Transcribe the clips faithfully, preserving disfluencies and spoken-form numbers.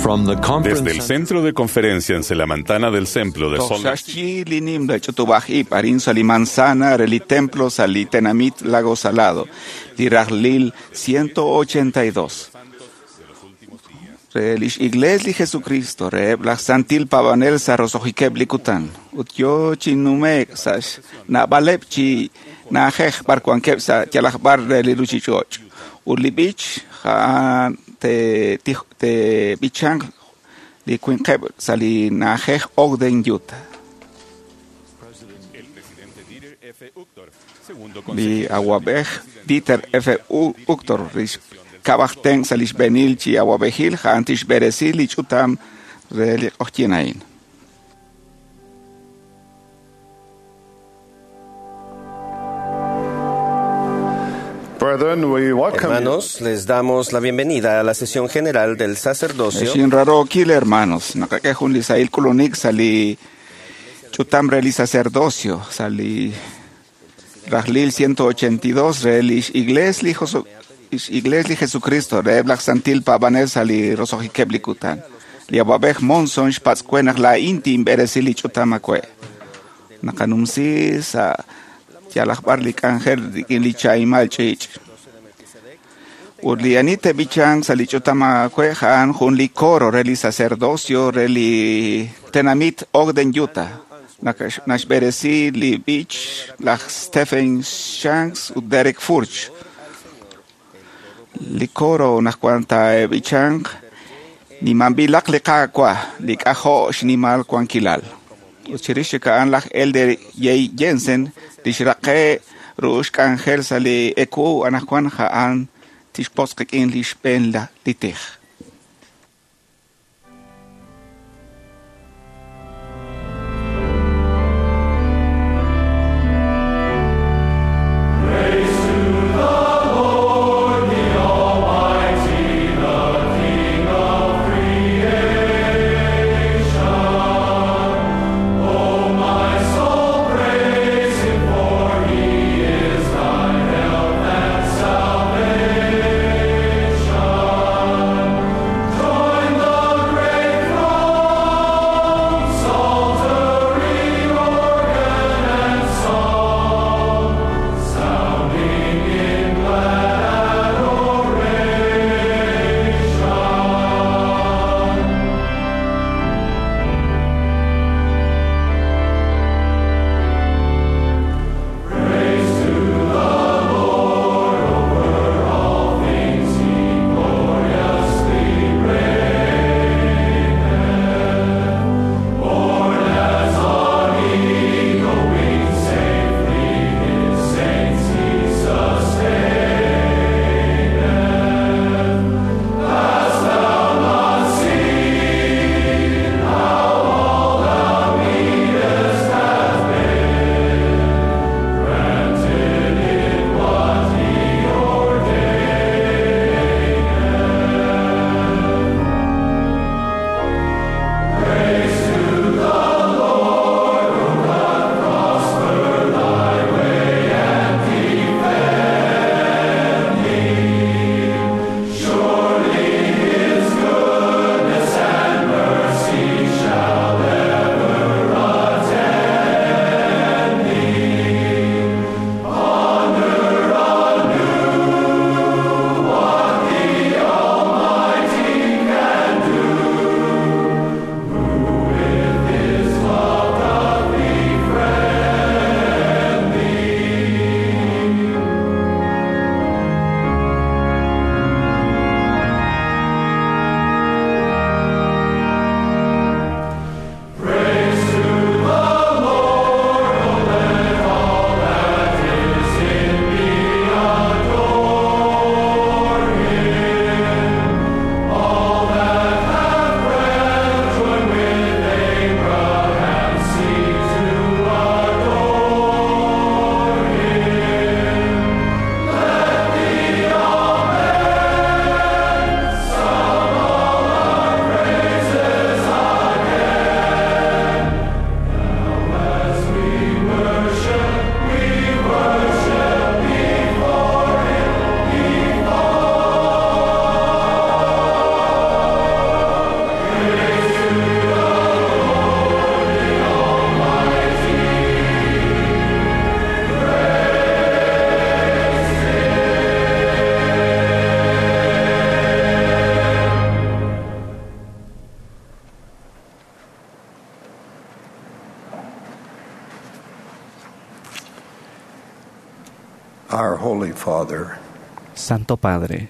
From the conference Desde el Centro de Conferencia en Selamantana del Templo de Salt Lake Toxaxchi linim la ch'utub'aj ib' arin sa li manzana re li templo sa li tenamit Lago Salado, li rajlil ciento ochenta y dos. Re lix iglesia li Jesucristo, re laj santil pavanel sa rosohikeb li kutan. Ut yo chi numek sa na'baleb chi na'ajej barkuankeb sa yalaj bar re li ruchich'och. Ut li b'ich ja'an te, te, te b'ichanq li winqeb sa li na'ajej Ogden, Utah. El presidente Dieter F. Uchtdorf, segundo Li consejero awab'ej Dieter F. Uchtdorf, rix kab'ajten sa lix b'enil chi awab'ejil ja'an tixb'eresi li ch'utam re li q'ojyin a'in. Brethren, we welcome you. Hermanos, les damos la bienvenida a la sesión general del sacerdocio. Xin raro kil hermanos, naqak'ej jun li sahil k'ulunik sa li ch'utam re li sacerdocio, sa li rajlil ciento ochenta y dos re li iglesia li Josu-, iglesia li Jesucristo, re laj santil pavanel sa li rosohikeb li kutan. Li awab'ej Monson xpatz'kuen naq la inti inb'eresi li ch'utam akwe. Naqanumsi sa yalaj b'ar li k'anjel rik'in li chaimal ch'ich'. Ut li ani teb'ichanq sa li ch'utam akwe ja'an jun li coro re li sacerdocio re li tenamit Ogden, Utah. Nakax-, naxb'eresi li b'ich laj Stephen Shanks ut Derek Furch. Li coro najkuan ta b'ichanq nimanb'ilaq li Qaawa' li k'ajo' xnimal wankilal. Ut chirix chik a'an laj Elder Jay Jensen li xraqe' ru'ux k'anjel sa li eku anajkuan ja'an tixpotz' qik'in li xb'een la li tij. Salvation. Our Holy Father, Santo Padre,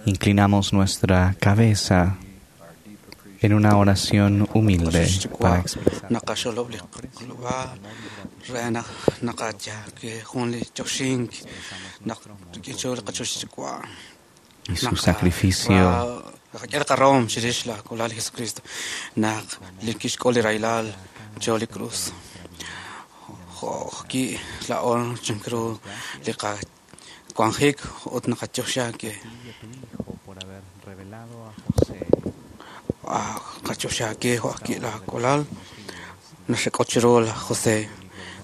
inclinamos nuestra cabeza en una oración humilde para expresar naqaxolob li q'olb'al re naq naqatyake jun li choxink naq rik'in li qachoxchiwa' y su sacrificio naqak'e qarom chirix la kolal Jesucristo naq li kixk'ol li raylal cho li cruz jo' ki la'on chinkru li qawanjik ut naqatyoxake por haber revelado a José qachoxake jo' ki la kolal naxek'ochiru la José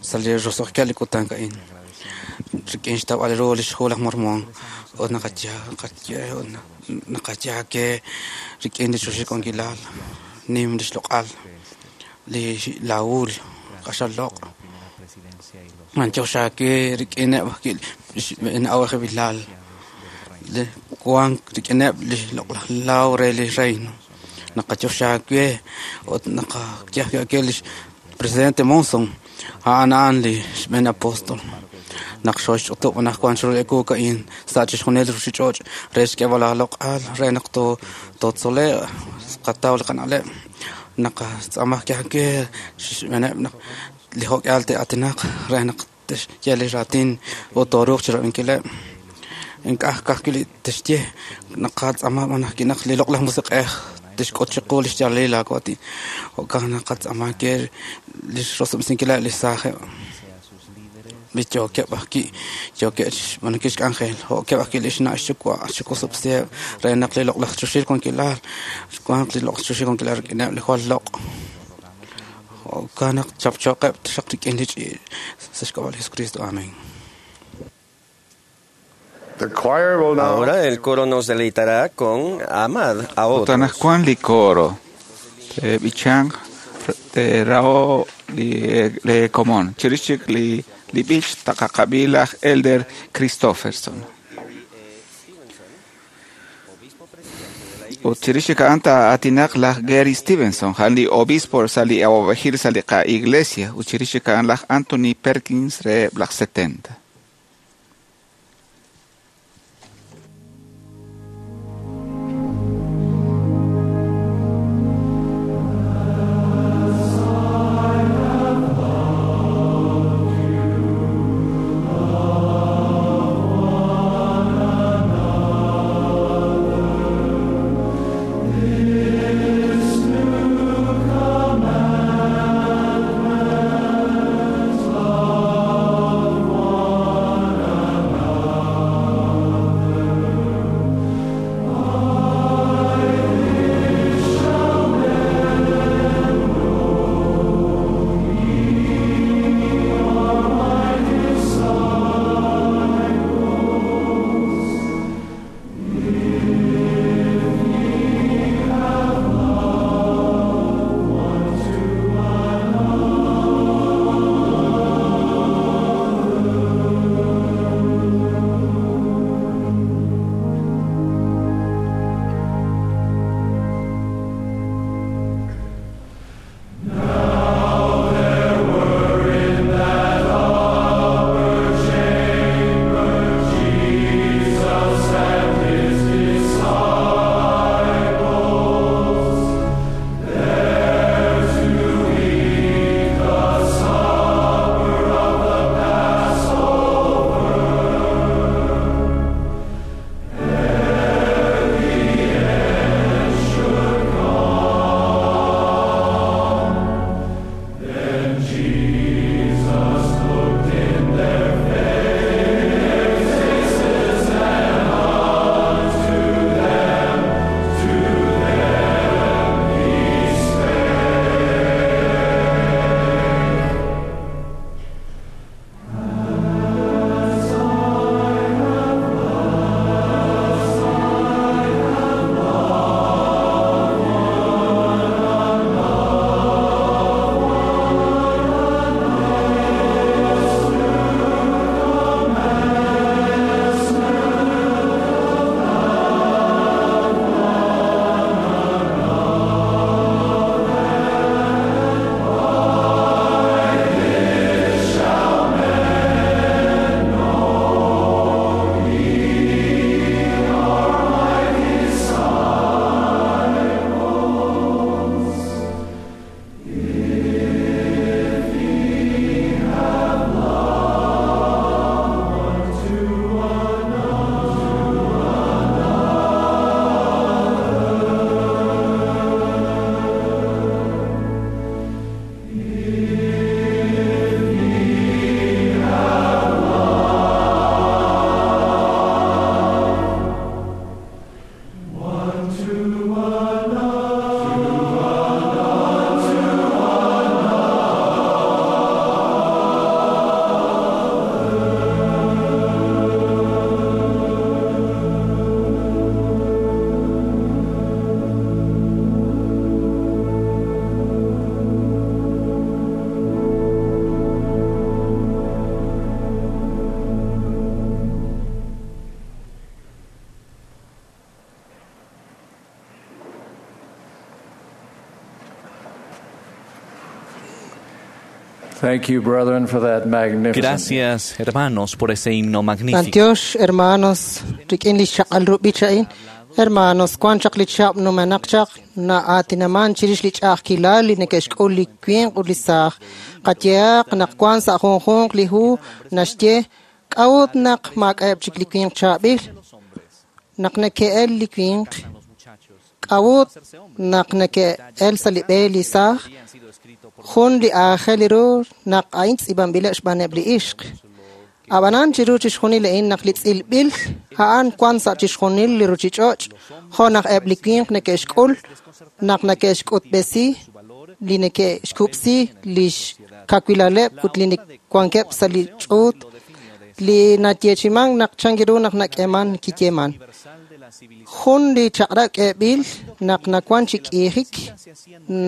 sa li roso'jkal li kutan ka'in rik'in xtawb'al ru li xhu laj Mormón ut naqatya qatye ut naqatyake rik'in li xoxik'onkilal nim li xloq'al li laul q'axal loq' la primera presidencia y los manchoxake rik'ineb' ki xb'een li wan rik'ineb' li loq'laj law re li reino naqachoxake ut naqakyajke li presidente Monson a'an a'an li xb'een apóstol naq xoxch'utub' anaqwan chiru li ka'in sa' chixjunil ruchich'och' re xk'eb'al aloq'al re naq to tootzole' qataw li qana'leb' naqatz'amaj kyajke xb'eeneb' naq li jo'k'al te'atinaq re naq texye li raatin ut tooruuq chirab'inkileb' ink'aj kajwi' li texye naqatz'ama b'an ajwi' naq li loq'laj musiq'ej tixk'ut chiqu li xyaalil laawaatin jo'kan naqatz'ama ke li xrosob'sinkileb' li saajeb' li yookeb' ajwi' yookeb' xb'aanunkil xk'anjel jo'keb' ajwi' li xna' xyuwa' xik'usob'siheb' re naq li loq'laj chuxil wankilal wanq li loq'laj chuxil wankilal rik'ineb' li jwal loq' jo'kan naq chapchoqeb' xaq rik'in li ch'iich' sa' xk'ab'a' li Jesucristo amén. The choir will now Ahora el coro nos deleitará con Amad a Ut otros. anaqwan li coro te b'ichanq te rao li le komon chirix chik li li b'ich taqaqab'i laj Elder Christofferson ut chirix chik a'an taa'aatinaq laj Gary Stevenson a'an li obispo sa' li awab'ejil sa' li qa'iglesia ut chirix chik a'an laj Anthony Perkins reheb' laj setenta. Love Thank you, brethren, for that magnificent. Gracias, hermanos, por ese himno magnífico. Antiox, hermanos, rik'in li xchaq'al ru b'ich a'in. Hermanos, wan chaq li chab' numenaq chaq na'aatinaman chirix li ch'a'ajkilal li neke'xk'ul li winq ut li saaj. Qayehaq naq wan sa' junjunq li hu naxye k'a'ut naq maak'a'eb' chik li winq chaab'il, naq neke'el li winq, k'a'ut naq neke'el sa' li b'e li saaj, jun li aajel ru naq a'in tz'iib'anb'ileb' xb'aaneb' li ixq. Ab'anan chiru chixjunil a'in naq li tz'ilb'il a'an wan sa' chixjunil li ruchich'och', jo' naq eb' li winq neke'xk'ul, naq neke'xk'utb'esi, li neke'xkub'si li xkawilaleb' ut li wankeb' sa' li ch'uut, li nayeechiman naq chankiru naq nak'eeman kiyeeman. Jun li chaq'rab' k'eeb'il naq nawan chi k'iijik,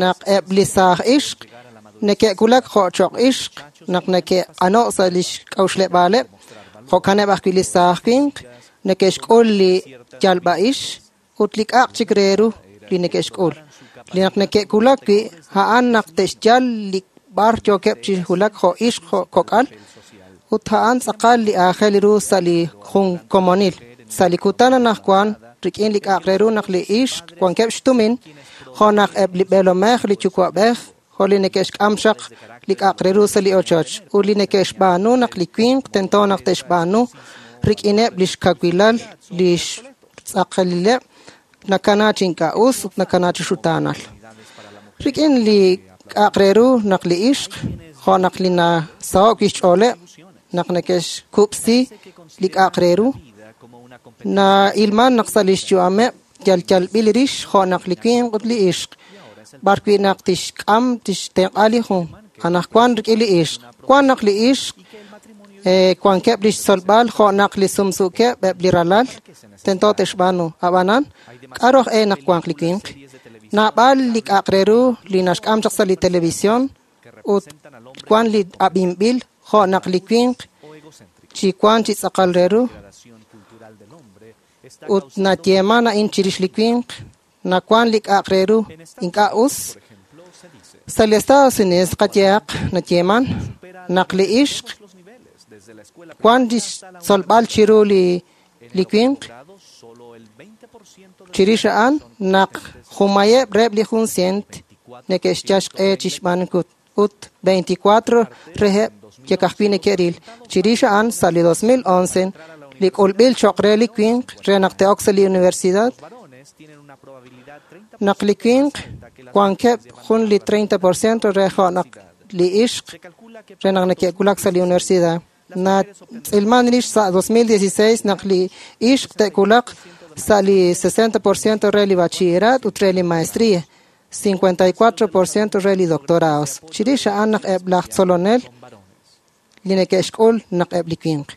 naq eb' li saaj ixq neke'kulak jo' choq' ixq, naq neke'q'ano' sa' li xk'a'uxleb'aaleb', jo'kaneb' ajwi' li saaj winq neke'xk'ul li yalb'a'ix ut li k'a'aq chik re ru li neke'xk'ul. Li naq neke'kulak wi' a'an naq te'xyal li b'ar yookeb' chi hulak jo' ixq jo' kok'al, ut a'an tz'aqal li aajel ru sa' li jun komonil. Sa' li kutan anaqwan rik'in li k'a'aq re ru naq li ixq wankeb' xtumin, jo' naq eb' li b'eelomej li yuwa'b'ej, jo' li neke'xk'am chaq li k'a'aq re ru sa' li ochoch, ut li neke'xb'aanu naq li winq tento naq te'xb'aanu rik'ineb' li xkawilal li xtz'aqalileb' nakana chi ink'a' us ut nakana chi xutaanal. Rik'in li k'a'aq re ru naq li ixq, jo' naq li nasaho'k wi' xch'ooleb', naq neke'xkub'si li k'a'aq re ru, na'ilman naq sa' li xyu'ameb' yal yalb'il rix jo' naq li winq ut li ixq, b'ar wi' naq tixk'am tixtenq'a li jun, anaqwan rik'in li ixq. Wan naq li ixq wankeb' li xtzolb'al jo' naq li sumsuukeb' eb' li ralal tento te'xb'aanu. Ab'anan, k'a'ru aj e naq wanq li winq? Naab'al li k'a'aq re ru li naxk'am chaq sa' li televisión ut wan li ab'inb'il jo' naq li winq chi wan chi tz'aqal re ru ut nayeeman a'in chirix li winq, nawan li k'a'aq re ru ink'a' us. Sa' li Estados Unidos qayehaq nayeeman naq li ixq wan li xtzolb'al chiru li li winq, chirix a'an naq jumayeb' reheb' li jun cient neke'xyal xq'e chi xb'aanunkil ut veinticuatro reheb' yek ajwi' neke'ril. Chirix a'an sa' li dos mil once li k'ulb'il choq' re li winq re naq te'ok sa' li universidad, naq li winq wankeb' jun li treinta por ciento re jo' naq li ixq re naq neke'kulak sa' li universidad. Natz'ilman rix sa' dos mil dieciséis naq li ixq te'kulaq sa' li sesenta por ciento re li bachillerat ut re li maestría, cincuenta y cuatro por ciento re li doctorados. Chirix a'an naq eb' laj tzolonel li neke'xk'ul naq eb' li winq.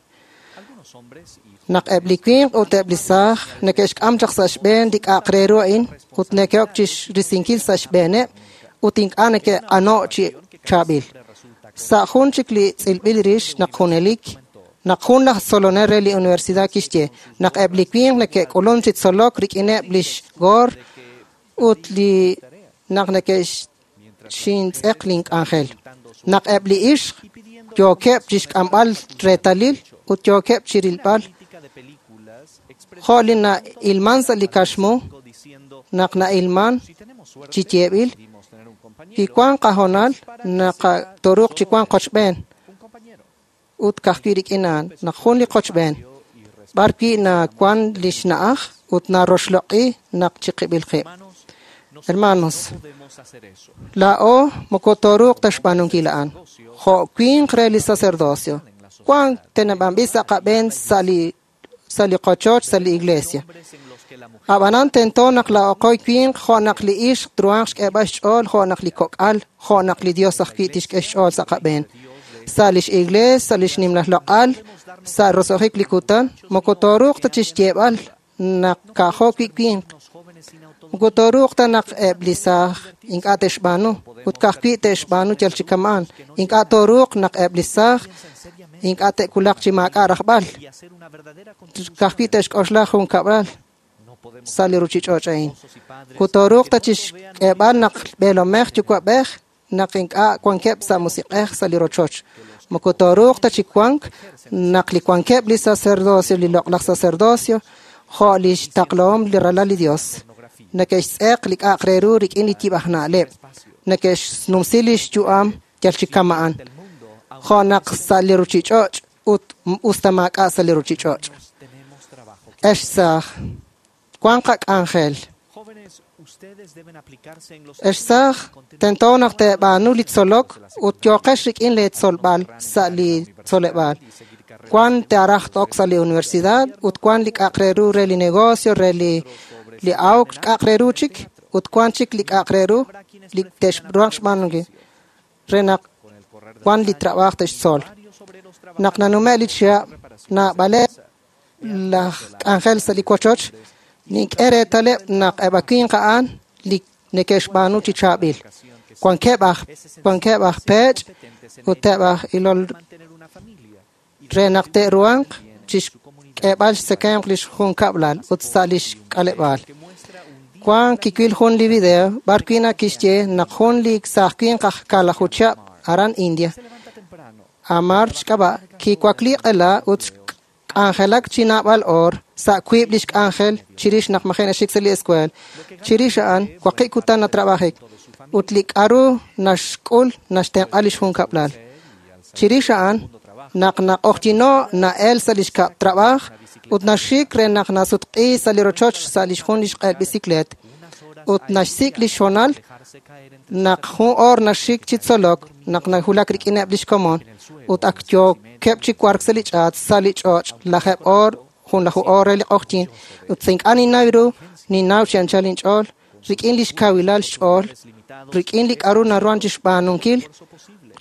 Naq eb' li winq ut eb' li saaj neke'xk'am chaq sa' xb'een li k'a'aq re ru a'in ut neke'ok chi risinkil sa' xb'eeneb' ut ink'a' neke'q'ano' chi chaab'il. Sa' jun chik li tz'ilb'il rix naq junelik, naq jun laj tzolonel re li universidad kixye naq eb' li winq neke'k'ulun chi tzolok rik'ineb' lix goor ut li naq neke'xintz'eq link'anjel. Naq eb' li ixq yookeb' chi xk'amb'al reetalil ut yookeb' chi rilb'al jo' li na'ilman sa' li kaxmu, naq na'ilman chi yeeb'il, kiwan qahoonal naq toruuq chi wank qochb'een ut ka'ajwi' rik'in a'an, naq jun li qochb'een, b'ar wi' nawan li xna'aj ut naroxloq'i naq chiqib'il qib'. Hermanos, laa'o moko toruuq ta xb'aanunkil a'an, jo' winq re li sacerdocio, wan teneb'anb'il sa' qab'een sa' li sa' li qochoch sa' li iglesia. Ab'anan tento naq laa'oqoy winq jo' naq li ixq truhanq xk'eeb'al xch'ool jo' naq li kok'al jo' naq li Dios ajwi' tixk'e xch'ool sa' qab'een. Sa' lix iglees, sa' lix nimla loq'al, sa' roso'jik li kutan, moko toruuq ta chi xyeeb'al naq ka'jo' wi' winq. Moko toruuq ta naq eb' li saaj ink'a' te'xb'aanu ut ka'ajwi' te'xb'aanu yal chi kama'an. Ink'a' toruuq naq eb' li saaj ink'a' te'kulaq chi maak'a' rajb'al, ka'ajwi' te'xk'oxla jun kab'al sa' li ruchich'och' a'in. Ut toruuq ta chi xk'eeb'al naq b'eelomej yuwa'b'ej naq ink'a' wankeb' sa' musiq'ej sa' li rochoch. Moko tooruuq ta chi wank naq li wankeb' li sacerdocio, li loq'laj sacerdocio, jo' li xtaqlahom li ralal li Dios. Neke'xtz'eq li k'a'aq re ru rik'in li yib' aj na'leb'. Neke'xnumsi li xyu'am yal chi kama'an. Jo' naq sa' li ruchich'och' ut us ta maak'a' sa' li ruchich'och'. Ex saaj, wan qak'anjel. Ex saaj, tento naq teeb'aanu li tzolok ut yooqex rik'in lee tzolb'al sa' li tzoleb'aal. Wan te'araj ok sa' li universidad ut wan li k'a'aq re ru re li negocio, re li li awk k'a'aq re ru chik ut wan chik li k'a'aq re ru li te'xruhaq xb'aanunkil re naq wan li trabaaj te'xtzol. Naq nanume' li chihab' naab'aleb' laj k'anjel sa' li wochoch nink'e reetaleb' naq eb' winq a'an li neke'xb'aanu chi chaab'il. Wankeb' aj wankeb' aj peech' ut eb' aj ilol re naq te'ruhanq chi xk'eeb'al xtzekemq li xjunkab'lal ut sa' li xk'aleb'aal. Wan kiwil jun li video b'ar wi' nakixye naq jun li saaj winq aj kaalaju chihab' aran India, Amar xk'ab'a' kiwakli q'ela ut k'anjelak chi naab'al oor sa' wiib' li xk'anjel chirix naq maji' naxik sa' li escuela. Chirix a'an waqib' kutan natrabajik ut li k'aru naxk'ul naxtenq'a li xjunkab'lal. Chirix a'an naq naq'ojyino' na'el sa' li xkab' trabaaj ut naxik re naq nasutq'i sa' li rochoch sa' li xjun li xq'el biciclet ut naxsik' li xhonal naq jun oor naxik chi tzolok naq najulak rik'ineb' li xkomon ut ak yookeb' chi wark sa' li ch'aat sa' li ch'och' lajeb' oor jun laju oor re li q'ojyin ut sa' ink'a' ninnaw ru ninnaw chi anchal inch'ool rik'in li xkawilal xch'ool rik'in li k'aru naruhan chi xb'aanunkil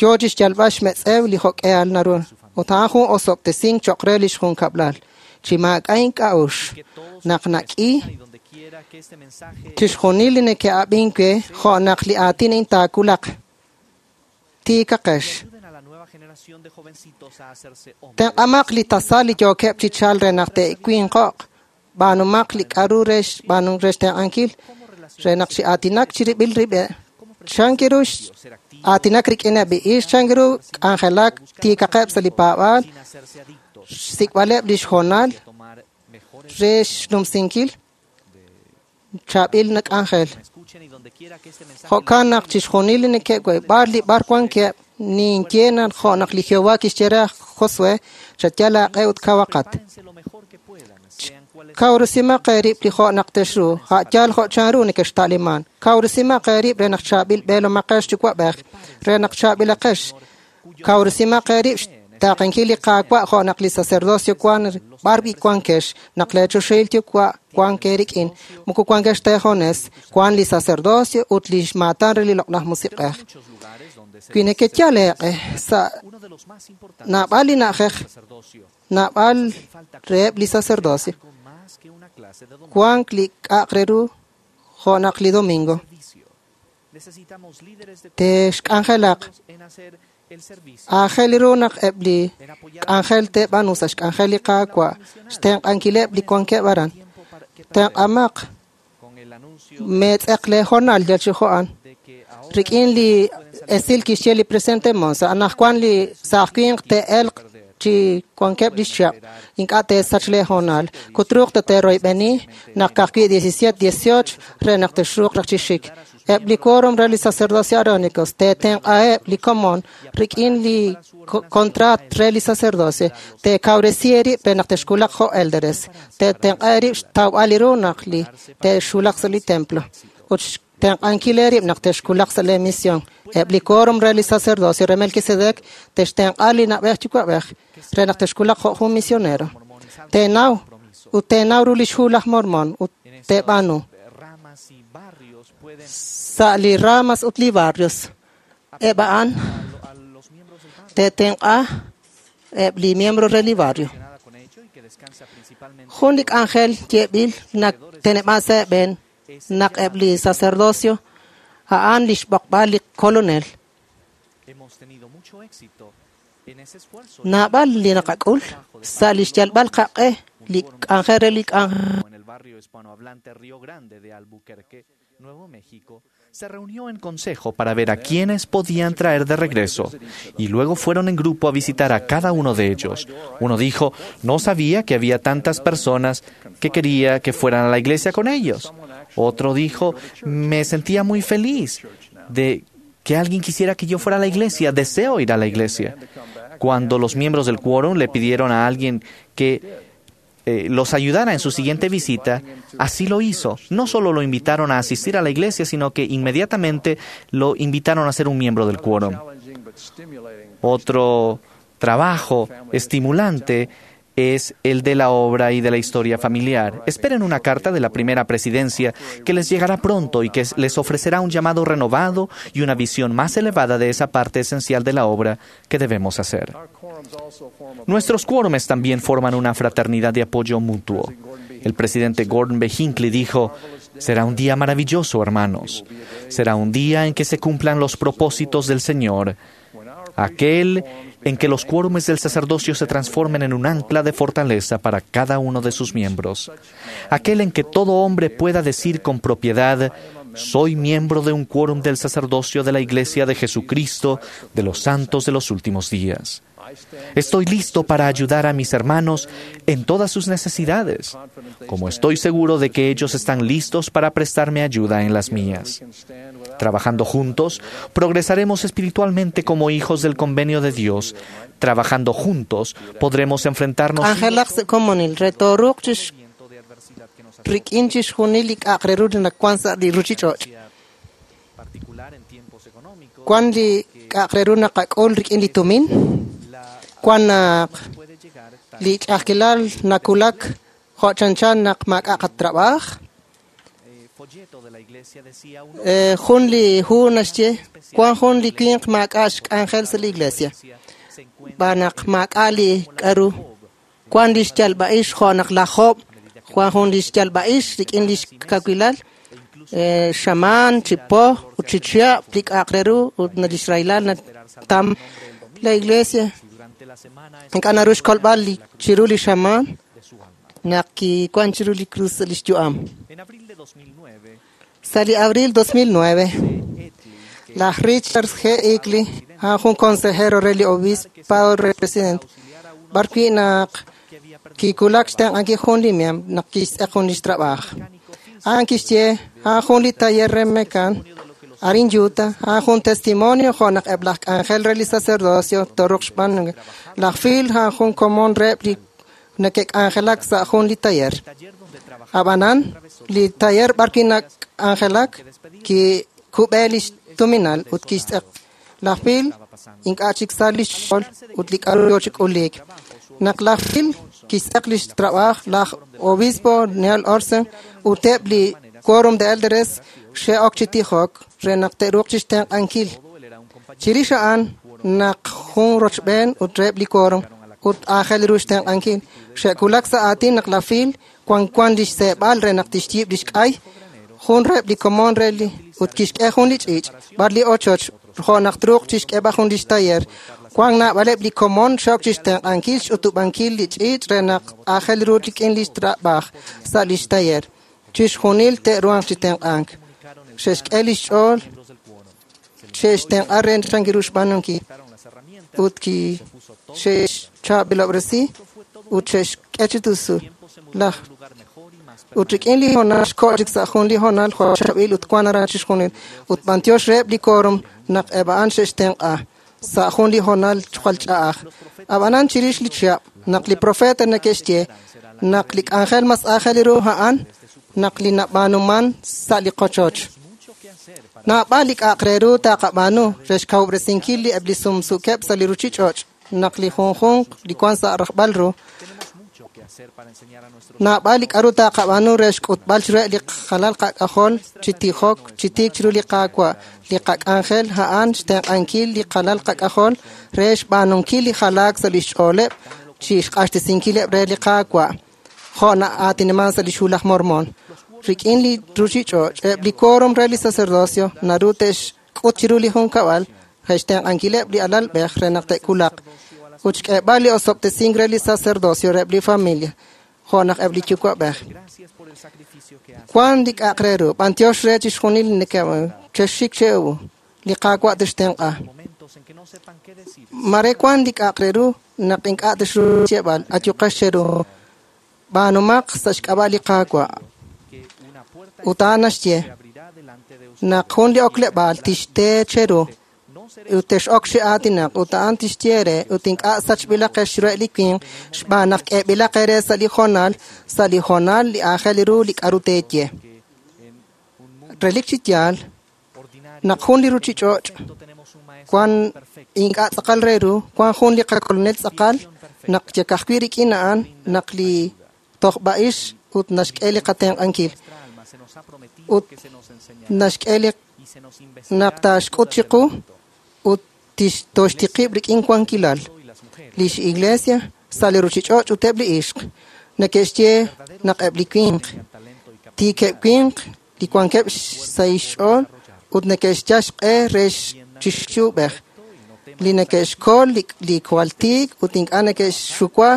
yoo chi xyalb'al xmetz'ew li jo'k'ehal naru ut a'an jun osob'tesink cho'q re li xjunkab'lal chi maak'a' ink'a'uxl naq nak'i chixjunil li neke'ab'ink we jo' naq li aatin a'in taakulaq tiikaqex. Tenq'amaq li tasal li yookeb' chi chal re naq te'winqo'q b'aanumaq li k'aru re xb'aanunk re xtenq'ankil re naq chi aatinak chirib'il rib'eb' chan ru aatinak rik'ineb' li ix chan ru k'anjelak tiikaqeb' sa' li paab'aal xsik'b'aleb' li xhoonal re xnumsinkil chaab'il nak'anjel. Jo'kan naq chixjunil li neke'we b'ar li b'ar wankeb' ninye naq jo' naq li Jehová kixye re aj Josué chatyal aaq'e ut kawaqat. Kawresimaq eerib' li jo' naq texru a' yaal jo' chanru nekexta'liman. Kawresimaq eerib' re naq chaab'il b'eelomaqex yuwa'b'ej re naq chaab'ilaqex. Kawresimaq eerib' xtaaqenkil li Qaawa' jo' naq li sacerdocio wan b'ar b'i wankex naq leechoxahil yuwa' wank eerik'in moko wankex teejones wan li sacerdocio ut li xmaatan re li loq'laj musiq'ej. Wi nekeyal eeq'e sa' naab'al li na'ajej naab'al reheb' li sacerdocio wank li k'a'aq re ru jo' naq li domingo texk'anjelaq aajel ru naq eb' li k'anjel teeb'aanu sa' xk'anjel li Qaawa' xtenq'ankileb' li wankeb' aran. Tenq'amaq meetz'eq leehoonal yal chi jo'an rik'in li esil kixye li presidente Monson anaqwan li saaj winq te'elq chi wankeb' li xchihab' ink'a' teesach leehoonal kutruuq ta teeroyb'eni naq ka'ajwi' diecisiete dieciocho re naq texruuq raj chi xik. Eb' li quórum re li sacerdocio aarónicos teetenq'aheb' li komon rik'in li contrat re li sacerdocio teekawresi eerib' re naq texkulaq jo' elderes teetenq'a eerib' xtawb'al li ru naq li te'xulaq sa' li templo ut xtenq'ankil eerib' naq texkulaq sa' lee misión. Eb' li quórum re li sacerdocio re Melquisedec textenq'a li na'b'ej yuwa'b'ej re naq texkulaq jo' jun misionero. Teenaw ut teenaw ru li xhu laj Mormon ut teeb'aanu sa' li ramas ut li barrios. Eb' a'an teetenq'a eb' li miembro re li barrio. Jun li k'anjel yeeb'il naq teneb'an sa' eeb'en naq eb' li sacerdocio a'an li xb'oqb'al li kolonel. Naab'al li naqak'ul sa' li xyalb'al qaq'e li k'anjel re li k'anjel. En el barrio hispanohablante Río Grande de Albuquerque, Nuevo México, Se reunió en consejo para ver a quiénes podían traer de regreso, y luego fueron en grupo a visitar a cada uno de ellos. Uno dijo, no sabía que había tantas personas que quería que fueran a la iglesia con ellos. Otro dijo, me sentía muy feliz de que alguien quisiera que yo fuera a la iglesia, deseo ir a la iglesia. Cuando los miembros del quórum le pidieron a alguien que eh, los ayudara en su siguiente visita, así lo hizo. No solo lo invitaron a asistir a la iglesia, sino que inmediatamente lo invitaron a ser un miembro del quórum. Otro trabajo estimulante es el de la obra y de la historia familiar. Esperen una carta de la primera presidencia que les llegará pronto y que les ofrecerá un llamado renovado y una visión más elevada de esa parte esencial de la obra que debemos hacer. Nuestros quórumes también forman una fraternidad de apoyo mutuo. El presidente Gordon B. Hinckley dijo, «Será un día maravilloso, hermanos. Será un día en que se cumplan los propósitos del Señor. Aquel en que los quórumes del sacerdocio se transformen en un ancla de fortaleza para cada uno de sus miembros. Aquel en que todo hombre pueda decir con propiedad, soy miembro de un quórum del sacerdocio de la Iglesia de Jesucristo de los santos de los últimos días. Estoy listo para ayudar a mis hermanos en todas sus necesidades, como estoy seguro de que ellos están listos para prestarme ayuda en las mías. Trabajando juntos, progresaremos espiritualmente como hijos del convenio de Dios. Trabajando juntos, podremos enfrentarnos Cuando li ch'ajkilal nakulak jo'chanchan naq maak'a qatrab'aj jun li hu naxye wan jun li winq maak'a xk'anjel sa' li iglesia b'anaq maak'a li k'aru wan li xyalb'a'ix jo' naq laj Job wan jun li xyalb'a'ix rik'in li xkawilal xamaan chi po ut chi chihab' li k'a'aq re ru ut li xraylal natam la iglesia ink'a' naru xkolb'al chiru li xamaan naq kiwan chiru li cruz li xyu'am. Sa' li abril dos mil nueve, laj Richard G. Ickley, a'an jun consejero re li obispado re presidente, b'ar wi' naq kikulak xtenq'ankil jun li miembro naq kixtz'eq jun li xtrab'aaj. A'an kixye a'an jun li taller re mekan arin Utah, a'an jun testimonio jo' naq eb' laj k'anjel re li sacerdocio toruq xb'aan laj Phil a'an jun komon reheb' li neke'k'anjelak sa' jun li taller. Ab'anan, li taller b'ar wi' nak'anjelak kikub'e li xtuminal ut kixtz'eq. Laj Phil ink'a' chik sa' li xch'ool ut li k'aru yo chi k'uliik. Naq laj Phil kixtz'eq li xtrab'aaj, laj obispo Neil Olsen ut eb' li quórum de elders xe'ok chi tijok re naq te'ruuq chi xtenq'ankil. Chirix a'an naq jun rochb'een ut reheb' li quórum ut aajel ru xtenq'ankil. Xe'kulak sa' aatin naq laj Phil wan wan li xseeb'al re naq tixyiib' li xk'ay jun reheb' li komon re li ut kixk'e jun li ch'iich' b'ar li ochoch jo' naq truuq chixk'eb'al jun li xtaller. Wan naab'aleb' li komon xe'ok chi xtenq'ankil xch'utub'ankil li ch'iich' re naq aajel ru rik'in li xtrab'aaj sa' li xtaller. Chixjunil te'ruhanq chi tenq'ank. Xe'xk'e li xch'ool xe'xtenq'a re chankiru xb'aanunkil ut ki xe'xchaab'ilob'resi ut xe'xk'e chi tusu laj ut rik'in li honal xko' chik sa' jun li honal jo' chaab'il ut wan aran chixjunil ut b'antiox reheb' li quórum naq eb' a'an xe'xtenq'a sa' jun li honal jwal ch'a'aj. Ab'anan chirix li chihab' naq li profeta neke'xye naq li k'anjel mas aajel ru a'an naq li nab'aanuman sa' li qochoch. Naab'al li k'a'aq re ru taqab'aanu re xkawub'resinkil li eb' li sumsukeb' sa' li ruchich'och' naq li junjunq li wan sa' rajb'al ru. Naab'al li k'aru taqab'aanu re xk'utb'al chiruheb' li qalal qak'ajol chi tijok chi tiik chiru li Qaawa'. Li qak'anjel a'an xtenq'ankil li qalal qak'ajol re xb'aanunkil li jalaak sa' li xch'ooleb' chi xq'axtesinkileb' re li Qaawa'. Jo' na'aatinaman sa' li xhu laj Mormon. Rik'in li ruchich'och' eb' li quórum re li sacerdocio naru te'xk'ut chiru li junkab'al re xtenq'ankileb' li alalb'ej re naq te'kulaq ut xk'eeb'al li osob'tesink re li sacerdocio reheb' li familia. jo' naq eb' li yuwa'b'ej. Wan li k'a'aq re ru, b'antiox re chixjunil chexxik che'u, li Qaawa' tixtenq'a. Mare wan li k'a'aq re ru naq ink'a' tixru xyeeb'al, ayuqex cheru. B'aanumaq sa' xk'ab'a' li Qaawa'. Ut a'an naxye naq jun li okleb'aal tixte cheru ut tex'ok chi aatinaq ut a'an tixye re ut ink'a' sachb'ilaqex chiruheb' li winq xb'aan naq k'eeb'ilaq eere sa' li hoonal sa' li hoonal li aajel ru li k'a'ru teeye. Relik chi yaal naq jun li ruchich'och' wan ink'a' tz'aqal re ru, wan jun li qakolonel tz'aqal naq yakajwi' rik'in a'an naq li tojb'a'ix ut naxk'e li qatenq'ankil ut naxk'e li naq taaxk'ut chiqu ut toxtiqib' rik'in wankilal. Lix iglesia sa' li ruchich'och' ut eb' li ixq neke'xye naq eb' li winq tiikeb' winq li wankeb' sa' xch'ool ut neke'xyal xq'e re chixyub'ej li neke'xkol li jwal tiik ut ink'a' neke'xxuwa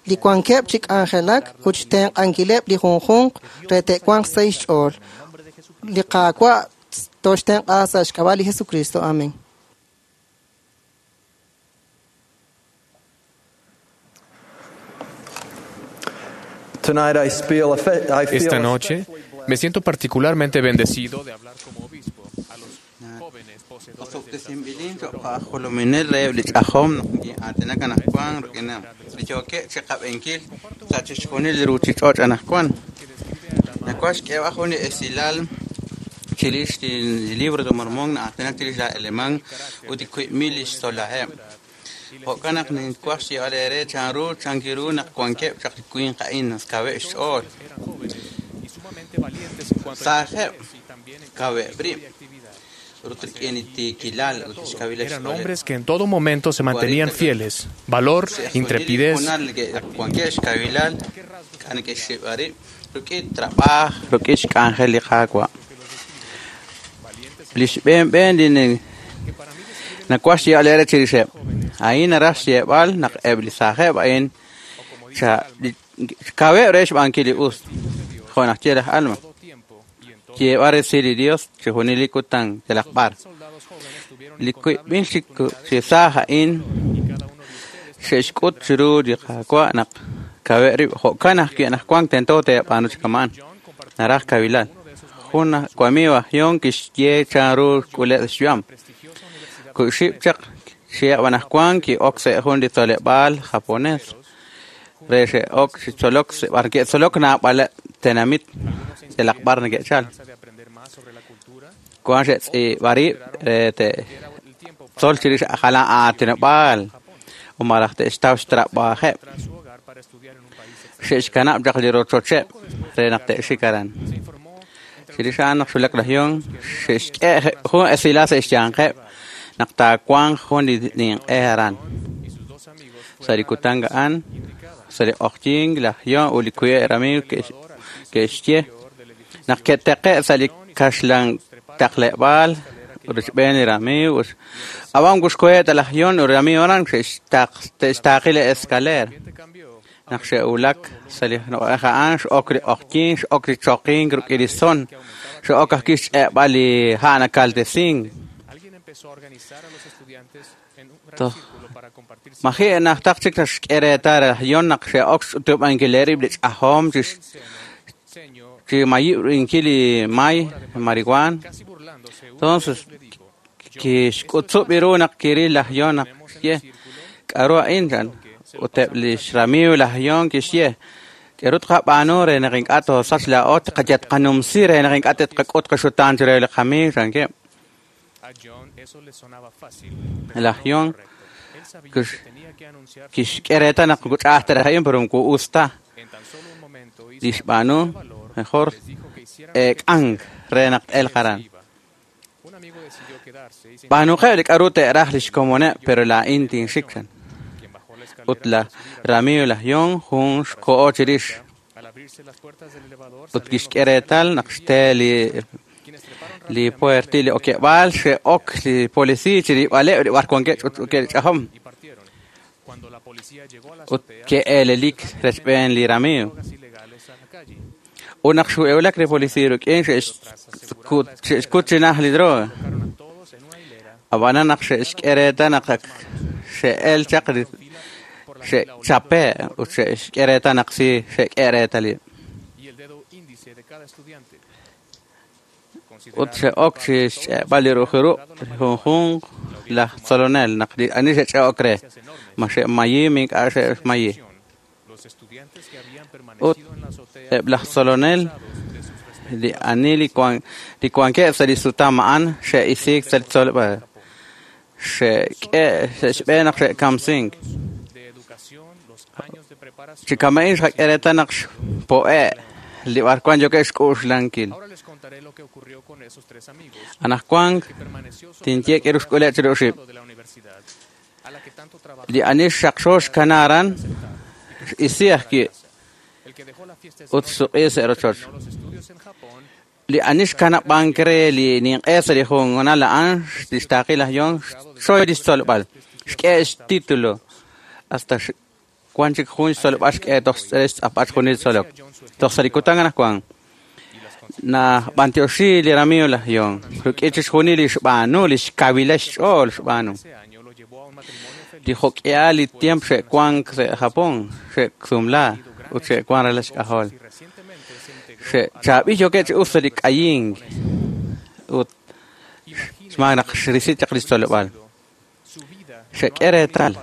li wankeb' chi k'anjelak ut xtenq'ankileb' li junjunq re te'wanq sa' xch'ool. Li Qaawa' toxtenq'a sa' xk'ab'a' li Jesucristo. Amén. Esta noche me siento particularmente bendecido de hablar como obispo a los jóvenes poseedores del libro de Mormón alemán jo'kan ninkuaj xyeeb'al eere chanru chankiru naq wankeb' chaq li winq a'in kaweb' xch'ool saajeb' kaweb' rib' ut rik'in li tiikilal ut xkawileb' Eran hombres que en todo momento se mantenían fieles, valor, intrepidez. Wankeb' xkawilal k'a neke'xxib'a rib' rik'in trab'aaj rik'in xk'anjel li Qaawa' li xb'een b'een li nakuaj xyeeb'al eere chirixeb' a'in naraj xyeeb'al naq eb' li saajeb' a'in kaweb' re xb'aankil li us jo' naq ye laj Alma yeeb'al resil li Dios chixjunil li kutan yalaq b'ar li wiib'il chi saaj a'in xe'xk'ut chiru li Qaawa' naq kaweb' rib' jo'kan ajwi' anaqwan tento teeb'aanu chi kama'an naraj kawilal jun wamiiw aj Yon kixye chanru xk'uleb' xyu'am ku'xib' chaq xyeeb' anaqwan ki'ok sa' jun li tzoleb'aal japonés re xe'ok chi tzolok b'ar ke'tzolok naab'aleb' tenamit yalaq b'ar neke'chal wan xe'tz'iib'a rib' re te'tzol chirix jalan aatinob'aal ut malaj te'xtaw xtrab'ajeb' xe'xkanab' chaq li rochocheb' re naq te'xik aran chirix a'an naq xwulak laj Yon xe'xk'e jun esilal sa' xyanqeb' naq taawanq jun li ninq'e aran sa' li kutan a'an sa' li q'oqyink laj Yon ut li wiib' ramiiw ke'xye naq ke'teqe' sa' li kaxlan taqleb'aal rochb'een li ramiiw ab'an kuxkoheb' ta laj Yon ut ramiiw aran te'xtaaqi li escalera naq xe'wulak sa' li na'aj a'an x'ok li q'oqyink x'ok li choqink rik'in li son xe'ok ajwi' xch'e'b'al li ha' nakaltesink maji' najtaq chik naxk'e reetal laj Yon naq xe'ok xch'utub'ankil rib' li ch'ajom chi mayib'inkil li may marihuana entonces kixk'utzub' ru naq kiril laj Yon naq xye k'aru a'in chan ut eb' li xramiiw laj Yon kixye k'eru tqab'aanu re naq ink'a' toosach laa'o tqayatqanumsi re naq ink'a' te'tqak'ut qaxutaan chiru li qamiiw chankeb' laj Yon kixk'e reetal naq ch'a'aj ta raj a'in pero moko us ta li xb'aanu mejor eek'ank re naq t'elq aran b'aanuqeb' li k'aru te'raj li xkomoneb' pero laa'in tinxik chan ut laj ramiiw laj Yon jun xko'o chirix ut kixk'e reetal naq xte li li puerti li okeb'aal xe'ok li polisiiy chirib'aleb' li b'ar wankeb' ch'utch'uukeb' li ch'ajom ut ke'eelelik rechb'een li ramiiw Ut naq xu'ewlak li polisiiy rik'in xe'xkut chi naj li droga. Ab'anan naq xe'xk'e reetal naq ak xe'el chaq xe'chape' ut xe'xk'e reetal naq si xe'k'e reetalil. Ut xe'ok chi xch'e'b'al li ru'uj junjunq laj tzolonel naq li ani xe'ch'e'ok re ma xe'mayi ink'a' xe'mayi. Ut eb' laj tzolonel li ani li wankeb' sa' li sutam a'an xe'isiik sa' li tzoleb'aal. Xe'k'e xe'xb'een naq xe'kamsink. Chi kama'in xqak'e reetal naq xpo'e' li b'arwan yookeb' xk'uxlankil. Anaqwan tinye k'e ruxk'uleb' chi ruxib'. Li ani xaqxo xkana aran x'isi ajwi' ut xsuq'i sa' rochoch. Li ani xkanab'ank re li ninq'e sa' li jungonal a'an li xtaaqil laj Yon xchoy li xtzolb'al. Xk'e xtítulo hasta wan chik jun xtzolb'al xk'e toj xtz'apb'al junil tzolok. Toj sa' li kutan anaqwan nab'antioxi li ramiiw laj Yon rik'in chixjunil li xb'aanu li xkawila xch'ool xb'aanu. Li jok'ihal li tiempo xe'wank sa' Japón xe'sumla ut xe'wan ralal xk'ajol. Xe'chaab'il yookeb' chi us sa' li k'ayink ut xmaak naq xrisi chaq li xtzoleb'aal. Xe'k'e reetal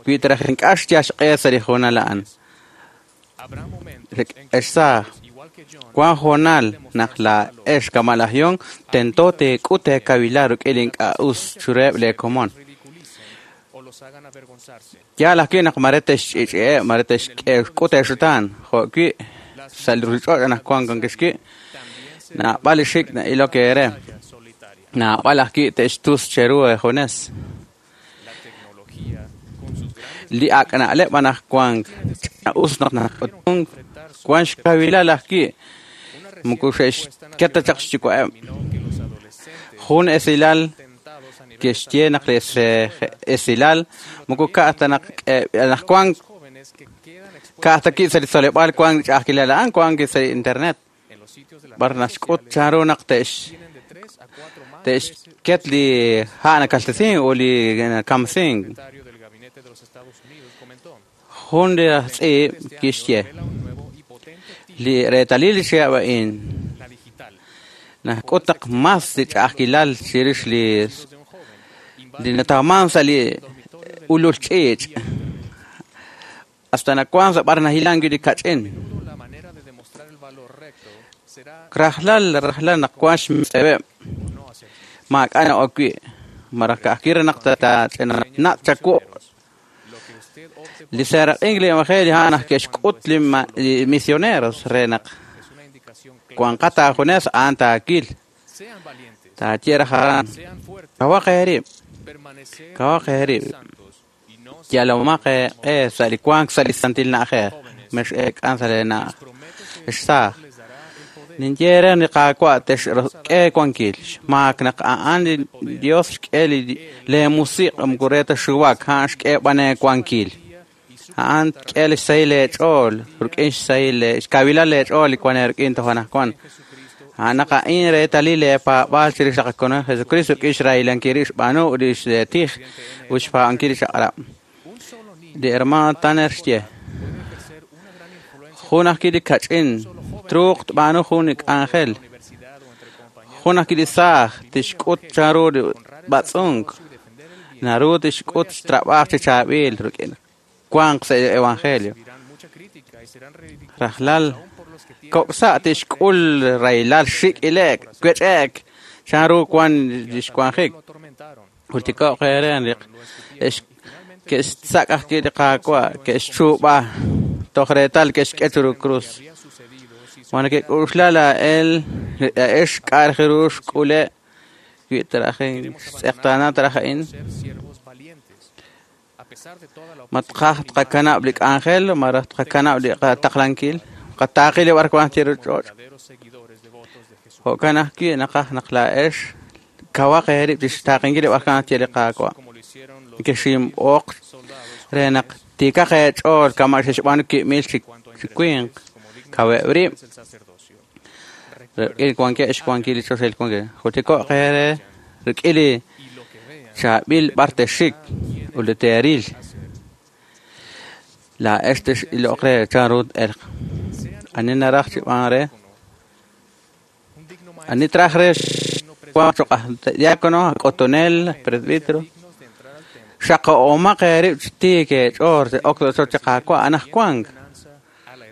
wi taraj ink'a' xyal xq'e sa' li hoonal a'an. Ex saaj, wan hoonal naq laa'ex kama' laj Yon tento teek'ut eekawilal rik'in li ink'a' us chireheb' leekomon. Yaal ajwi' naq mare te'xch'i'ch'i'eb', mare te'xk'ut eexutaan, jo'wi' sa' li ruuchich'och' anaqwan wankexwi' naab'al li xik' na'ilok eere. Naab'al ajwi' te'xtus cheru eejunes. Li ak' na'leb' anaqwan us naq nak'utunk wan xkawilal ajwi' moko xe'xket ta chaq xyuwa'eb'. Jun esilal kixye naq li esilal moko ka'aj ta naq anaqwan ka'aj ta ki' sa' li tzoleb'aal wan ch'a'ajkilal a'an wan sa' li internet. B'ar naxk'ut chanru naq te'x te'xket li ha' nakaltesink ut li nakamsink. Jun li aj tz'iib' kixye li reetalil li chihab' a'in nak'ut naq mas li ch'a'ajkilal chirix li li natawman sa' li ulul ch'iich' hasta nawan sa' b'ar nahilan wi' li kach'in. Rajlal rajlal naq wan xmetz'eweb' maak'a' na'ok wi' maraj ka'ajwi' re naq taach'inanaq chawu'. Li seeraq'ink li evangelio a'an naq ke'xk'ut li misioneros re naq wanqat aajunes a'an taakil. Taaye raj aran kawaq eerib', kawaq eerib'. Yalomaq eeq'e sa' li wank sa' li santil na'ajej mex'eek'an sa' leena'aj. Ex saaj, ninye re li Qaawa' texk'e wankil xmaak naq a'an li Dios xk'e li leemusiq' moko re ta xuwak a'an xk'e b'an eewankil. A'an tk'e li xsahil leech'ool rik'in xsahil xkawilal leech'ool li wan eerik'in toj anaqwan. A'an naq a'in reetalil leepaab'aal chirix li qaKolonel Jesucristo rik'in xrahilankil rib' xb'aanu ut li xtij ut xpaab'ankil li chaq'rab'. Li hermano Tanner xye jun ajwi' li kach'in truuq tb'aanu jun li k'anjel. Jun ajwi' li saaj tixk'ut chanru li b'atz'unk naru tixk'ut xtrab'aaj chi chaab'il rik'in wanq sa' evangelio. Rajlal kok'sa' tixk'ul rahilal xik' ilek wech'ek chanru wan li xwanjik. Jultiko'q eere ex ke'xsak' ajwi' li Qaawa' ke'xchuub'a toj reetal ke'xk'e chiru krus. Ma neke'k'uxla laa'el laa'ex k'a' raj ru xk'ule' wi' taraj xtz'eqtaana taraj a'in. Ma tqaj tqakanab' li k'anjel malaj tqakanab' li qataqlankil qataaqil li b'arwan chiru ch'och'. Jo'kan ajwi' naqaj naq laa'ex kawaq eerib' chi xtaaqenkil li b'arwan chiru li Qaawa'. Ke'xinb'oq re naq tiikaq eech'ool kama' xe'xb'aanu ki'mil chi winq. Kaweb' rib' rik'in wankeb' xwankil li choxahil wankil. Jultiko'q eere rik'in li chaab'il b'ar texxik ut li teeril. Laa'ex tex'iloq re chanru t-elq. Ani naraj chi b'an re? Ani traj re xwanq choq' aj diácono, aj k'utunel, presbítero. Xaqo'omaq eerib' chi tiik eech'ool ok sa' chi Qaawa' anajwank.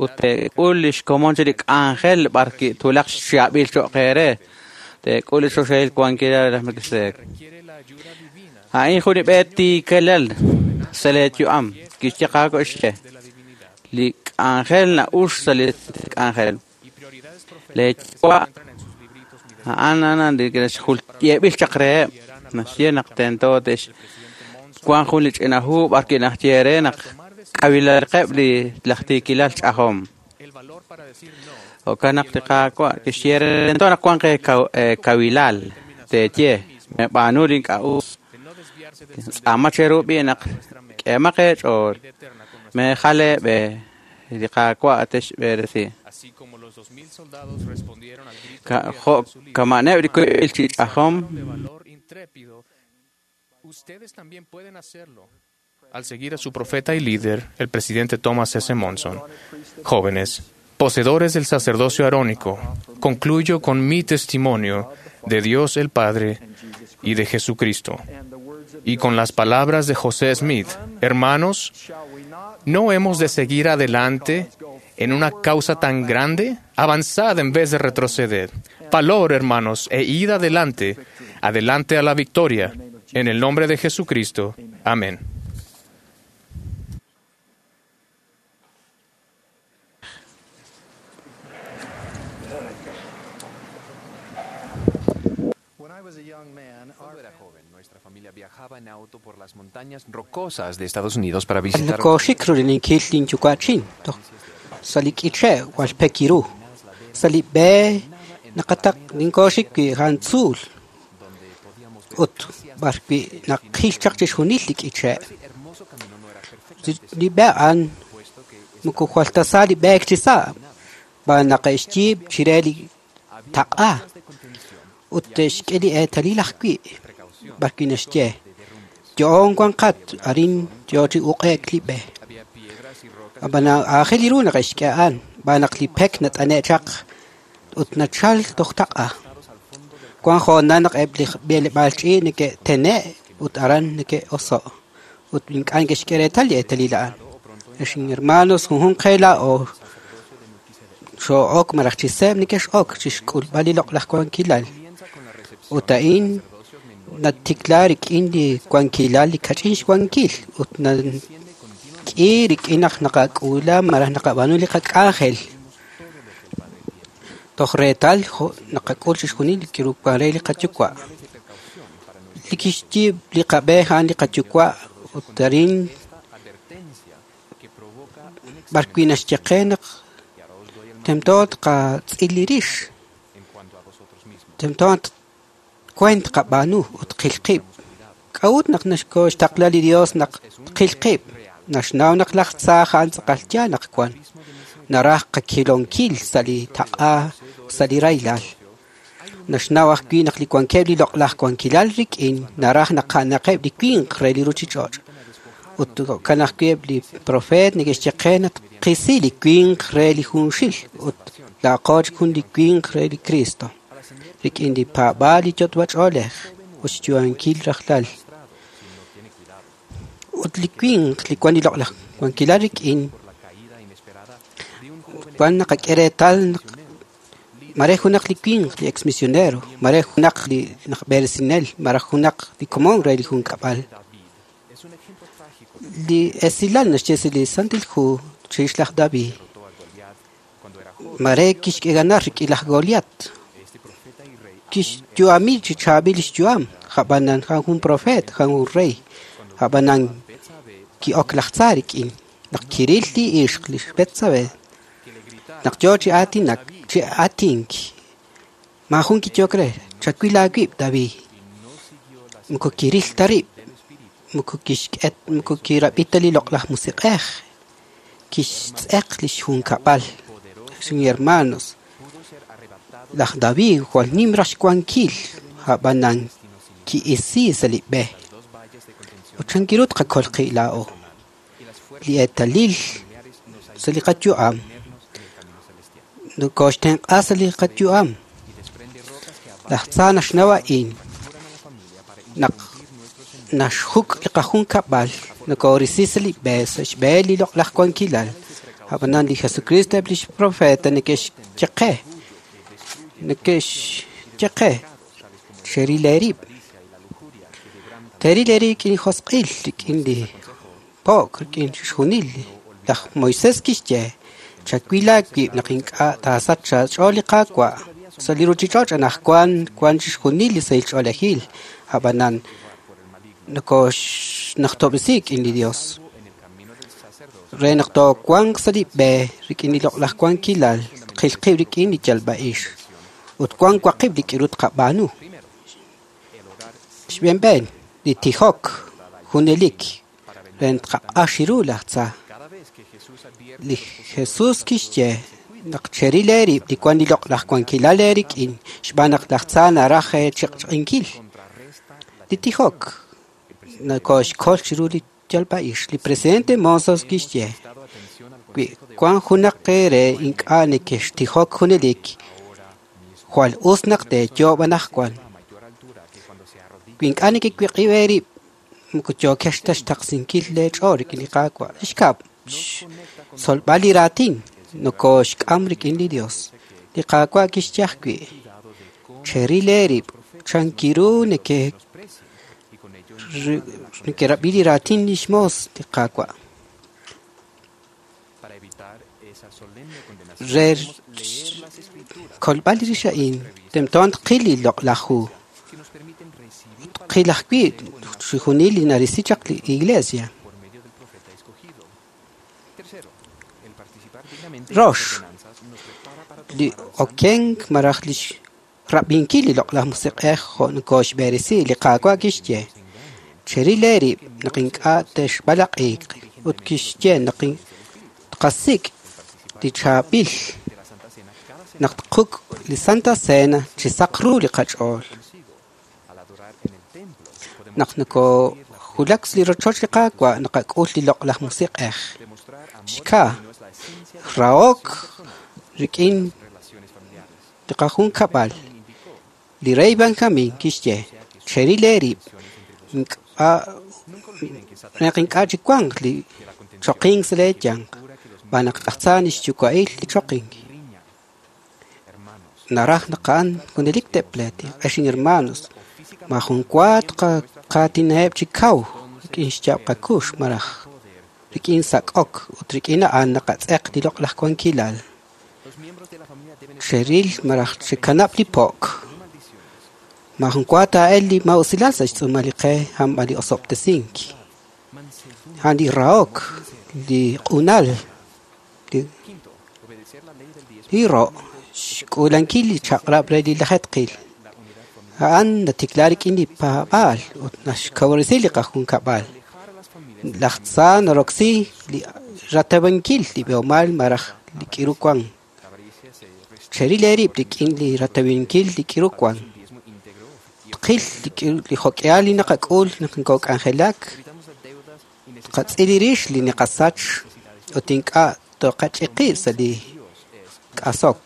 Ut teek'ul li xkomon chi li k'anjel b'ar ki'tulaq xchaab'il cho'q eere. Teek'ul li choxahil wankilal laj Melquisedec. A'in jun li b'e tiikelal sa' leeyu'am. Kixye Qaawa' xye. Li k'anjel na'ux sa' li k'anjel. Leeyuwa' a'an a'an li yeeb'il chaq reheb'. Naxye naq tento tex wank jun li ch'ina hu b'ar ki'najye re naq k'awilalqeb' li laj tiikilal ch'ajom. Jo'kan naq li Qaawa' kixye re tento naq wanq eekawilal teeye meb'aanu li ink'a' us. Tz'aama cheru b'i' naq k'eemaq eech'ool meejal eeb'e li Qaawa' texb'eresi. Jo' kama'neb' li wiib'il chi ch'ajom. Ustedes también pueden hacerlo al seguir a su profeta y líder, el presidente Thomas S. Monson. Jóvenes, poseedores del sacerdocio arónico, concluyo con mi testimonio de Dios el Padre y de Jesucristo. Y con las palabras de José Smith, hermanos, ¿no hemos de seguir adelante en una causa tan grande? Avanzad en vez de retroceder. Valor, hermanos, e id adelante, adelante a la victoria. En el nombre de Jesucristo. Amén. Cuando era joven, nuestra familia viajaba en auto por las montañas rocosas de Estados Unidos para visitar. Ut b'ar wi' naqil chaq chixjunil li k'iche'. Li b'e a'an moko jwal ta sa li b'eek chi sa' b'an naq xyiib' chire li taq'a ut te'xk'e li eetalil ajwi' b'ar wi' naxye yo'on wanqat arin yo chi uq'e'k li b'e. Ab'an aajel ru naq xk'e a'an b'an naq li pek nat'ane' chaq ut nachal toj taq'a. Wan hoonal naq eb' li b'eleb'aal ch'iich' neke'tene' ut aran neke'oso' ut ink'a' neke'xk'e reetal li eetalil a'an. Ex hermanos, junjunq qe laa'o xoo'ok malaj chi seeb' neke'x'ok chixk'ulb'al li loq'laj wankilal. Ut a'in natikla rik'in li wankilal li kach'in xwankil ut nak'i rik'in naq naqak'uula malaj naqab'aanu li qak'anjel. Toj reetal naqak'ul chixjunil li kiru re li qayuwa'. Li kixyiib' li qab'e a'an li qayuwa' ut arin b'ar wi' naxye qe naq tento tqatz'il li rix. Tento kuent qab'aanu ut qil qib'. K'a'ut naq naxkoxtaqla li Dios naq qil qib'. Naxnaw naq laj tza a'an tz'aqal yaal naq wan. Naraj qakilonkil sa' li taq'a sa' li rahilal. Naxnaw ajwi' naq li wankeb' li loq'laj wankilal rik'in naraj naq a'anaqeb' li winq re li ruchich'och'. Ut jo'kan ajwi' eb' li profeet neke'xye qe naq qisi li winq re li junxil ut laaqo chik jun li winq re li Cristo. Rik'in li paab'aal li yot'b'ach'oolej ut xyu'ankil rajlal. Ut li winq li wan li loq'laj wankilal rik'in wan naqak'e reetal naq mare junaq li winq li exmisionero, mare junaq li naq b'eresinel, mare junaq li komon re li junkab'al. Li esilal naxye sa' li Santil Hu chirix laj David. Mare kixk'e ganar rik'in laj Goliat. Kixyu'ami chi chaab'il xyu'am, jab'anan jan jun profeet, jan jun rey, jab'anan ki'ok laj tza rik'in. Naq kiril li ixq li xBetsabe. Naq yo chi aatinak, chi aatink. Maajun kiyok re, chawil aawib' David. Moko kiril ta rib', moko kixk'et, moko kirab'i ta li loq'laj musiq'ej. Kixtz'eq li xjunkab'al. Hermanos, laj David jwal nim raj xwankil ab'anan ki'isi sa' li b'e. Ut chankiru tqakol qib' laa'o. Li eetalil sa' li qayu'am nokoxtenq'a sa' li qayu'am. Laj tza naxnaw a'in naq naxjuk' li qajunkab'al nokorisi sa' li b'e sa' xb'e li loq'laj wankilal. Ab'anan li Jesucristo eb' lix profeta neke'xye qe neke'xye qe xeril eerib'. Teeril eerib' rik'in li josq'il, rik'in li po'k, rik'in chixjunil. Laj Moisés kixye chawil aawib' naq ink'a' taasach aach'ool li Qaawa'. Sa' li ruchich'och' anaqwan wan chixjunil li sahil ch'oolejil, ab'anan nokoxnajtob'resi rik'in li Dios. Re naq toowanq sa' li b'e rik'in li loq'laj wankilal, tqil qib' rik'in li yalb'a'ix. Ut wan waqib' li k'iru tqab'aanu. Xb'eenb'een, li tijok junelik re tqaq'ax ru laj tza. Li Jesús kixye naq cheril eerib' li wan li loq'laj wankilal eerik'in xb'aan naq laj tza naraj eechiq'chiqinkil. Li tijok nokoxkol chiru li yalb'a'ix. Li presidente Monson kixye wi wan junaq eere ink'a' nekextijok junelik, jwal us naq teeyoob' anaqwan. Wi ink'a' nekewiq'ib' eerib' moko yookex ta xtaqsinkil leech'ool rik'in li Qaawa'. Xkab', xtzolb'al li raatin nokoxk'am rik'in li Dios. Li Qaawa' kixye ajwi' cheril eerib' chankiru neke nekerab'i li raatin lix moos li Qaawa'. Re xkolb'al li rix a'in tento tqil li loq'laj hu. Tqil ajwi' chixjunil li narisi chaq li iglesia. Rox, li okenk maraj li xrab'inkil li loq'laj musiq'ej jo' nokoxb'eresi li Qaawa' kixye cheril eerib' naq ink'a' texb'alaq'iq ut kixye naq tqasik' li chaab'il naq tquk' li Santa Cena chi saq ru li qach'ool. Naq nokojulak sa' li rochoch li Qaawa' naqak'ul li loq'laj musiq'ej. Xka, rahok rik'in li qajunkab'al. Li rey Benjamín kixye cheril eerib' ink'a' naq ink'a' chiwanq li choqink sa' leeyanq xb'aan naq laj tza nixyuwa'il li choqink. Naraj naq a'an junelik te'pleetiq. Ex hermanos, majun wa tqaatinaheb' chi kaw rik'in xyaab' qakux maraj rik'in sak'ok ut rik'in a'an naqatz'eq li loq'laj wankilal. Cheril maraj chekanab' li po'k. Majun wa taa'el li ma'usilal sa' xtz'uumal li qe hanb'al li osob'tesink. Han li rahok, li q'unal, li ro' xk'uulankil li chaq'rab' re li lajetqil. A'an natikla rik'in li paab'aal ut naxkawresi li qajunkab'al. Laj tza naroksi li ratawankil li b'eomal maraj li k'iru wan. Cheril eerib' rik'in li ratawankil li k'iru wan. Tqil li jok'ehal li naqak'ul naq nokok'anjelak. Tqatz'il rix li naqasach ut ink'a' toqach'iqib' sa' li k'asok.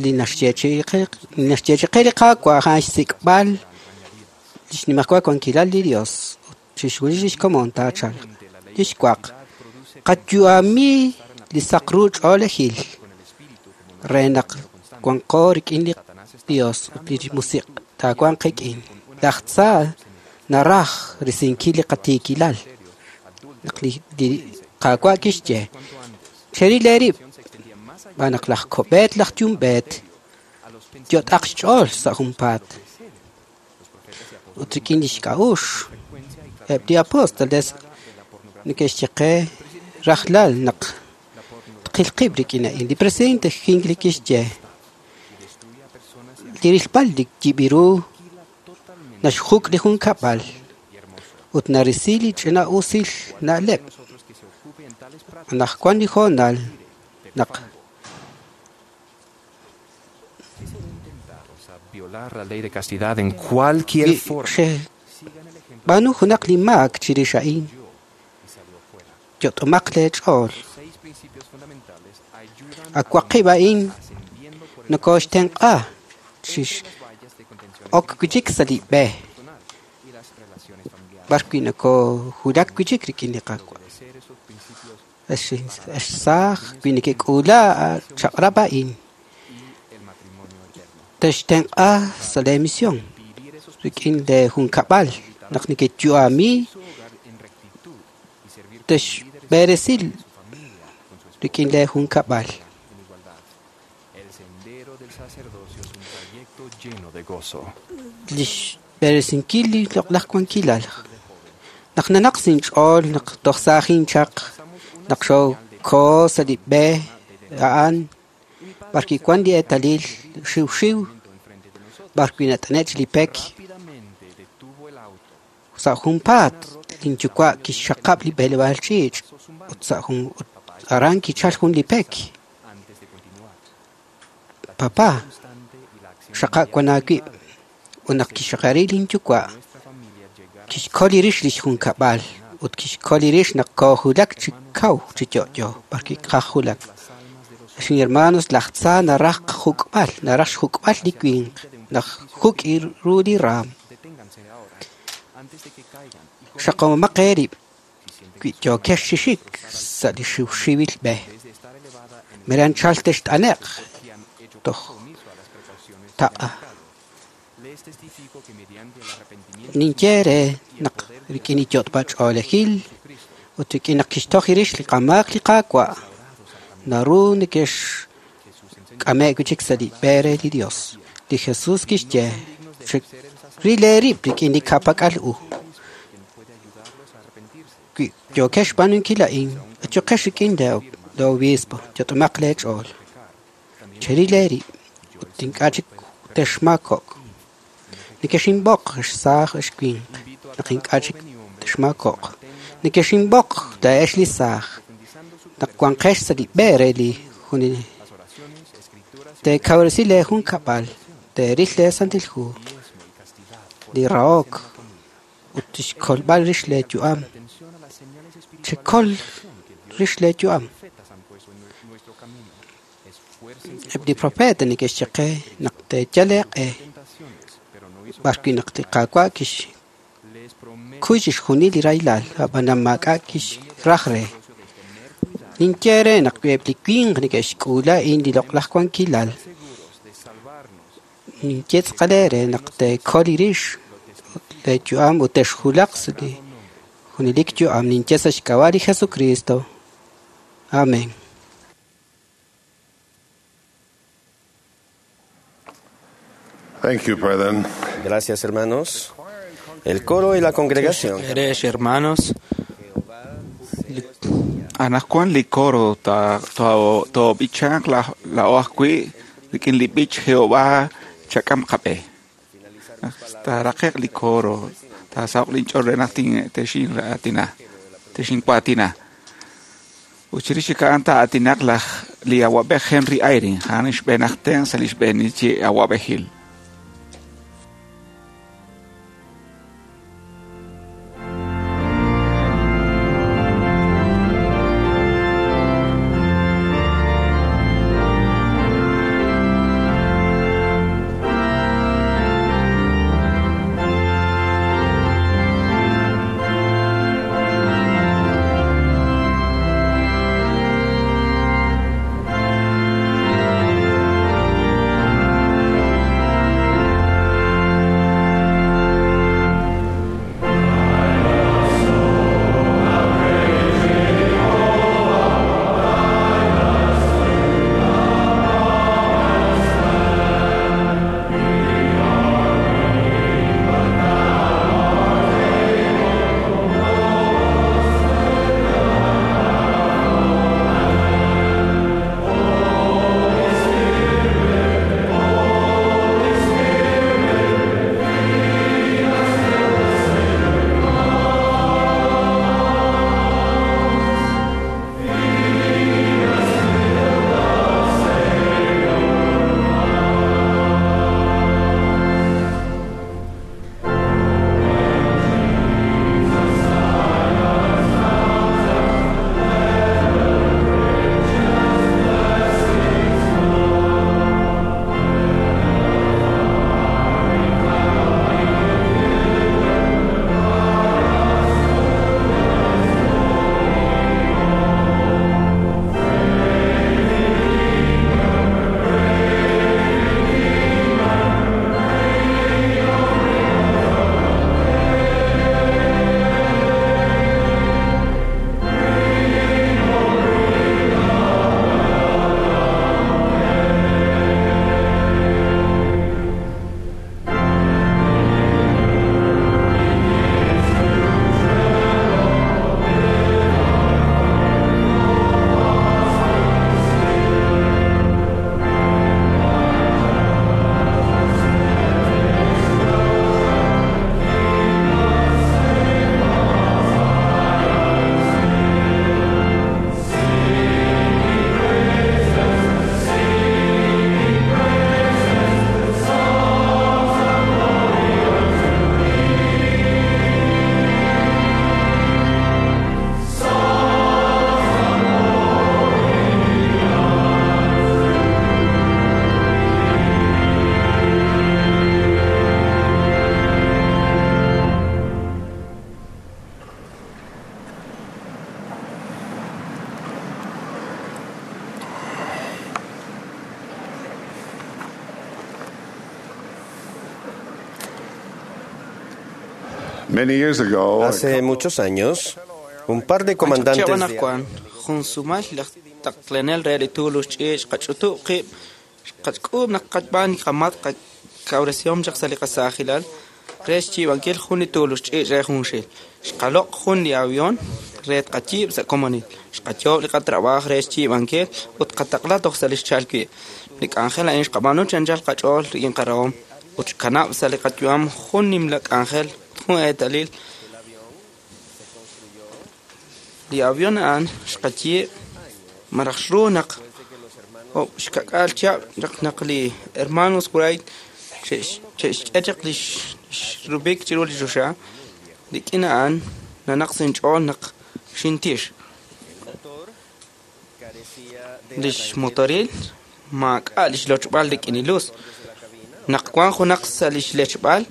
Li naxyeechi'i qe li Qaawa' a'an xsik'b'al li xnimajwal wankilal li Dios ut chixjunil lix komon taachalq. Li xwaq, qayu'ami li saq ru ch'oolejil re naq wanqo rik'in li Dios ut li musiq' taawanq qik'in. Laj tza naraj risinkil li qatiikilal. Naq li Qaawa' kixye cheril eerib' xb'aan naq laj kob'eet laj yumb'eet yot'aq xch'ool sa' junpaat. Ut rik'in li xk'a'uxl eb' li apóstoles neke'xye qe rajlal naq tqil qib' rik'in a'in. Li presidente Hinckley kixye li rilb'al li yib'iru naxjuk' li junkab'al ut narisi li ch'ina'usil na'leb'. Anaqwan li hoonal naq Violar la ley de castidad en cualquier forma. B'aanu junaq li maak chirix a'in. Yot'omaq leech'ool. Awaqib' a'in nokooxtenq'a chix ok wi' chik sa' li b'e b'arwi' nokoohulak wi' chik rik'in li Qaawa'. Ex saaj wi' nekek'uula chaq'rab' a'in textenq'a sa' leemisión rik'in leejunkab'al naq nekeyu'ami texb'eresi rik'in leejunkab'al. Lix b'eresinkil li loq'laj wankilal. Naq nanaq sinch'ool naq toj saajin chaq naq xokoo sa' li b'e a'an b'arwi' wan li eetalil xiwxiw b'arwi' nat'ane' li pek sa' junpaat linyuwa' kixxaqab' li b'eleb'aal ch'iich' ut sa' jun ut aran kichal jun li pek. Papá, xaqa' wan aawib' ut naq kixxaqari linyuwa' kixkol li rix lix junkab'al ut kixkol li rix naq koohulak chi kaw chi yo'yo b'arwi' qajulak. Ex hermanos, laj tza naraj juk'b'al, naraj xjuk'b'al li winq naq juk' ru li raam. Xaqomaq eerib' wi' yookex chi xik sa' li xiwxiwil b'e. Meranchal text'ane'q toj taq'a. Ninye re naq rik'in li yot'b'al ch'oolejil ut rik'in naq kixtoj rix li qamaak li Qaawa' naru nekexk'ame' wi' chik sa' li b'e re li Dios. Li Jesús kixye ril eerib' rik'in li ka'pak'al u. Wi' yookex xb'aanunkil a'in, achuqex rik'in le obispo, yot'omaq leech'ool. Cheril eerib' ut ink'a' chik texmaakok'. Nekexinb'oq ex saaj ex winq naq ink'a' chik texmaakok'. Nekexinb'oq laa'ex li saaj naq wanqex sa' li b'e re li junelik. Teekawresi leejunkab'al, teeril leesantil hu, li rahok ut tixkolb'al rix leeyu'am. Chekol rix leeyu'am. Eb' li profeta neke'xye qe naq teeyal eeq'e b'arwi' naq li Qaawa' kixkuy chixjunil li rahilal, ab'anan maak'a' kixraj re. Ninye re naq wi eb' li winq neke'xk'uula a'in li loq'laj wankilal. Ninye tz'aqal eere naq teekol rix leeyu'am ut texhulaq sa' li junelik yu'am. Ninye sa' xk'ab'a' li Jesucristo. Amén. Thank you, brethren. Gracias, hermanos. El coro y la congregación. Eres hermanos. Anajkuan li coro ta to to bichank la la oajwi rik'in li b'ich Jehová chak'am qab'e. Taraqeq li coro tasawq linch'ool re naq tin texin atina texin kuatina. Uchirix a'an ta'atinaq laj li awab'ej Henry Eyring a'an xb'eenajten sa' li xb'eenil chi awab'ejil. Many years ago, Hace muchos años, un par de comandantes de Juan, junsumal laj taqlenel re li tuulux ch'iich' qach'utub' qib' qach'k'uub' naq qachb'aan qamat qakawresihom chaq sa' li qasaajilal re xyiib'ankil jun li tuulux ch'iich' re junxil. Xqaloq' jun li avión re tqayiib' sa' komonil. Xqayoob' li qatrabaaj re xyiib'ankil ut qataqla toj sa' li xchal wi'. Li k'anjel a'in xqab'aanu chanchal qach'ool rik'in qarahom ut xkanab' sa' li qayu'am jun nimla k'anjel jun eetalil. Li avión a'an xqayiib' maraj xru naq ob' xkak'al chihab' naq naq li hermanos Wright xe'xk'e chaq li xrubik chiru li choxa rik'in a'an nanaq sa' inch'ool naq xintix. Li xmotoril maak'a' li xlochb'al rik'in li luz. Naq wan junaq sa' li xlechb'al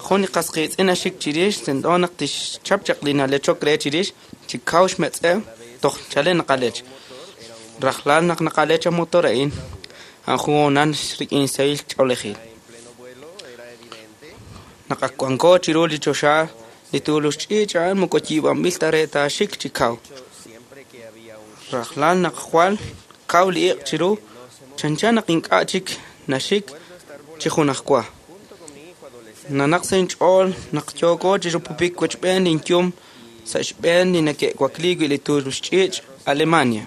jun li qas qiitz'in naxik chirix tento naq tixchap chaq li nalechok re chirix chi kaw xmetz'ew toj chalen naqalech. Rajlal naq naqalech a motor a'in a'an jun hoonal rik'in sahil ch'oolejil. Naq ak wanko chiru li choxa li tuulux ch'iich' a'an moko yiib'anb'il ta re taaxik chi kaw. Rajlal naq jwal kaw li iq' chiru chanchan naq ink'a' chik naxik chi junajwa. Nanaq sa' inch'ool naq yooko chi rupupik wechb'een linyum sa' xb'een li nake'wakli wi' li tuulux ch'iich' Alemania.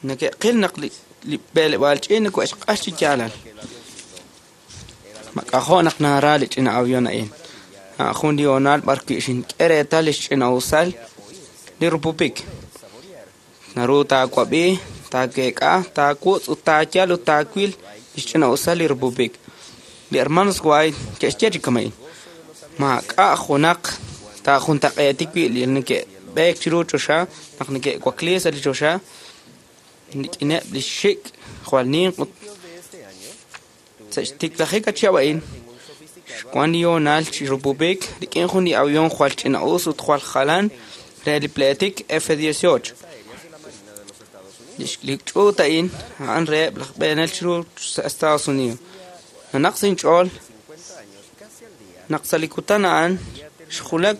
Nake'qil naq li li b'eleb'aal ch'iich' nako'xq'ax chi yaalal. Mak'ajo' naq nara li ch'ina avión a'in. A'an jun li hoonal b'ar wi' xink'e reetal li xch'ina'usal li rupupik. Naru taawab'i, taakeek'a, taawutz' ut taayal ut taawil li xch'ina'usal li rupupik. Li hermanos Wright ke'xye chi kama'in. Maak'a' junaq taajuntaq'eeti wi' li neke'b'eek chiru choxa naq neke'wakli sa' li choxa rik'ineb' li xik' jwal ninq ut sa' xtiklajik chihab' a'in xwan li hoonal chi rupupik rik'in jun li avión jwal ch'ina'us ut jwal jalan re li pleetik F dieciocho. Li ch'uut a'in a'an reheb' laj b'eenel chiru sa' Estados Unidos. Nanaq sa' inch'ool naq sa' li kutan a'an xjulak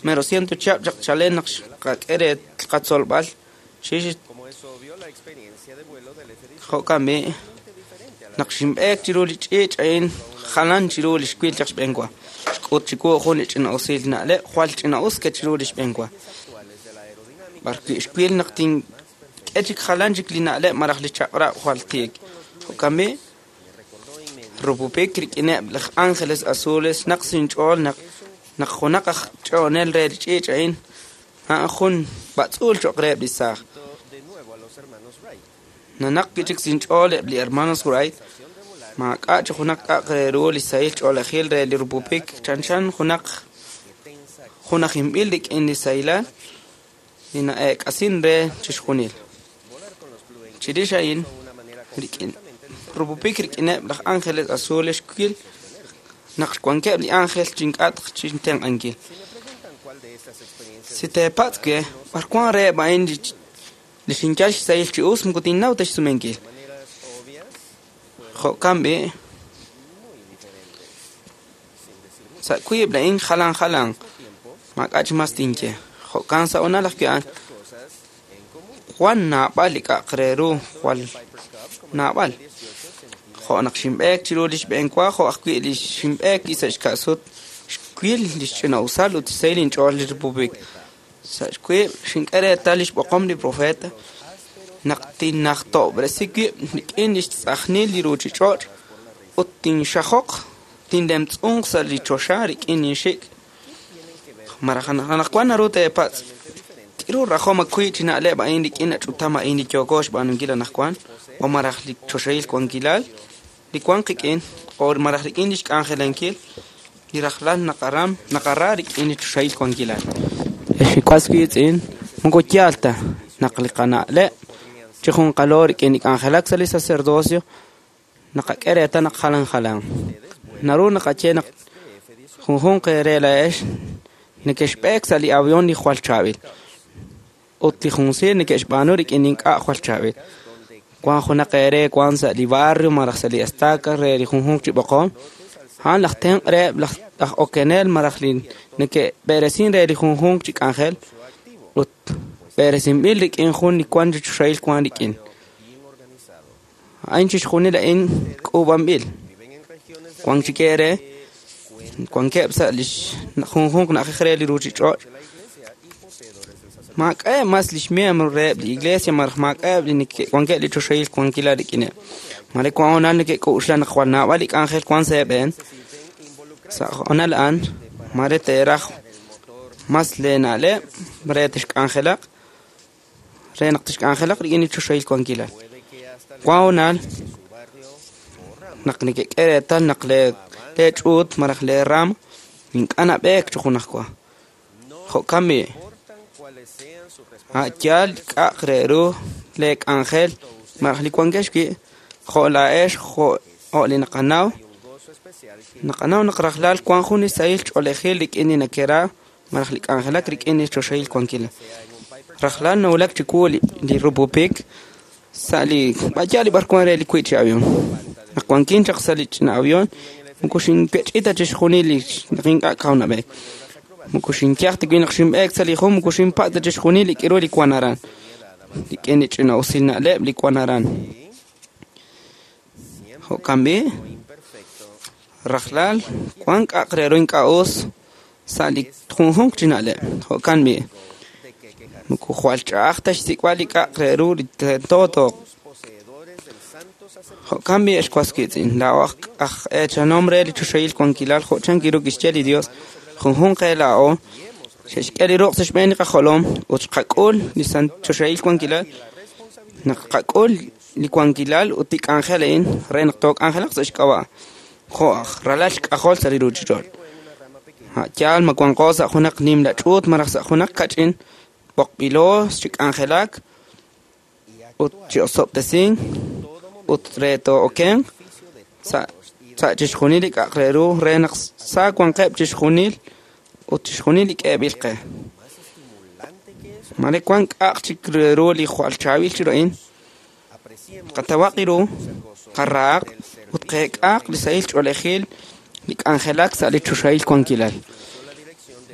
mero ciento chihab' chaq chalen naq xqak'e re qatzolb'al chirix jo'kan b'i' naq xinb'eek chiru li ch'iich' a'in jalan chiru li xwil chaq xb'een wa. Xk'ut chiwu jun li ch'ina'usil na'leb' jwal ch'ina'us ke chiru li xb'een wa. B'ar wi' xwil naq tink'e chik jalan chik li na'leb' maraj li chaq'rab' jwal tiik. Jo'kan b'i' rupupik rik'ineb' laj ángeles azules naq sa' inch'ool naq naq junaq aj ch'oonel re li ch'iich' a'in a'an jun b'atz'uul cho'q reheb' li saaj. Nanaq wi' chik sa' inch'ool eb' li hermanos Wright maak'a' chi junaq k'a'aq re ru li sahil ch'oolejil re li rupupik chanchan junaq junajinb'il rik'in li sahilal li na'eek'asin re chixjunil. Chirix a'in rik'in rupupik rik'ineb' laj ángeles azules xwil naq wankeb' li ángel chink'atq chintenq'ankil. Si teepatz' we b'ar wan reheb' a'in li xinyal xsahil chi us moko tinnaw ta xsumenkil. Jo'kan b'i' sa' wiib' la'in jalan jalan maak'a' chi mas tinye. Jo'kan sa' hoonal ajwi' a'an jwal naab'al li k'a'aq re ru jwal naab'al. Jo' naq xinb'eek chiru li xb'een wa jo' ajwi' li xinb'eek sa' xka'sut xwil li xch'ina'usal ut xsahil inch'ool li rupupik. Sa' xwiib' xink'e reetal li xb'oqom li profeta naq tinnajtob'resi wib' rik'in li xtz'ajnil li ruuchich'och' ut tinxajoq tinlemtz'unq sa' li choxa rik'in inxik'. Maraj anaqwan naru teepatz' k'iru rajom ajwi' chi na'leb' a'in rik'in ach'utam a'in li yooko xb'aanunkil anaqwan o maraj li choxahil wankilal li wan qik'in o maraj rik'in li xk'anjelankil li rajlal naqaram naqara rik'in li choxahil wankilal. Ex was wiitz'in moko yaal ta naq li qana'leb' chi junqalo rik'in li k'anjelak sa' li sacerdocio naqak'e reetal naq jalan jalan. Naru naqaye naq junjunq eere la'ex neke'xb'eek sa' li avión li jwal chaab'il ut li junsiil neke'xb'aanu rik'in ink'a' jwal chaab'il. Wan junaq eere wan sa' li barrio maraj sa' li estaca re li junjunq chi b'oqom A'an laj tenq' reheb' laj aj okenel malaj li neke'b'eresin re li junjunq chi k'anjel ut b'eresinb'il rik'in jun li wan chi choxahil wan rik'in. A'in chixjunil a'in k'uub'anb'il. Wan chik eere wankeb' sa' li junjunq na'ajej re li ruuchich'och'. Maak'a'eb' mas lix miembro reheb' li iglesia malaj maak'a'eb' li wankeb' li choxahil wankilal rik'ineb'. Mare wan honal neke'k'uxla naq jwal naab'al li k'anjel wan sa' eeb'een. Sa' honal a'an mare teeraj mas leena'leb' re tixk'anjelaq re naq tixk'anjelaq rik'in li choxahil wankilal. Wan honal naq neke'k'e reetal naq lee leech'uut malaj leeraam ink'a' nab'eek chi junajwa. Jo'kan b'i' a' yaal k'a'aq re ru leek'anjel malaj li wankex wi' jo' laa'ex jo' li naqanaw naqanaw naq rajlal wan jun li sahil ch'oolejil rik'in li nakera malaj li k'anjelak rik'in li choxahil wankilal. Rajlal nawulak chiwu li rupupik sa' li b'ayal li b'ar wan re li wi' chi avión. Naq wankin chaq sa' li ch'ina avión moko xinpech'ita chixjunil li naq ink'a' kaw nab'eek. Moko xinyaj ta wi' naq xinb'eek sa' li jun moko xinpa' ta chixjunil li k'iru li wan aran. Rik'in li ch'ina usil na'leb' li wan aran. Jo'kan b'i' rajlal wan k'a'aq re ru ink'a' us sa' li junjunq chi na'leb'. Jo'kan b'i' moko jwal ch'a'aj ta xsik'b'al li k'a'aq re ru li tento tooq. Jo'kan b'i' ex was wiitz'in laa'o aj eechanom re li choxahil wankilal jo' chan kiru kixye li Dios junjunq qe laa'o xe'xk'e li ruq' sa' xb'een li qajolom ut xqak'ul li choxahil wankilal naq qak'ul li wankilal ut li k'anjel a'in re naq took'anjelaq sa' xk'ab'a' jo' aj ralal xk'ajol sa' li ruuchich'och'. A' yaal ma wanqo sa' junaq nimla ch'uut malaj sa' junaq kach'in b'oqb'ilo chi k'anjelak ut chi osob'tesink ut re too'okenq sa' sa' chixjunil li k'a'aq re ru re naq sa wanqeb' chixjunil ut chixjunil li k'eeb'il qe. Mare wan k'a'aq chik re ru li jwal chaab'il chiru a'in. Qatawaq ru, qarahaq ut qeek'aq li sahil ch'oolejil li k'anjelak sa' li choxahil wankilal.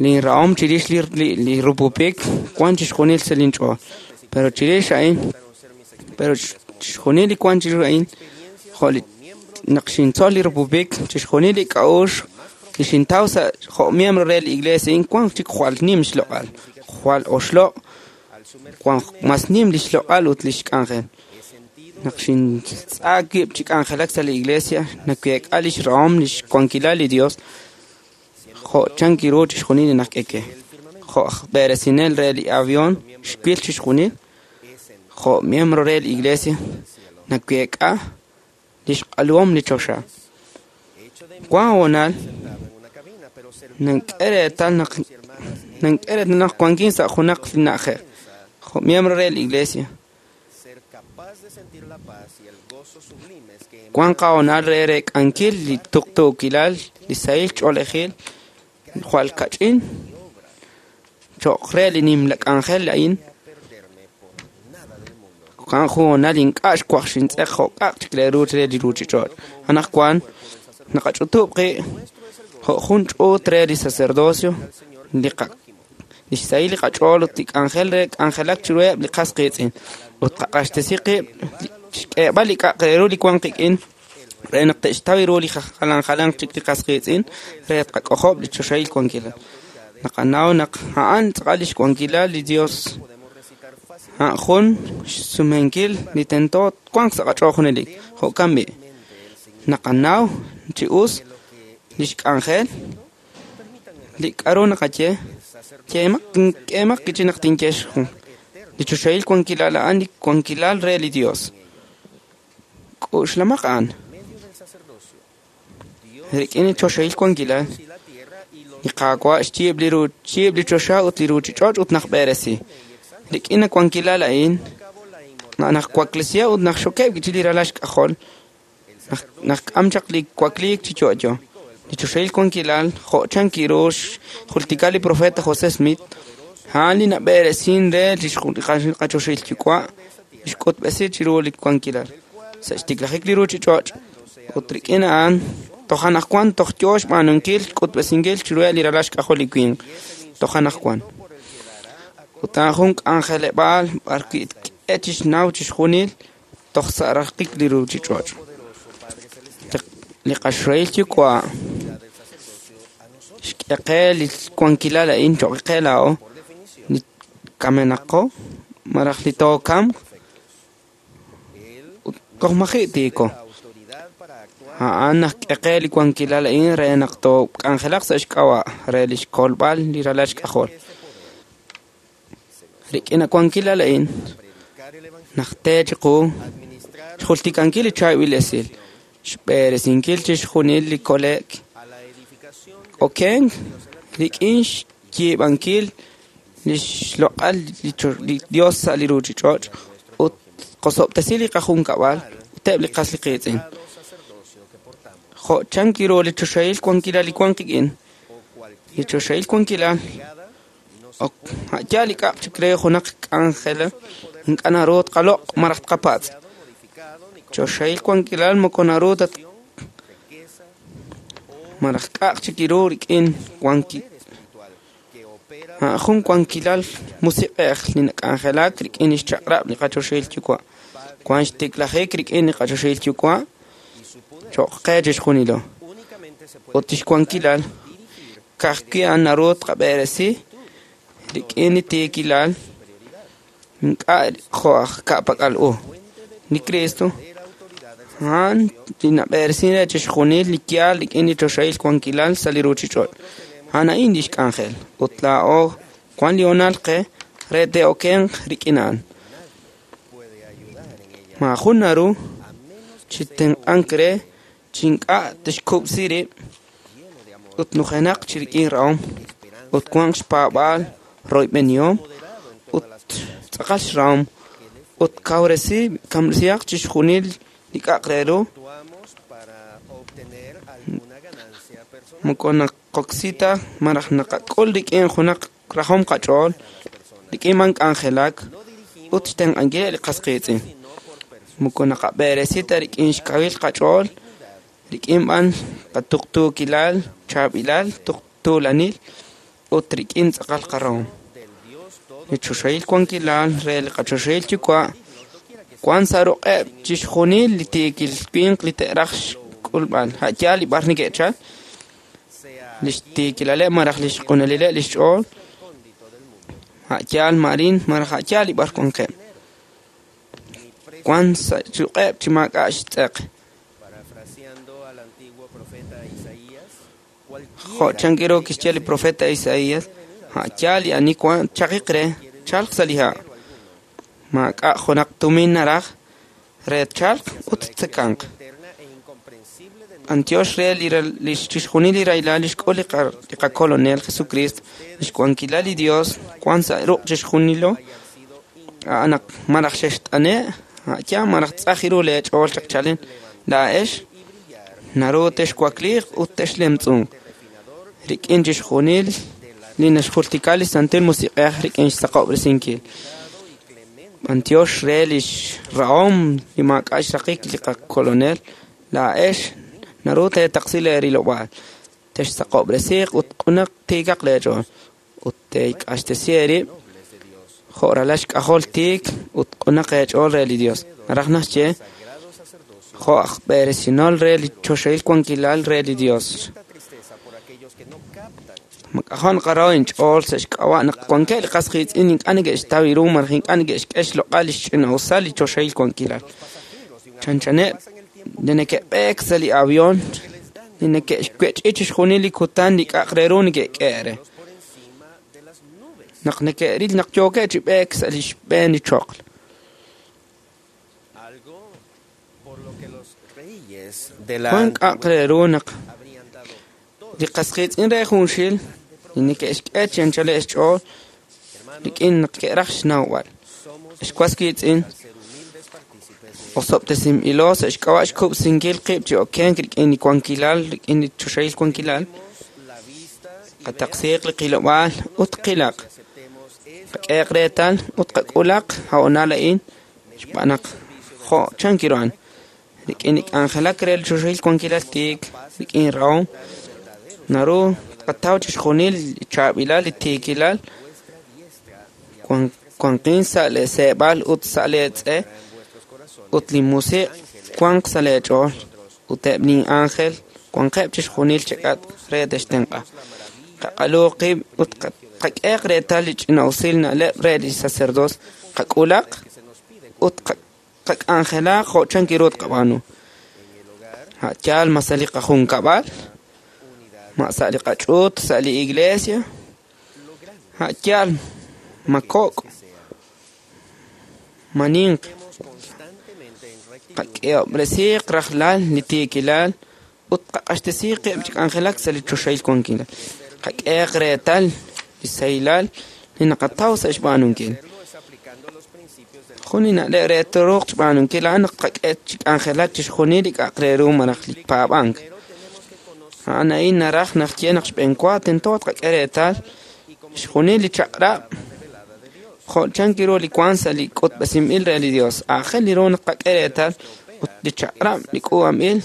Linrahom chirix li li rupupik wan chixjunil sa' linch'ool. Pero chirix a'in pero chixjunil li wan chiru a'in jo' li naq xintzol li rupupik chixjunil li k'a'uxl li xintaw sa' jo' miembro re li iglesia a'in wan chik jwal nim xloq'al jwal oxloq' wan mas nim li xloq'al ut li xk'anjel. Naq xintz'aak wib' chi k'anjelak sa' li iglesia naweek'a li xrahom li xwankilal li Dios jo' chan kiru chixjunil li nak'eke. Jo' aj b'eresinel re li avión xwil chixjunil jo' miembro re li iglesia naweek'a li xq'aluhom li choxa. Wan honal nank'e reetal naq nank'e reetal naq wankin sa' junaq li na'ajej jo' miembro re li iglesia. Wan qahonal re reek'ankil li tuqtuukilal li sahil ch'oolejil jwal kach'in cho'q re li nimla k'anjel a'in. Wan jun honal ink'a' xwaj xintz'eq jo' k'a'aq chik re ru re li ruuchich'och'. Anaqwan naqach'utub' qib' jo' jun ch'uut re li sacerdocio li qa li xsahil li qach'ool ut li k'anjel re k'anjelak chiruheb' li qas qiitz'in ut qaq'axtesi qib' xk'eeb'al li k'a'aq re ru li wan qik'in re naq te'xtaw ru li jalan jalanq chik li qas qiitz'in re tqak'ojob' li choxahil wankilal. Naqanaw naq a'an tz'aqal li xwankilal li Dios a'an jun xsumenkil li tento wanq sa' qach'ool junelik. Jo'kan b'i' naqanaw chi us li xk'anjel li k'aru naqaye yeemaq k'eemaq chi naq tinye jun li choxahil wankilal a'an li wankilal re li Dios. K'uxlamaq a'an rik'in li choxahil wankilal li Qaawa' xyiib' li xyiib' li choxa ut li ruuchich'och' ut naq b'eresi. Rik'in li wankilal a'in naq waklesiha ut naq xokeb' chi li ralal xk'ajol naq k'am chaq li wakliik chi yo'yo. Li choxahil wankilal jo' chan kiru xjultika li profeta José Smith a'an li nab'eresin re li qachoxahil yuwa' xk'utb'esi chiru li wankilal sa' xtiklajik li ruuchich'och' ut rik'in a'an Toj anaqwan toj yo xb'aanunkil xk'utb'esinkil chiruheb' li ralal xk'ajol li winq. Toj anaqwan. Ut a'an jun k'anjeleb'aal b'arwi' tk'e chixnaw chixjunil toj sa' raqik li ruuchich'och'. Li qaxrohil yuwa' xk'e qe li wankilal a'in cho'q qe laa'o li kamenaqo malaj li tookamq ut toj maji' tiiko. A'an naxk'e qe li wankilal a'in re naq took'anjelaq sa' xk'ab'a' re li xkolb'al li ralal xk'ajol. Rik'in a wankilal a'in naxte chiqu xjultikankil li chaab'il esil, xb'eresinkil chixjunil li kole'k okenk rik'in xyiib'ankil li xloq'al li Dios sa' li ruuchich'och' ut qosob'tesi li qajunkab'al ut eb' li qas li qiitz'in. Jo' chank ru li choxahil wankilal li wank qik'in, li choxahil wankilal ok a'yaal li k'a'aq chik re junaq k'anjel ink'a' naru tqaloq' malaj tqapatz'. Choxahil wankilal moko naru ta malaj k'a'aq chik ru rik'in wanki jun wankilal musiq'ej li nak'anjelak rik'in li xchaq'rab' li qachoxahil yuwa'. Wank xtiklajik rik'in li qachoxahil yuwa' cho'q qe chixjunilo. Ut li xwankilal ka'ajwi' a'an naru tqab'eresi rik'in li tiikilal ink'a' jo' aj ka'pak'al u. Li Cristo a'an li nab'eresin re chixjunil li yaal rik'in li choxahil wankilal sa' li ruuchich'och'. A'an a'in li xk'anjel ut laa'o wank li hoonal qe re te'okenq rik'in a'an. Maajun naru chi tenq'ank re chi ink'a' tixkub'si rib' ut nujenaq chi rik'in rahom ut wanq xpaab'aal royb'enihom ut tz'aqal xrahom ut kawresi kamresihaq chixjunil li k'a'aq re ru moko naqoksi ta malaj naqak'ul rik'in junaq rajom qach'ool rik'in man k'anjelak ut xtenq'ankileb' li qas qiitz'in. Moko naqab'eresi ta rik'in xkawil qach'ool rik'in b'an qatuqtuukilal chaab'ilal tuqtuulanil ut rik'in tz'aqal qarahom. Li choxahil wankilal re li qachoxahil yuwa' wank sa' ruq'eb' chixjunil li tiikil winq li te'raj xk'ulb'al. A'yaal li b'ar neke'chal li xtiikilaleb' malaj li xq'unalileb' li xch'ool a'yaal marin malaj a'yaal li b'ar wankeb'. Wank sa' ruq'eb' chi maak'a' xtz'eq. Jo' chank ru kixye li profeta Isaías, a'yaal li ani wank chaqiq re chalq sa' li ha'. Maak'a' junaq tumin naraj re chalq ut tzekanq. Antiox re li chixjunil li rahilal li xk'ul li qakolonel Jesucristo, li xwankilal li Dios wank sa' ruq' chixjunilo a'an naq malaj xext'ane' a'yaal malaj tz'aj ru leech'ool chaq chalen laa'ex naru texwakliiq ut texlemtz'unq rik'in chixjunil li naxjultika li Santil Musiq'ej rik'in xsaqob'resinkil. Antiox re li xrahom li maak'a' xraqik li qakolonel laa'ex naru teetaqsi leerilob'aal texsaqob'resiiq ut q'unaq tiikaq leech'ool ut teek'axtesi eerib' jo' ralal xk'ajol tiik ut q'unaq eech'ool re li Dios. Naraj naxye jo' aj b'eresinol re li choxahil wankilal re li Dios. Mak'ajo' naqaraw inch'ool sa' xk'ab'a' naq wankeb' li qas qiitz'in ink'a' neke'xtaw ru malaj ink'a' neke'xk'e xloq'al li xch'ina'usal li choxahil wankilal. Chanchaneb' li neke'b'eek sa' li avión li neke'xwech'i chixjunil li kutan li k'a'aq re ru neke'k'e re. Naq neke'ril naq yookeb' chi b'eek sa' li xb'een li choql. Wank k'a'aq re ru naq li qas qiitz'in re junxil li neke'xk'e chi anchaleb' xch'ool rik'in naq ke'raj xnawb'al. Xwas qiitz'in osob'tesinb'ilo sa' xk'ab'a' xkub'sinkil qib' chi okenk rik'in li wankilal rik'in li choxahil wankilal. Qataqsiiq li qilob'aal ut qilaq. Qak'eeq reetal ut qak'ulaq ha'onal a'in xb'aan naq jo' chank ru a'an. Rik'in li k'anjelak re li choxahil wankilal tiik rik'in rahom naru tqataw chixjunil li chaab'ilal li tiikilal wanqin sa' lee seeb'al ut sa' lee tz'e ut li musiq' wanq sa' lee ch'ool ut eb' lin ángel wanqeb' chixjunil chek'atq re textenq'a. Qaq'alu qib' ut qak'eq reetal li ch'ina'usil na'leb' re li sacerdocio qak'ulaq ut qak'anjelaq jo' chan ru tqab'aanu. A' yaal ma sa' li qajunkab'al, ma sa' li qach'uut sa' li iglesia, a' yaal ma kok' ma ninq. Qak'ehob'resiiq rajlal li tiikilal ut qaq'axtesiiq qib' chi k'anjelak sa' li choxahil wankilal. Qak'eq reetal li sahilal li naqataw sa' xb'aanunkil. Jun li na'leb' re tooruuq xb'aanunkil a'an naq tqak'e chi k'anjelak chixjunil li k'a'aq re ru malaj li paab'ank. A'an a'in naraj naq ye naq xb'eenwa tento tqak'e reetal xjunil li chaq'rab' jo' chan ru li wank sa' li k'utb'esinb'il re li Dios. Aajel li ru naq tqak'e reetal ut li chaq'rab' li k'uub'anb'il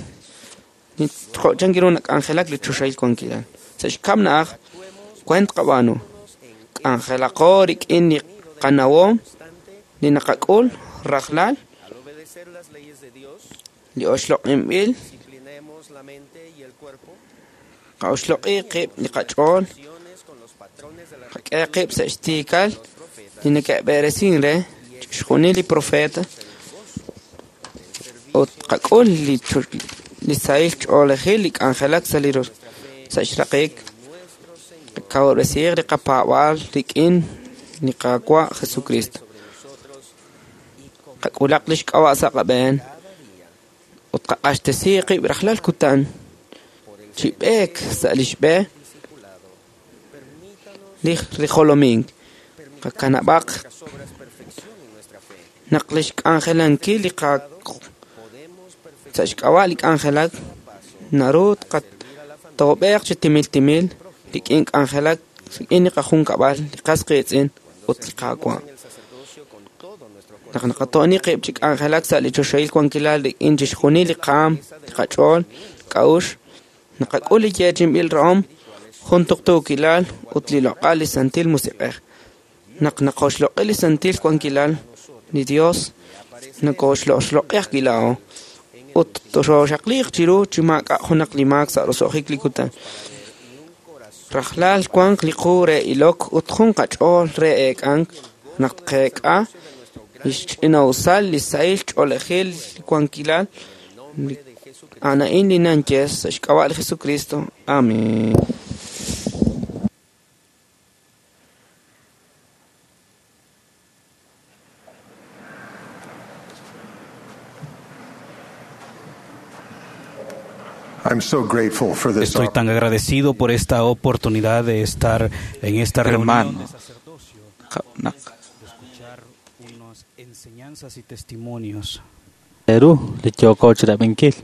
jo' chan ru nak'anjelak li choxahil wankilal. Sa' xkab' na'aj weent tqab'aanu. K'anjelaqo rik'in li qanawom li naqak'ul rajlal li oxloq'inb'il qa'oxloq'i qib' li qach'ool qak'e qib' sa' xtiikal li neke'b'eresin re chixjunil li profeta ut qak'ul li li sahil ch'oolejil li k'anjelak sa' li sa' xraqik qakawob'resiiq li qapaab'aal rik'in li Qaawa' Jesucristo. Qak'ulaq li xk'ab'a' sa' qab'een ut qaq'axtesiiq qib' rajlal kutan chi b'eek sa' li xb'e li rijolomink. Qakanab'aq naq li xk'anjelankil li qa sa' xk'ab'a' li k'anjelak naru tqatoob'eeq chi timil timil rik'in k'anjelak rik'in li qajunkab'al li qas qiitz'in ut li Qaawa'. Naq naqato'ni qib' chi k'anjelak sa' li choxahil wankilal rik'in chixjunil li qaam, li qach'ool, k'a'uxl, naqak'ul li yeechinb'il rahom, jun tuqtuukilal ut li loq'al li Santil Musiq'ej. Naq naqoxloq'i li santil wankilal li Dios nakoxloxloq'i ajwi' laa'o ut toxoxaqliiq chiru chi maak'a' junaq li maak sa' roso'jik li kutan. Rajlal wanq li qu re ilok ut jun qach'ool re eek'ank naq tqeek'a li xch'ina'usal li sahil ch'oolejil li wankilal a'an a'in li nanye sa' xk'ab'a' li Jesucristo. Amén. I'm so grateful for this Estoy tan agradecido por esta oportunidad de estar en esta reunión Hermano, de sacerdocio, naq de escuchar unas enseñanzas y testimonios. Eru li yooko chirab'inkil.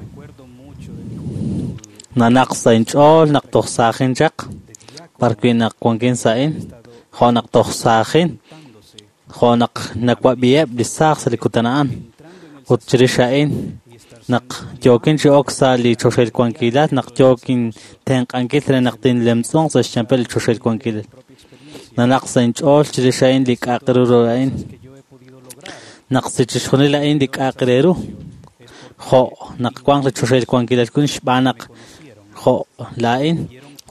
Recuerdo mucho de mi juventud, Nanaq sa' inch'ool naq toj saajin chaq parwi naq wankin sa'in jo' naq toj saajin jo' naq nawab'iheb' li saaj sa' li kutan a'an ut chirix a'in naq yookin chi ok sa' li choxahil wankilal naq yookin tenq'ankil re naq tinlemtz'unq sa' xchampel li choxahil wankilal. Nanaq sa' inch'ool chirix a'in li k'a'aq ru ru a'in naq si chixjunil a'in li k'a'aq re ru jo' naq wanq li choxahil wankilal kun xb'aan naq jo' laa'in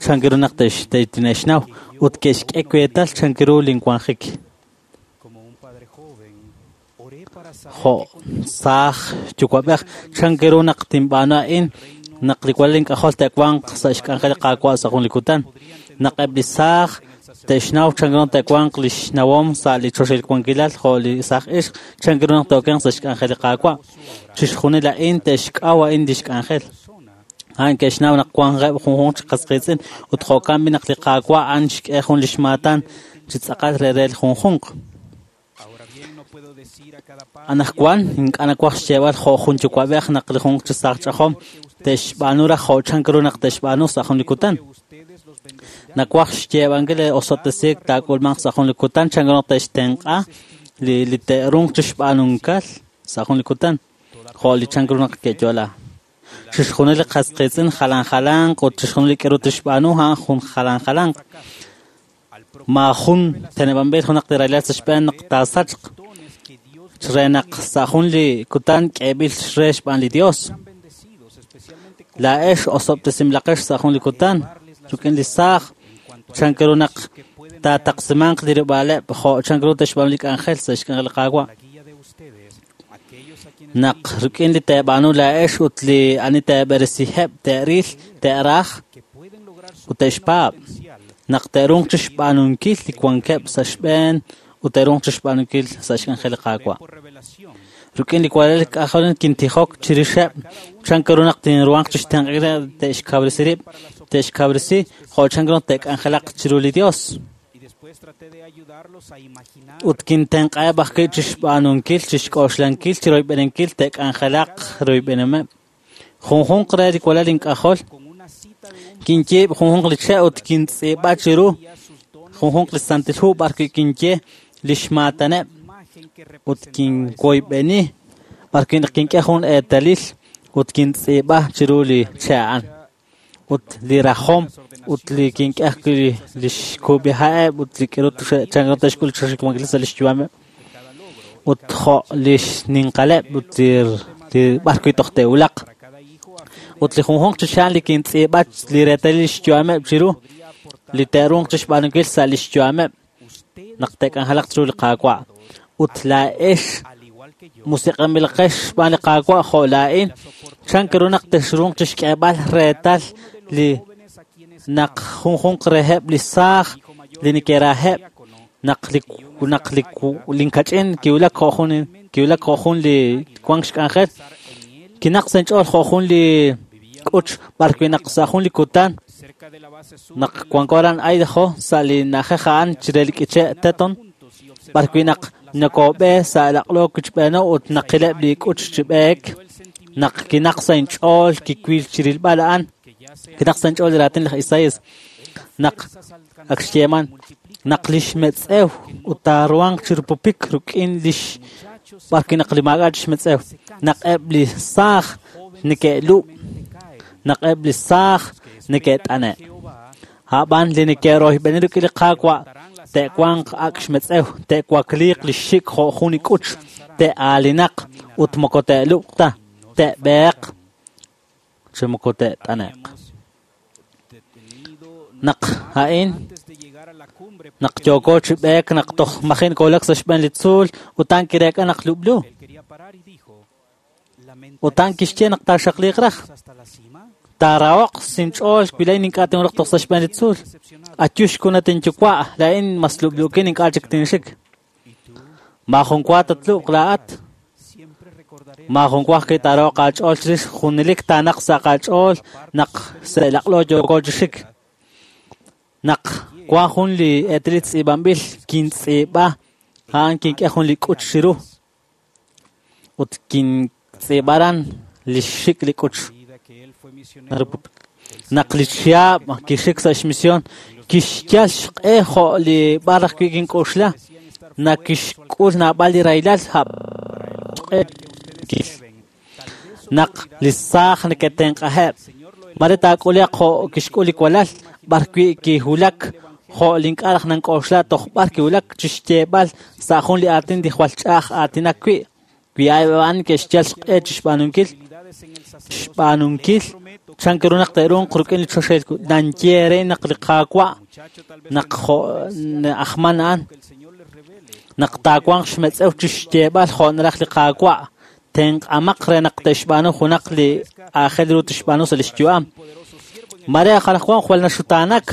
chan ru naq te'x- te'tine'xnaw ut ke'xk'e weetal chan ru linwanjik. como un padre joven, oré para saber Jo' saaj yuwa'b'ej chan ru naq tinb'aanu a'in naq li walal ink'ajol te'wanq sa' xk'anjel li Qaawa' sa' jun li kutan naq eb' li saaj te'xnaw chan ru naq te'wanq li xnawom sa' li choxahil wankilal jo' li saaj ixq chan ru naq te'okenq sa' xk'anjel li Qaawa' chixjunil a'in te'xk'aw a'in li xk'anjel. A'an ke'xnaw naq wanqeb' junjunq chi qas qiitz'in ut jo'kan b'i naq li Qaawa' a'an xk'e jun li xmaatan chi tz'aqal re re li junjunq. Ahora bien, no puedo decir a cada padre Anajwan ink'a' nawaj xyeeb'al jo' jun yuwa'b'ej naq li junq chi saaj ch'ajom te'xb'aanu raj jo' chan ru naq te'xb'aanu sa' jun li kutan. que ustedes los bendecirá Nawaj xyeeb'ankil li osob'tesiik taak'ulmanq sa' jun li kutan chan ru naq te'xtenq'a li li te'runq chi xb'aanunkal sa' jun li kutan jo' li chan ru naq ke'yo'la. Chixjunil li qas qiitz'in jalan jalanq ut chixjunil li k'aru tixb'aanu a'an jun jalan jalanq. Maajun teneb'anb'il junaq li rahilal sa' xb'een naq taasachq re naq sa' jun li kutan k'eeb'il re xb'aan li Dios. Laa'ex osob'tesinb'ilaqex sa' jun li kutan rik'in li saaj chan ru naq taataqsimanq li rib'aaleb' jo' chan ru te'xb'aanu li k'anjel sa' xk'anjel li Qaawa'. Naq rik'in li teeb'aanu laa'ex ut li ani teeb'eresiheb' te'ril, te'raj ut te'xpaab'. Naq te'ruuq chixb'aanunkil li wankeb' sa' xb'een ut te'ruuq chixb'aanunkil sa' xk'anjel li Qaawa'. Rik'in li walal k'ajol kintijok chirixeb' chan ru naq tinruhanq chixtenq'ankil te'xkawresi rib', te'xkawresi jo' chan ru naq te'k'anjelaq chiru li Dios. Ut kintenq'aheb' ajwi' chixb'aanunkil, chixk'oxlankil, chiroyb'eninkil te'k'anjelaq royb'enihomeb'. Junjunq re li walal ink'ajol kinyiib' junjunq li che' ut kintz'iib'a chiru junjunq li santil hu b'ar wi' kinye lix maataneb' ut kinwoyb'eni b'ar wi' naq kink'e jun eetalil ut kintz'iib'a chiru li che' a'an. Ut li rajom ut li kink'e ajwi' li xkub'iha'eb' ut li k'aru chan ru te'xk'ul xwankil sa' lix yu'ameb' ut jo' li xninqaleb' ut li b'ar wi' toj te'wulaq. Ut li junjunq chi xa'an li kintz'iib'a li reetalil lix yu'ameb' chiru li te'ruuq chixb'aanunkil sa' lix yu'ameb' naq te'k'anjelaq chiru li Qaawa'. Ut laa'ex musiq'anb'ilaqex xb'aan li Qaawa' jo' laa'in chan ru naq texruuq chixk'eeb'al reetal li naq junjunq reheb' li saaj li neke'raheb' naq li naq li linkach'in kiwulak jo' jun kiwulak jo' jun li wank xk'anjel kinaq sa' inch'ool jo' jun li k'uch b'ar wi' naq sa' jun li kutan naq wanko aran Idaho sa' li na'ajej a'an chire li k'iche' Teton b'ar wi' naq nakob'e sa' laq'lo kichb'eeno ut naqileb' li k'uch chi b'eek naq kinaq sa' inch'ool kiwil chirilb'al a'an kinaq sa' inch'ool li raatin laj Isaías naq ak xyeeman naq lix metz'ew ut taaruhanq chirupupik rik'in lix b'ar wi' naq li maak'a' chixmetz'ew naq eb' li saaj neke'lub' naq eb' li saaj neke't'ane'. A'b'an li neke'royb'eni rik'in li Qaawa' te'wanq ak' xmetz'ew, te'wakliiq li xik jo' jun li k'uch, te'aalinaq ut moko te'lub'q ta, te'b'eeq chi moko te't'ane'q. Naq a'in naq yooko chi b'eek naq toj majin koolak sa' xb'een li tzuul ut a'an kireek'a naq lub'lu. Ut a'an kixye naq taaxaqliiq raj. Taarahoq sinch'ool wi laa'in ink'a' tinwulaq toj sa' xb'een li tzuul. Ayu xkunat inyuwa', laa'in mas lub'luukin ink'a' chik tinxik. Maajun wa tatlub'q laa'at. Maajun wa ajwi' taarahoq aach'ool chirix junelik taanaq sa' qaach'ool naq sa' laq'lo yooko chi xik. Naq wan jun li eetalil tz'iib'anb'il kintz'iib'a a'an kink'e jun li k'uch chiru ut kintz'iib'a aran li xxik li k'uch. Naq li chihab' kixik sa' xmisión kixyal xq'e jo' li b'ar ajwi' kink'oxla naq kixk'ul naab'al li rahilal xq'e naq li saaj neke'tenq'aheb' mare taak'uliaq jo' kixk'ul li walal b'ar wi' kiwulak jo' li ink'a' raj nank'oxla toj b'ar kiwulak chixyeeb'al sa' jun li aatin li jwal ch'a'aj aatinak wi' wi a'an ke'xyal xq'e chixb'aanunkil xb'aanunkil chan ru naq te'ruuq rik'in li choxahil nanye re naq li Qaawa' naq jo' ajman a'an naq taawanq xmetz'ew chixyeeb'al jo' naraj li Qaawa' tenq'amaq re naq te'xb'aanu junaq li aajel ru tixb'aanu sa' lix yu'am. Mare anaqwan jwal naxutaanak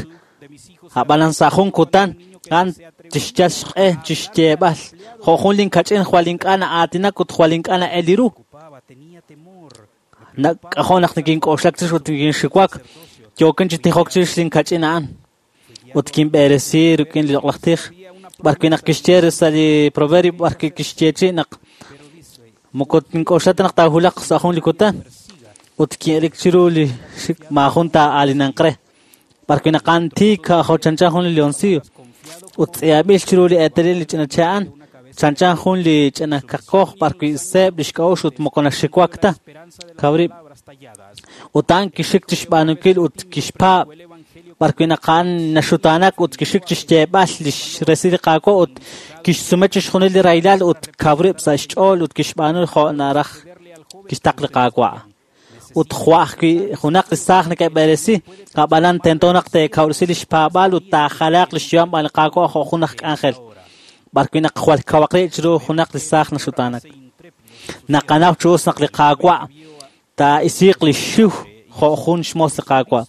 a'b'anan sa' jun kutan a'an tixyal xq'e chixyeeb'al jo' jun linkach'in jwal ink'a' na'aatinak ut jwal ink'a' na'el li ru. K'ajo' naq nikink'oxlak chirix ut nikinxiwak yookin chi tijok chirix linkach'in a'an ut kinb'eresi rik'in li loq'laj tij b'ar wi' naq kixye sa' li proverbio b'ar wi' kixyeechi' naq moko tink'oxla ta naq taawulaq sa' jun li kutan ut kin'elik chiru li xik maajun taa'aalinanq re b'ar wi' naq a'an tiik jo' chanchan jun li leoncillo ut tz'iab'il chiru li eetalil li ch'ina che' a'an Chanchan jun li ch'ina kaqkoj b'arwi' seeb' li xk'a'uxl ut moko naxxiwak ta. Kaw rib'. Ut a'an kixik chi xb'aanunkil ut kixpaab' b'arwi' naq a'an naxutaanak ut kixik chi xyeeb'al li xresil li Qaawa' ut kixsume chixjunil li rahilal ut kaw rib' sa' xch'ool ut kixb'aanu jo' naraj kixtaq li Qaawa'. Ut jo' ajwi' junaq li saaj neke'b'eresi, ab'anan tento naq teekawresi li xpaab'aal ut taajalaaq li xyu'am b'an li Qaawa' jo' jun aj k'anjel. B'arwi' naq jwal kawaq rib' chiru junaq li saaj naxutaanak. Naqanaw chi us naq li Qaawa' taa'isiiq li xxiw jo' jun xmoos li Qaawa'.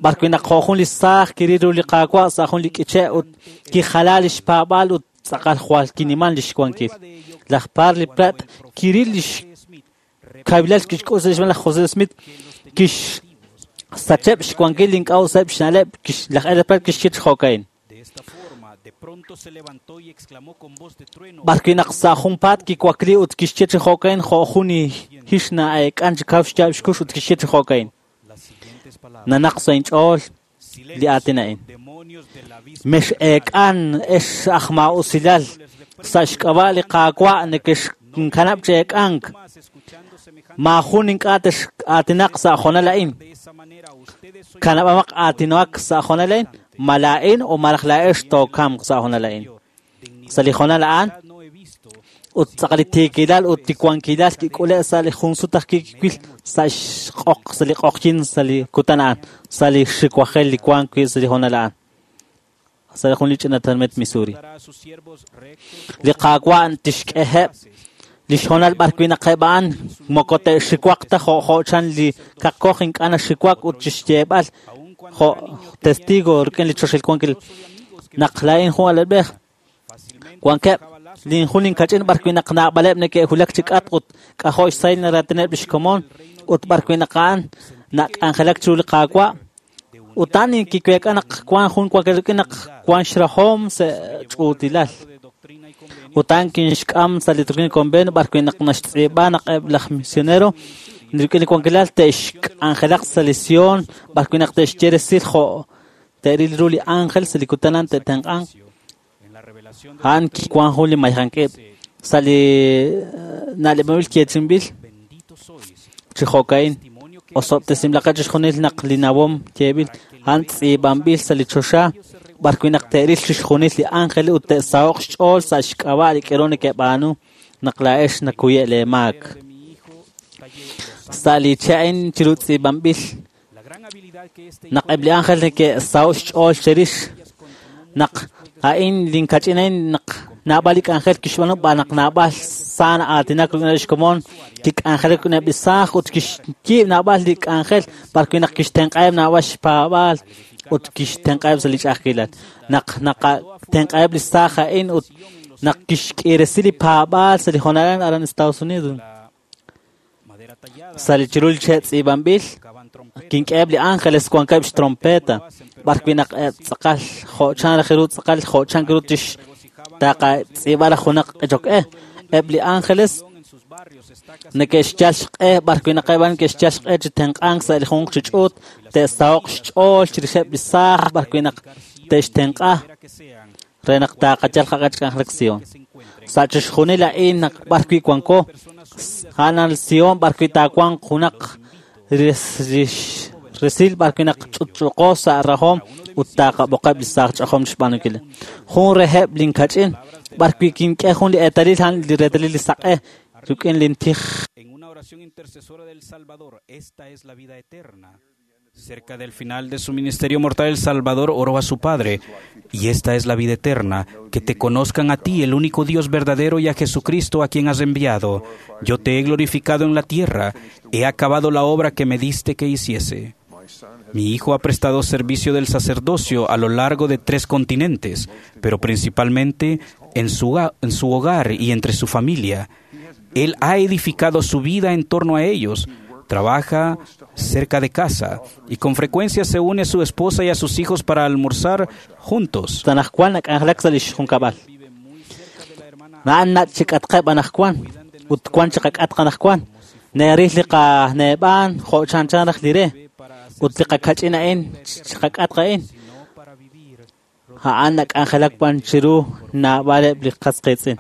B'arwi' naq jo' jun li saaj kiril ru li Qaawa' sa' jun li k'iche' ut kijala li xpaab'aal ut tz'aqal jwal kiniman li xwankil. Laj Parley Pratt kiril li xkawilal kixk'ul sa' xb'een laj José Smith kixsacheb' xwankil li ink'a' useb' xna'leb' laj Ella Pratt kixye chi jo'ka'in. B'arwi' naq sa' junpaat kiwakli ut kixye chi jo'ka'in jo' jun hix na'eek'an chi kaw xyaab' xkux ut kixye chi jo'ka'in. Nanaq sa' inch'ool li aatin a'in. Mex'eek'an ex aj maa'usilal sa' xk'ab'a' li Qaawa' nekexkanab' chi eek'ank. Maajun ink'a' tex'aatinaq sa' jonal a'in. Kanab'amaq aatinoak sa' jonal a'in, ma laa'in o malaj laa'ex tookamq sa' jonal a'in. Sa' li jonal a'an ut tz'aqal li tiikilal ut li wankilal kik'ule' sa' li jun sut aj kiwil sa' xq'oq sa' li q'oqyin sa' li kutan a'an sa' li xiwajel li wank wi' sa' li jonal a'an sa' li jun li ch'ina tenamit Missouri. Li Qaawa' tixk'eheb' li xjonal b'arwi' naq eb' a'an moko te'xiwaq ta jo' jo' chan li kaqkoj ink'a' naxiwak ut chixyeeb'al jo' testigo rik'in li choxil wankil naq laa'in jun alalb'ej wankeb' lin jun linkach'in b'arwi' naq naab'aleb' neke'wulak chi k'atq ut k'ajo' xsahil naraatineb' li xkomon ut b'arwi' naq a'an nak'anjelak chiru li Qaawa' ut a'an kiweek'a naq wan jun wankil rik'in naq wan xrahom sa' ch'uutilal. Ut a'an kinxk'am sa' li Doctrina y Convenio b'arwi' naq naxtz'iib'a naq eb' laj misionero rik'in li wankilal te'xk'anjelaq sa' li Sion b'arwi' naq te'xye resil jo' te'ril ru li ángel sa' li kutan a'an te'tenq'anq. A'an kiwan jun li mayjank'ib' sa' li na'leb'anb'il yeechi'inb'il chi jo'ka'in osob'tesinb'ilaqeb' chixjunil naq li nawom yeeb'il a'an tz'iib'anb'il sa' li choxa b'arwi' naq te'ril chixjunil li ángel ut te'saho'q xch'ool sa' xk'ab'a' li k'ero neke'b'aanu naq laa'ex nakuye' lee maak. Sa' li che' a'in chiru tz'iib'anb'il naq eb' li ángel neke'saho'k xch'ool cherix naq a'in linkach'in a'in naq naab'al li k'anjel kixb'aanu b'an naq naab'al sa na'aatinak rik'ineb' xkomon kik'anjelak rik'ineb' li saaj ut kixyiib' naab'al li k'anjel b'arwi' naq kixtenq'aheb' naab'al xpaab'aal ut kixtenq'aheb' sa' li ch'a'ajkilal. Naq naqatenq'aheb' li saaj a'in ut naq kixk'iresi li paab'aal sa' li jonal aran Estados Unidos. Sa' li chiru li che' tz'iib'anb'il kink'eheb' li ángeles wankeb' xtrompeta b'arwi' naq eb' tz'aqal jo' chan raj ru tz'aqal jo' chan ru tix taqatz'iib'a raj junaq q'echok-e. Eb' li ángeles neke'xyal xq'e b'arwi' naq eb' a'an neke'xyal xq'e chi tenq'ank sa' li junq chi ch'uut te'saho'q xch'ool chirixeb' li saaj b'arwi' naq te'xtenq'a re naq taqayal qaq'e chi k'anjelak Sion. Sa' chixjunil a'in naq b'arwi' wanko a'an Sion b'arwi' taawanq junaq resil b'arwi' naq ch'utch'uqo sa' rajom ut taqab'oqeb' li saaj ch'ajom xb'aanunkil. Jun reheb' linkach'in b'arwi' kink'e jun li eetalil a'an li reetalil li saq'e rik'in lintij. En una oración intercesora del Salvador, esta es la vida eterna. Cerca del final de su ministerio mortal, el Salvador oró a su Padre, y esta es la vida eterna, que te conozcan a ti, el único Dios verdadero, y a Jesucristo a quien has enviado. Yo te he glorificado en la tierra, he acabado la obra que me diste que hiciese. Mi hijo ha prestado servicio del sacerdocio a lo largo de tres continentes, pero principalmente en su, en su hogar y entre su familia. Él ha edificado su vida en torno a ellos. Trabaja cerca de casa y con frecuencia se une a su esposa y a sus hijos para almorzar juntos. Tanajwan nak'anjelak sa' lix junkab'al. Na'an nach' chik'atqeb' anajwan ut wan chiqak'atq anajwan. Neril li qaneeb'an jo' chanchan raj li re ut li qakach'in a'in chiqak'atq a'in. A'an nak'anjelak b'an chiru naab'aleb' li qas qiitz'in.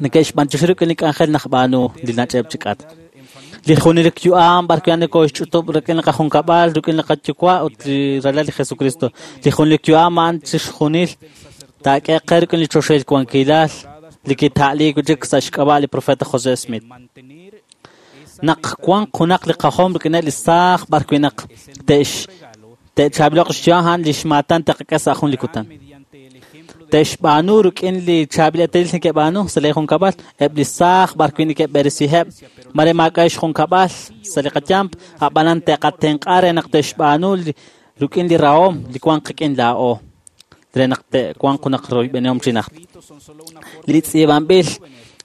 Neke'xb'antioxi rik'in li k'anjel naqb'aanu li nach'eb' chi k'atq. Li junelik yu'am b'ar wi' nokooxch'utub' rik'in li qajunkab'al, rik'in li qayuwa' ut li ralal li Jesucristo. Li junelik yu'am a'an chixjunil taak'e qe rik'in li choxahil wankilal li kita'liik wi' chik sa' xk'ab'a' li profeta José Smith. Naq wanq junaq li qajom rik'ineb' li saaj b'ar wi' naq te'x te'chaab'iloq xyu'am a'an li xmaatan te'qak'e sa' jun li kutan. Te'xb'aanu rik'in li chaab'il eetalil neke'b'aanu sa' li junkab'al, eb' li saaj b'ar wi' neke'b'eresiheb' mare maak'a' xjunkab'al sa' li qayamp, ab'anan te'qatenq'a re naq te'xb'aanu rik'in li rahom li wanq qik'in laa'o re naq te'wanq junaq royb'enihom chi najt. Li tz'iib'anb'il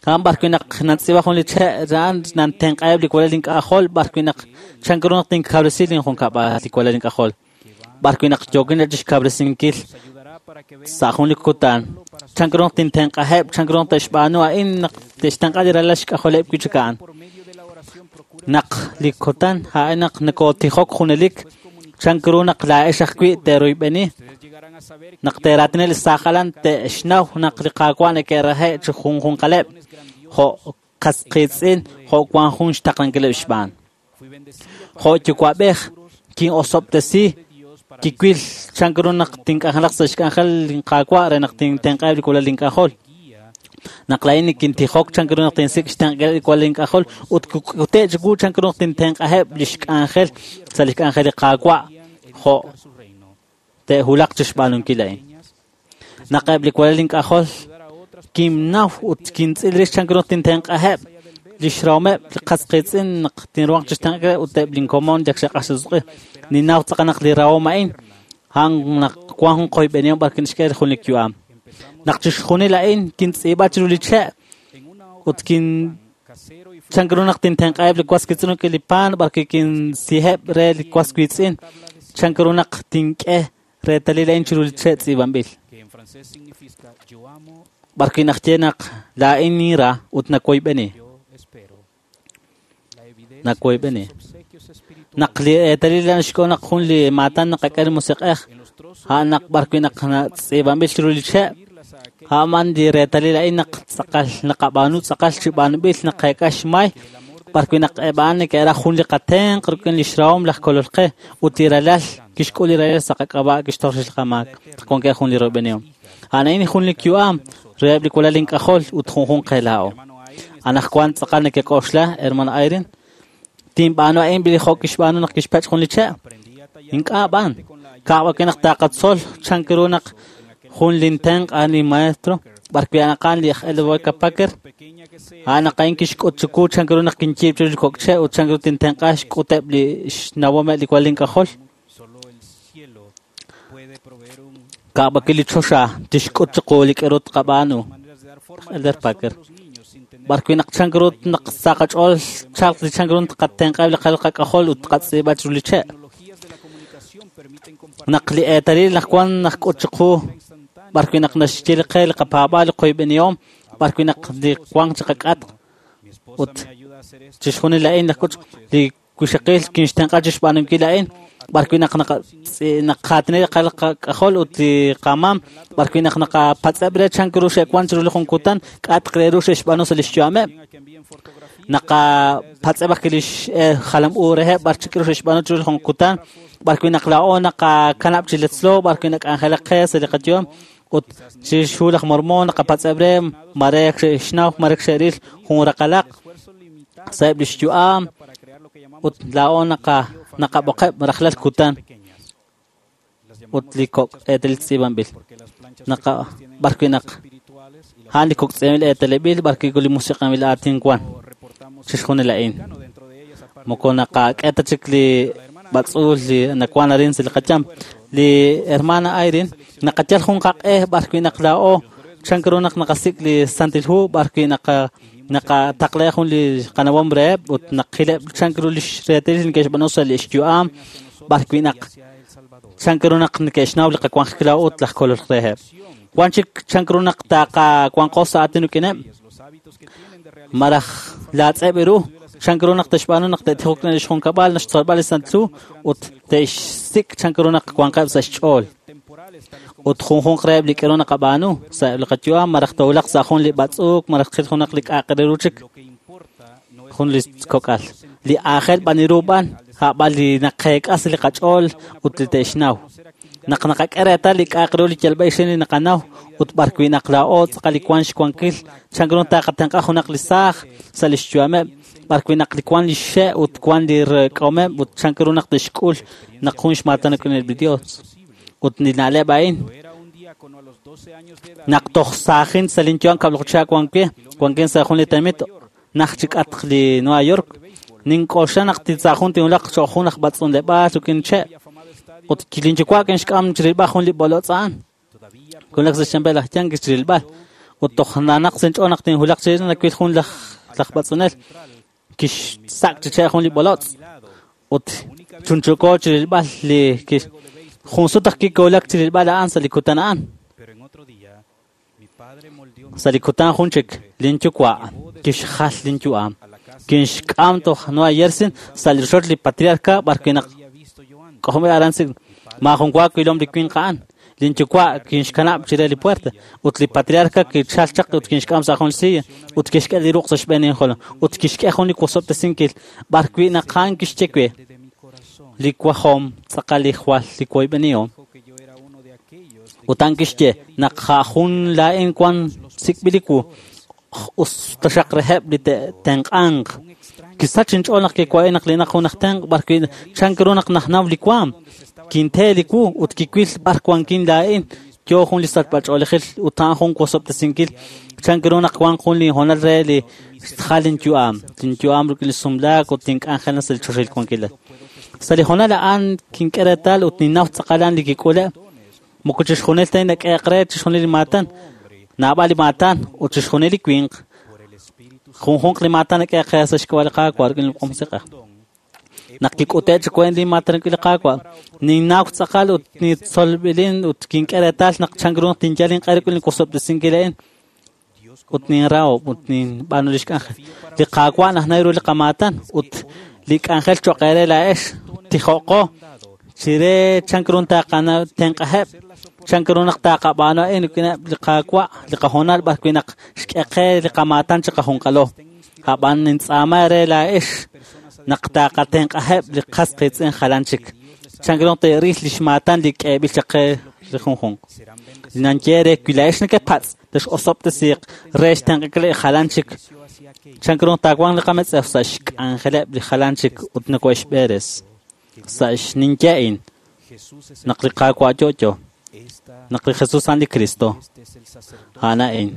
a'an b'ar wi' naq nantz'iib'a jun li che' a'an nantenq'aheb' li walal ink'ajol b'ar wi' naq chan ru naq tinkawresi linjunkab'al li walal ink'ajol b'ar wi' naq yookin chixkawresinkil sa' jun li kutan chan ru naq tintenq'aheb' chan ru naq te'xb'aanu a'in naq te'xtenq'a li ralal xk'ajoleb' wi' chik a'an. Naq li kutan a'in naq nokotijok junelik chan ru naq laa'ex ajwi' te'royb'eni naq te'raatina li saaj alan te'xnaw naq li Qaawa' neke'rahe' chi junjunqaleb' jo' qasqiitz'in jo' wan jun xtaqlankileb' xb'aan. Jo' yuwa'b'ej kin'osob'tesi kiwil chan ru naq tink'anjelaq sa' xk'anjel linQaawa' re naq tintenq'aheb' li walal ink'ajol. Naq laa'in nikintijok chan ru naq tinsik' xtenq'aheb' li walal ink'ajol ut kute' chiwu chan ru naq tintenq'aheb' li xk'anjel sa' li xk'anjel li Qaawa' jo' te'hulaq chixb'aanunkil a'in. Naq eb' li walal ink'ajol kinnaw ut kintz'il rix chan ru naq tintenq'aheb' li xrahomeb' li qasqiitz'in naq tinruhanq chixtenq'aheb' ut eb' linkomon yak xe'q'axtesq'i. Ninnaw tz'aqal naq li rahom a'in a'an naq wan jun qoyb'enihom b'ar wi' naxk'e jun li yu'am. Naq chixjunil a'in kintz'iib'a chiru li che' ut kin chan ru naq tintenq'aheb' li was wiitz'in rik'in li pan b'ar wi' kinsiheb' re li was wiitz'in chan ru naq tink'e reetalil a'in chiru li che' tz'iib'anb'il. B'ar wi' naxye naq laa'in ninra ut nawoyb'eni. Nawoyb'eni. Naq li eetalil a'an xk'o naq jun li maatan naqak'e li musiq'ej a'an naq b'ar wi' naq tz'iib'anb'il chiru li che' a'an li reetalil a'in naq tz'aqal naqab'aanu tz'aqal chi b'aanub'il naqeek'a xmay b'ar wi' naq eb' a'an neke'raj jun li qatenq rik'in li xrahom laj kolol qe ut li ralal kixk'ul li ralal sa' qak'ab'a' kixtoj rix li qamaak wankeb' jun li royb'enihom. A'an a'in jun li yu'am reheb' li walal ink'ajol ut junjunq qe laa'o. Anaqwan tz'aqal nekek'oxla, hermano Eyring, tinb'aanu a'in li jo' kixb'aanu naq kixpech' jun li che'. Ink'a' b'an. Ka'b'ake naq taqatzol chan ru naq jun lintenq' a'an li maestro b'ar wi' a'an li aj Elroy Packer a'an naq a'in kixk'ut chiwu chan ru naq kinyiib' chiru li kok' che' ut chan ru tintenq'a xk'uteb' li xnawomeb' li walal ink'ajol. Ka'b'ake li choxa tixk'ut chiqu li k'aru tqab'aanu. Elder Packer. B'ar wi' naq chan ru naq sa' qach'ool chalq li chan ru tqatenq'aheb' li qalal qak'ajol ut tqatz'iib'a chiru li che'. Naq li eetalil naq wan naq k'ut chiqu b'ar wi' naq naxye li qe li qapaab'aal li qoyb'enihom b'ar wi' naq li wanq chi qak'atq ut chixjunil a'in naq k'ut li wixaqil kinxtenq'a chixb'aanunkil a'in b'ar wi' naq naqaatina li qalal qak'ajol ut li qamam b'ar wi' naq naqapatz'eb' re chan ru xe'wan chiru li jun kutan k'atq re ru xe'xb'aanu sa' li xyu'ameb' naqapatz'eb' ajwi' li jalam u reheb' b'ar chik ru xe'xb'aanu chiru li jun kutan b'ar wi' naq laa'o naqakanab' chi letzlo b'ar wi' nak'anjelaq qe sa' li qayu'am ut chixhu laj Mormon naqapatz'eb' re mare xe'xnaw mare xe'ril jun raqalaq sa'eb' li xyu'am ut laa'o naqa naqab'oqeb' rajlal kutan ut li kok' eetalil tz'iib'anb'il naqa b'ar wi' naq a'an li kok' tz'iib'anb'il eetaleb'il b'ar wi' li musiq'anb'il aatin wan chixjunil a'in moko naqak'e ta chik li b'atz'uul li nawan arin sa' li qayam. Li hermana Eyring naqayal jun qaq'e b'ar wi' naq laa'o chan ru naq naqasik' li Santil Hu b'ar wi' naqa naqataqla jun li qanawom reheb' ut naqileb' chan ru li xreetalil neke'xb'aanu sa' li xyu'am b'ar wi' naq chan ru naq neke'xnaw li qawanjik laa'o ut laj kolol reheb'. Wan chik chan ru naq taqawanqo sa' aatin rik'ineb' maraj laatz'eb' ru chan ru naq te'xb'aanu naq te'tijok li xjunkab'al naxtzolb'al li Santil Hu ut te'xsik' chan ru naq wanqeb' sa' xch'ool. Ut junjunq reheb' li k'aru naqab'aanu sa'eb' li qayu'am malaj towulaq sa' jun li b'atz'uuk malaj qil junaq li k'a'aq re ru chik jun li kok'al. Li aajel b'an ru b'an a'b'an li naqeek'a sa' li qach'ool ut li te'xnaw. Naq naqak'e reetal li k'a'aq ru li yalb'a ixin li naqanaw ut b'ar wi' naq laa'o tz'aqal li wank xwankil chan ru taqatenq'a junaq li saaj sa' li xyu'ameb' b'ar wi' naq li wank li xxe' ut wank li rek'omeb' ut chan ru naq te'xk'ul naq jun xmaatan rik'in li Dios. Ut li na'leb' a'in naq toj saajin sa' linyu'am kab'laju chihab' wan wi' wankin sa' jun li tenamit naj chik'atq li Nueva York nink'oxla naq sa' jun tinwulaq cho'q jun aj b'atz'unleb'aal rik'in che' ut linyuwa' kinxk'am chirilb'al jun li b'olotz' a'an kiwulak sa' xyanb'el laj Yankees chirilb'al ut toj nanaq sa' inch'ool naq tinwulaq chirix nawil jun laj laj b'atz'unel kixsak' chi che' jun li b'olotz' ut chunchuko chirilb'al li kix jun sut aj kiwulak chirilb'al a'an sa' li kutan a'an sa' li kutan jun chik linyuwa' kixjal linyu'am kinxk'am toj Nueva Jersey sa' li rochoch li patriarca b'ar wi' naq k'ojob'il aran si maajun wa wilom li winq a'an linyuwa' kinxkanab' chire li puerta ut li patriarca kichal chaq ut kinxk'am sa' jun silla ut kixk'e li ruq' sa' xb'een injolom ut kixk'e jun li wosob'tesinkil b'ar wi' naq a'an kixye we li wajom tz'aqal li jwal li woyb'enihom ut a'an kixye naq jun laa'in wan sik'b'il li wu us taxaq reheb' li te'tenq'anq kisach inch'ool naq kiwa'in naq linaq jun aj tenq' b'ar wi' chan ru naq najnaw li waam kinte li wu ut kiwil b'ar wankin laa'in yo jun li sachb'ach'oolejil ut a'an jun wosob'tesinkil chan ru naq wank jun li hoonal re li xjal linyu'am linyu'am rik'in li sumlaak ut tink'anjel sa' li choxahil wankilal sa' li hoonal a'an kink'e reetal ut ninnaw tz'aqal li kik'ule' moko chixjunil ta nak'eeq re chixjunil li maatan naab'al li maatan ut chixjunil li winq junjunq li maatan nak'eeq re sa' xk'ab'a' li Qaawa' rik'in li Musiq'ej naq kik'ute' chi weent li maatan rik'in li Qaawa' ninnaw tz'aqal ut nitzolb'ilin ut kink'e reetal naq chan ru naq tinyal inq'e rik'in li wosob'tesinkil a'in ut ninrahob' ut ninb'aanu li xk'anjel li Qaawa' najnaw ru li qamaatan ut li k'anjel cho'q eere laa'ex tijo'qo chire chan ru taqana tenq'aheb' chan ru naq taqab'aanu a'in rik'ineb' li Qaawa' li qahoonal b'ar wi' naq xk'e qe li qamaatan chiqajunqalo ab'an nintz'aama re laa'ex naq taqatenq'aheb' li qas qiitz'in jalan chik chan ru te'ril li xmaatan li k'eeb'il chaq qe li junjunq li nanye re wi laa'ex nekepatz' texosob'tesiiq re xtenq'ankil jalan chik chan ru taawanq li qametz'ew sa' xk'anjeleb' li jalan chik ut nako'exb'eres sa' xninye a'in naq li Qaawa' yo'yo naq li Jesus a'an li Cristo a'an a'in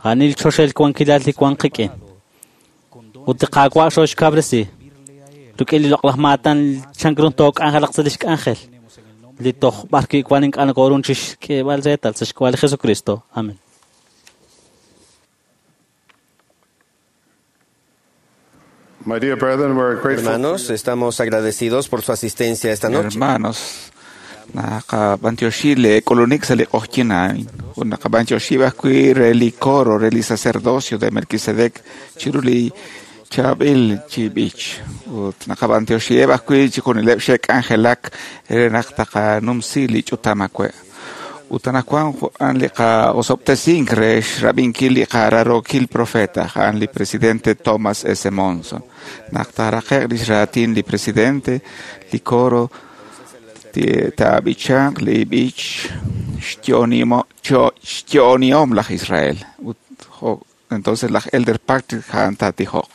a'an li choxahil wankilal li wank qik'in ut li Qaawa' xooxkawresi rik'in li loq'laj maatan chan ru took'anjelaq sa' li xk'anjel li toj b'ar wi' wan ink'a' nakoorun chixk'eeb'al reetal sa' xk'ab'a' li Jesucristo. Amén. My dear brethren, we're grateful. Hermanos, estamos agradecidos por su asistencia esta noche. Hermanos, naqab'antioxi le k'ulunik sa' li q'oqyin a'in ut naqab'antioxi ajwi' re li coro re li sacerdocio de Melquisedec chiru li chaab'il chi b'ich ut naqab'antioxiheb' ajwi' chixjunileb' xe'k'anjelak re naq taqanumsi li ch'utam awe' ut anaqwan a'an li qa'osob'tesink re xrab'inkil li qararokil profeta a'an li presidente Thomas S. Monson naq taaraqe'q lix raatin li presidente li coro taab'ichanq li b'ich xyo'onihom laj Israel ut entonces laj Elder Patrick a'an taatijoq.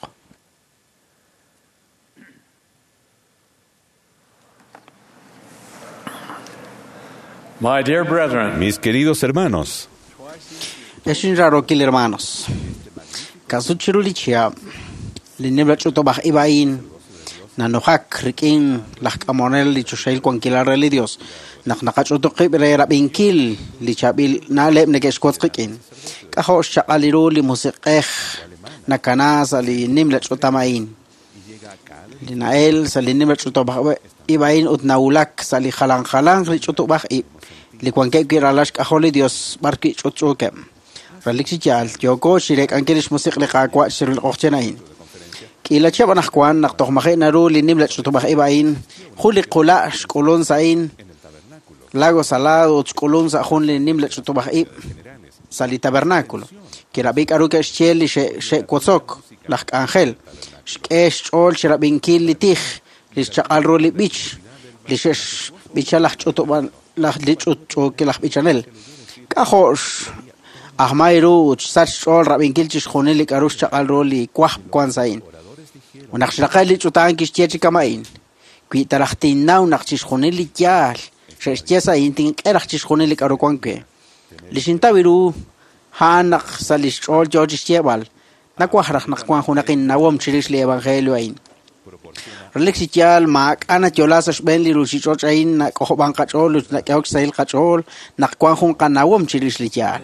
My dear brethren, Mis queridos hermanos, Exinrarokil hermanos. Kasuchiru li chihab' li nimla ch'utub'aj ib'ain nanojak rik'in laj k'amonel li choxahil wankilal re li Dios naq naqach'utuqib' re rab'inkil li chaab'il na'leb' neke'xwotz qik'in k'ajo' xchaq'al ru li musiq'ej nakana sa' li nimla ch'utam a'in li na'el sa' li nimla ch'utub'aj ib'ain ut nawulak sa' li jalan jalanq li ch'utub'aj ib' li wankeb' wi' ralal xk'ajol li Dios b'ar wi' ch'utch'uukeb' relik chi yaal yooko xirek'ankil li xmusiq' li Qaawa' chiru li q'oqyin a'in k'iila chihab' anaqwan naq toj maji' naru li nimla ch'utub'aj ib' a'in jun li qula' xk'ulun sa' a'in Lago Salado ut xk'ulun sa' jun li nimla ch'utub'aj ib' sa' li tabernáculo. Kirab'i k'aru ke'xye li xe'wotzok laj k'anjel. Xk'e xch'ool xrab'inkil li tij, li xchaq'al ru li b'ich, li xe'xb'icha laj ch'utub'an laj li ch'utch'uukil laj b'ichanel. K'ajo' ajmay ru ut xsach xch'ool rab'inkil chixjunil li k'aru xchaq'al ru li wajb' wan sa'in. Naq xraqe' li ch'utan kixye chi kama'in. Wi taraj tinnaw naq chixjunil li yaal xe'xye sa'in tink'e raj chixjunil li k'aru wan we. Li xintaw ru a'an naq sa' li xch'ool yo chixyeeb'al. Nawaj raj naq wan junaq innawom chirix li evangelio a'in. Relik chi yaal maak'a' nayola sa' xb'een li ruuchich'och' a'in nak'ojob'an qach'ool ut nak'ehok xsahil qach'ool naq wan jun qanawom chirix li yaal.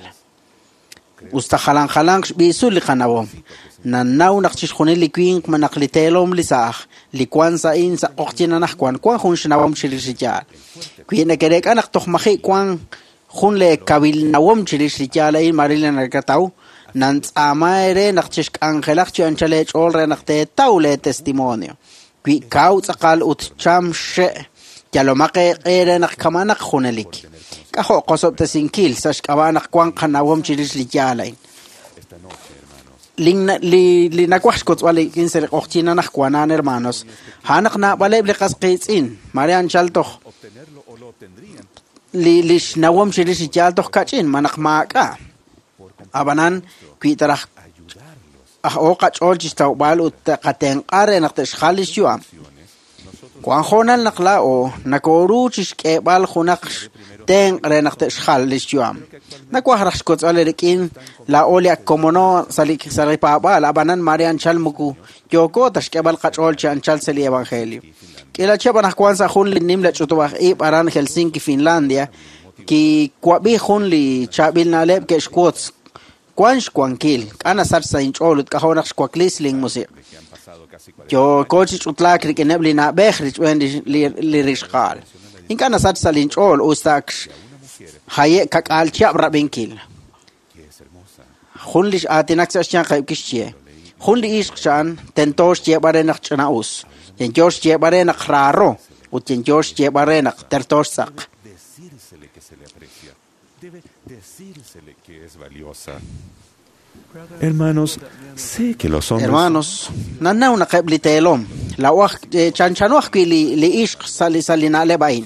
Usta jalan jalanq xb'iisul li qanawom. Nanaw naq chixjunil li winq manaq li teelom li saaj, li wan sa'in sa' q'oqyin anajwan wan jun xnawom chirix li yaal. Wi neke'reek'a naq toj maji' wan jun le kawil nawom chirix li yaal a'in maril nakataw, nantz'aama eere naq chixk'anjelaq chi anchal eech'ool re naq teetaw le testimonio. Wi kaw tz'aqal ut cham xe' yalomaq eeq'e re naq kamanaq junelik. K'ajo' qosob'tesinkil sa' xk'ab'a' naq wan qanawom chirix li yaal a'in. Li li nawaj xkotzb'al rik'in sa' li q'oqyin anajwan a'an hermanos, a'an naq naab'aleb' li qas qiitz'in, mare anchal toj li li xnawom chirix li yaal toj kach'in manaq maak'a'. Ab'anan wi taraj aj oo qach'ool chixtawb'al ut qatenq'a re naq te'xjal li xyu'am. Wan hoonal naq laa'o nakoru chixk'eeb'al junaq tenq' re naq te'xjal li xyu'am. Nawaj raj xkotzb'al rik'in laa'o li ak komono sa' li sa' li paab'aal, ab'anan mare anchal muku yooko ta xk'eeb'al qach'ool chi anchal sa' li evangelio. K'ila chihab' anajwan sa' jun li nimla ch'utub'aj ib' aran Helsinki, Finlandia, kiwab'i jun li chaab'il na'leb' ke'xwotz wan xwankil, k'a nasach sa' inch'ool ut k'ajo' naq xwaklis linmusiq'. Yooko chi ch'utlaak rik'ineb' li na'b'ej richb'een li li rixqa'al. Ink'a' nasach sa' linch'ool usta ak haye' kak'aal chihab' rab'inkil. Jun li x'aatinak sa' xyanqeb' kixye. Jun li ixq xa'an tento xyeeb'al re naq ch'ina'us. Yenyo xyeeb'al re naq raaro ut yenyo xyeeb'al re naq terto xtz'aq. Debe decírsele que es valiosa. Hermanos, sé que los hombres... Hermanos, nanaw naqeb' li teelom. Lawaj chanchano ajwi' li li ixq sa' li sa' li na'leb' a'in.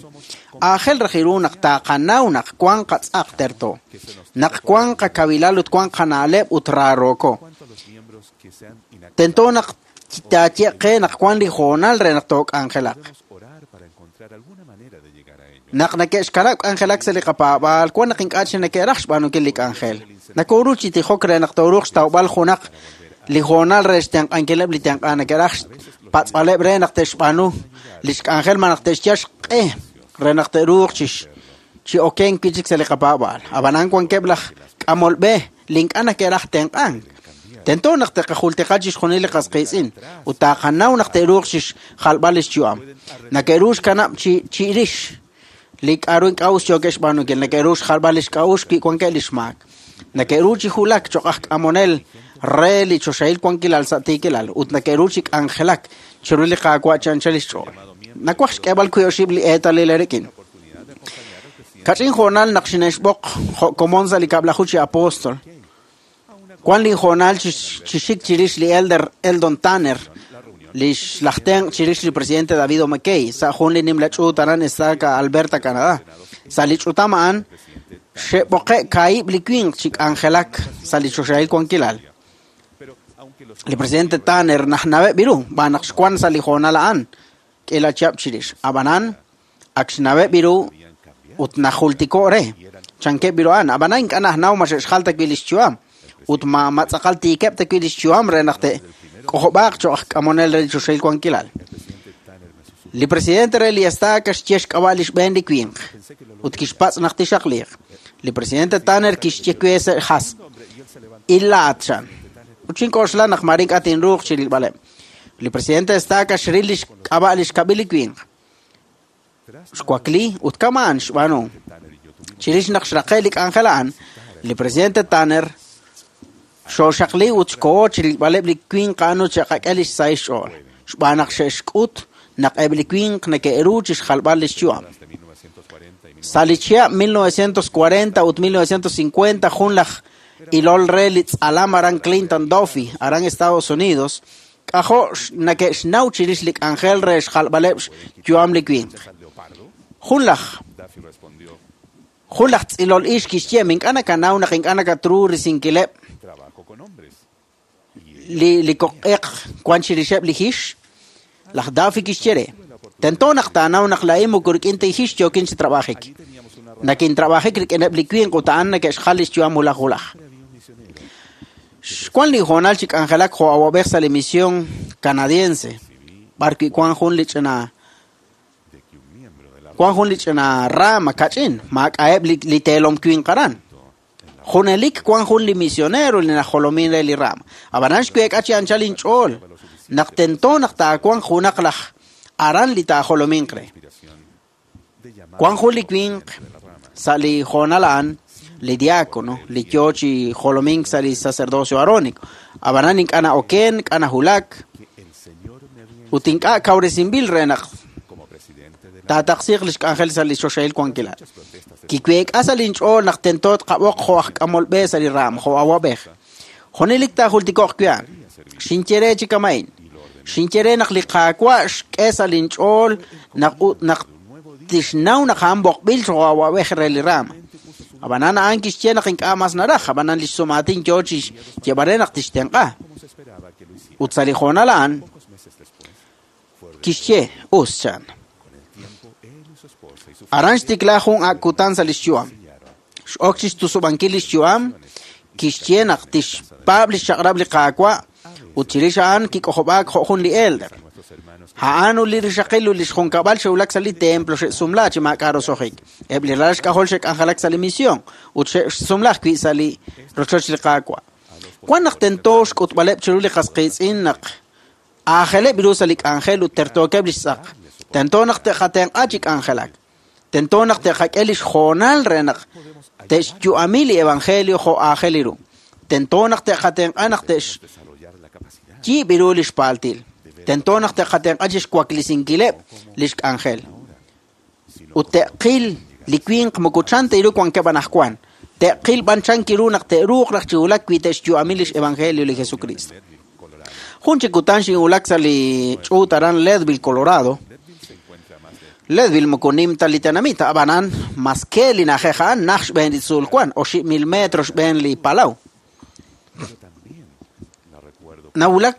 Aajel raj ru naq taqanaw naq wan qatz'aq terto. Naq wan qakawilal ut wan qana'leb' ut raaroko. Tento naq taaye qe naq wan li hoonal re naq took'anjelaq. Naq neke'xkanab' k'anjelak sa' li qapaab'aal, wan naq ink'a' chi neke'raj xb'aanunkil li k'anjel. Nakoru chi tijok re naq tooruuq xtawb'al junaq li hoonal re xtenq'ankileb' li tenq'a neke'raj xpatz'b'aleb' re naq te'xb'aanu li xk'anjel ma naq te'xyal xq'e re naq te'ruuq chi chi okenk wi' chik sa' li qapaab'aal. Ab'anan wankeb' laj k'amolb'e li ink'a' neke'raj tenq'ank. Tento naq te'qajultika chixjunil li qas qiitz'in ut taqanaw naq te'ruuq chixjalb'al li xyu'am. Neke'ru xkanab' chi chirix li k'aru ink'a' us yookeb' xb'aanunkil, neke'ru xjalb'al li xk'a'uxl wi' wankeb' li xmaak. Neke'ru chi hulak cho'q aj k'amonel re li choxahil wankilal sa' tiikilal ut neke'ru chi k'anjelak chiru li Qaawa' chi anchal li xch'ool. Nawaj xk'eeb'al wiib' oxib' li eetalil eerik'in. Kach'in hoonal naq xine'xb'oq jo' komon sa' li kab'laju chi apóstol. Wan li hoonal chi xik chirix li elder Eldon Tanner, li laj tenq' chirix li presidente David O. McKay, sa' jun li nimla ch'uut aran Estaca, Alberta, Canadá. Sa' li ch'utam a'an xe'b'oqe' kaahib' li winq chi k'anjelak sa' li choxahil wankilal. Li presidente Tanner najnaweb' ru, b'an naq xwan sa' li hoonal a'an k'ila chihab' chirix. Ab'anan ak xnaweb' ru ut najultiko' re chankeb' ru a'an. Ab'anan ink'a' najnaw ma xe'xjal ta wi' li xyu'am ut ma ma tz'aqal tiikeb' ta wi' li xyu'am re naq te'k'ojob'aaq cho'q aj k'amonel re li choxahil wankilal. Li presidente re li estaca xye xk'ab'a' li xb'een li winq ut kixpatz' naq tixaqliiq. Li presidente Tanner kixye we sa' hasb' ilaat chan. Ut xink'oxla naq mare ink'a' tinruuq chirilb'aleb'. Li presidente estaca xril li xk'ab'a' li xkab'il li winq. Xwakli ut kama'an xb'aanu. Chirix naq xraqe' li k'anjel a'an, li presidente Tanner xooxaqli ut xkoho chirilb'aleb' li winq a'an ut xe'qak'e li xsahil xch'ool. Xb'aan naq xe'xk'ut naq eb' li winq neke'ru chixjalb'al li xyu'am. Sa' li chihab' mil novecientos cuarenta ut mil novecientos cincuenta jun laj ilol re li tz'alam aran Clinton Duffy aran Estados Unidos k'ajo' nake'xnaw chirix li k'anjel re xjalb'aleb' xyu'am li winq. Jun laj jun laj tz'ilol ix kixye ink'a' nakanaw naq ink'a' nakatru risinkileb' li li koq'eq wan chirixeb' li hix. Laj Duffy kixye re tento naq taanaw naq laa'in moko rik'in ta hix yookin chi trabajik. Nakintrabajik rik'ineb' li winq ut a'an neke'xjal li xyu'am wulaj wulaj. Xwan li hoonal chi k'anjelak jo' awab'ej sa' li misión canadiense b'arwi' wan jun li ch'ina wan jun li ch'ina rama kach'in maak'a'eb' li, li teelom winq aran. Junelik wan jun li misionero li najolomin re li rama. Ab'anan xweek'a chi anchal inch'ool naq tento naq taawanq junaq laj aran li taajolominq re. Wan jun li winq sa' li hoonal a'an li diácono li yoo chi jolomink sa' li sacerdocio arónico. Ab'anan ink'a' na'oken, ink'a' najulak ut ink'a' kawresinb'il re naq taataqsiiq li xk'anjel sa' li choxahil wankilal. Kiweek'a sa' linch'ool naq tento tqab'oq jo' aj k'amol b'e sa' li ram, jo' awab'ej. Junelik taajultiko'q wi' xinye re chi kama'in. Xinye re naq li Qaawa' xk'e sa' linch'ool naq naq tixnaw naq a'an b'oqb'il jo' awab'ej re li ram. Ab'anan a'an kixye naq ink'a' mas naraj, ab'anan li xsumaatin yoo chi xyeeb'al re naq tixtenq'a. Ut sa' li hoonal a'an kixye us chan. Aran xtikla jun ak' kutan sa' li xyu'am. X'ok chi xtusub'ankil li xyu'am, kixye naq tixpaab' li xchaq'rab' li Qaawa' ut chirix a'an kik'ojob'aak jo' jun li elder. A'an ut li rixaqil ut li xjunkab'al xe'wulak sa' li templo xe'sumla chi maak'a' roso'jik. Eb' li ralal xk'ajol xe'k'anjelak sa' li misión ut xe'sumla ajwi' sa' li rochoch li Qaawa'. Wan naq tento xk'utb'aleb' chiru li qas qiitz'in naq aajeleb' ru sa' li k'anjel ut tertookeb' li xtz'aq. Tento naq te'qatenq'a chi k'anjelak. Tento naq te'qak'e li xhoonal re naq te'xyu'ami li evangelio jo' aajel ru. Tento naq te'qatenq'a naq te'xyiib' ru li xpaaltil. Tento naq te'qatenq'a chi xwaklisinkileb' li xk'anjel. Ut te'qil li winq moko chan ta ru wankeb' anaqwan. Te'qil b'an chan kiru naq te'ruuq raj chi wulak wi te'xyu'ami li xevangelio li Jesucristo. Jun chi kutan xinwulak sa' li ch'uut aran Leadville, Colorado. Leadville moko nim ta li tenamit, ab'anan maske li na'ajej a'an naj xb'een li tzuul wan, oxib' mil metro xb'een li palaw. Nawulak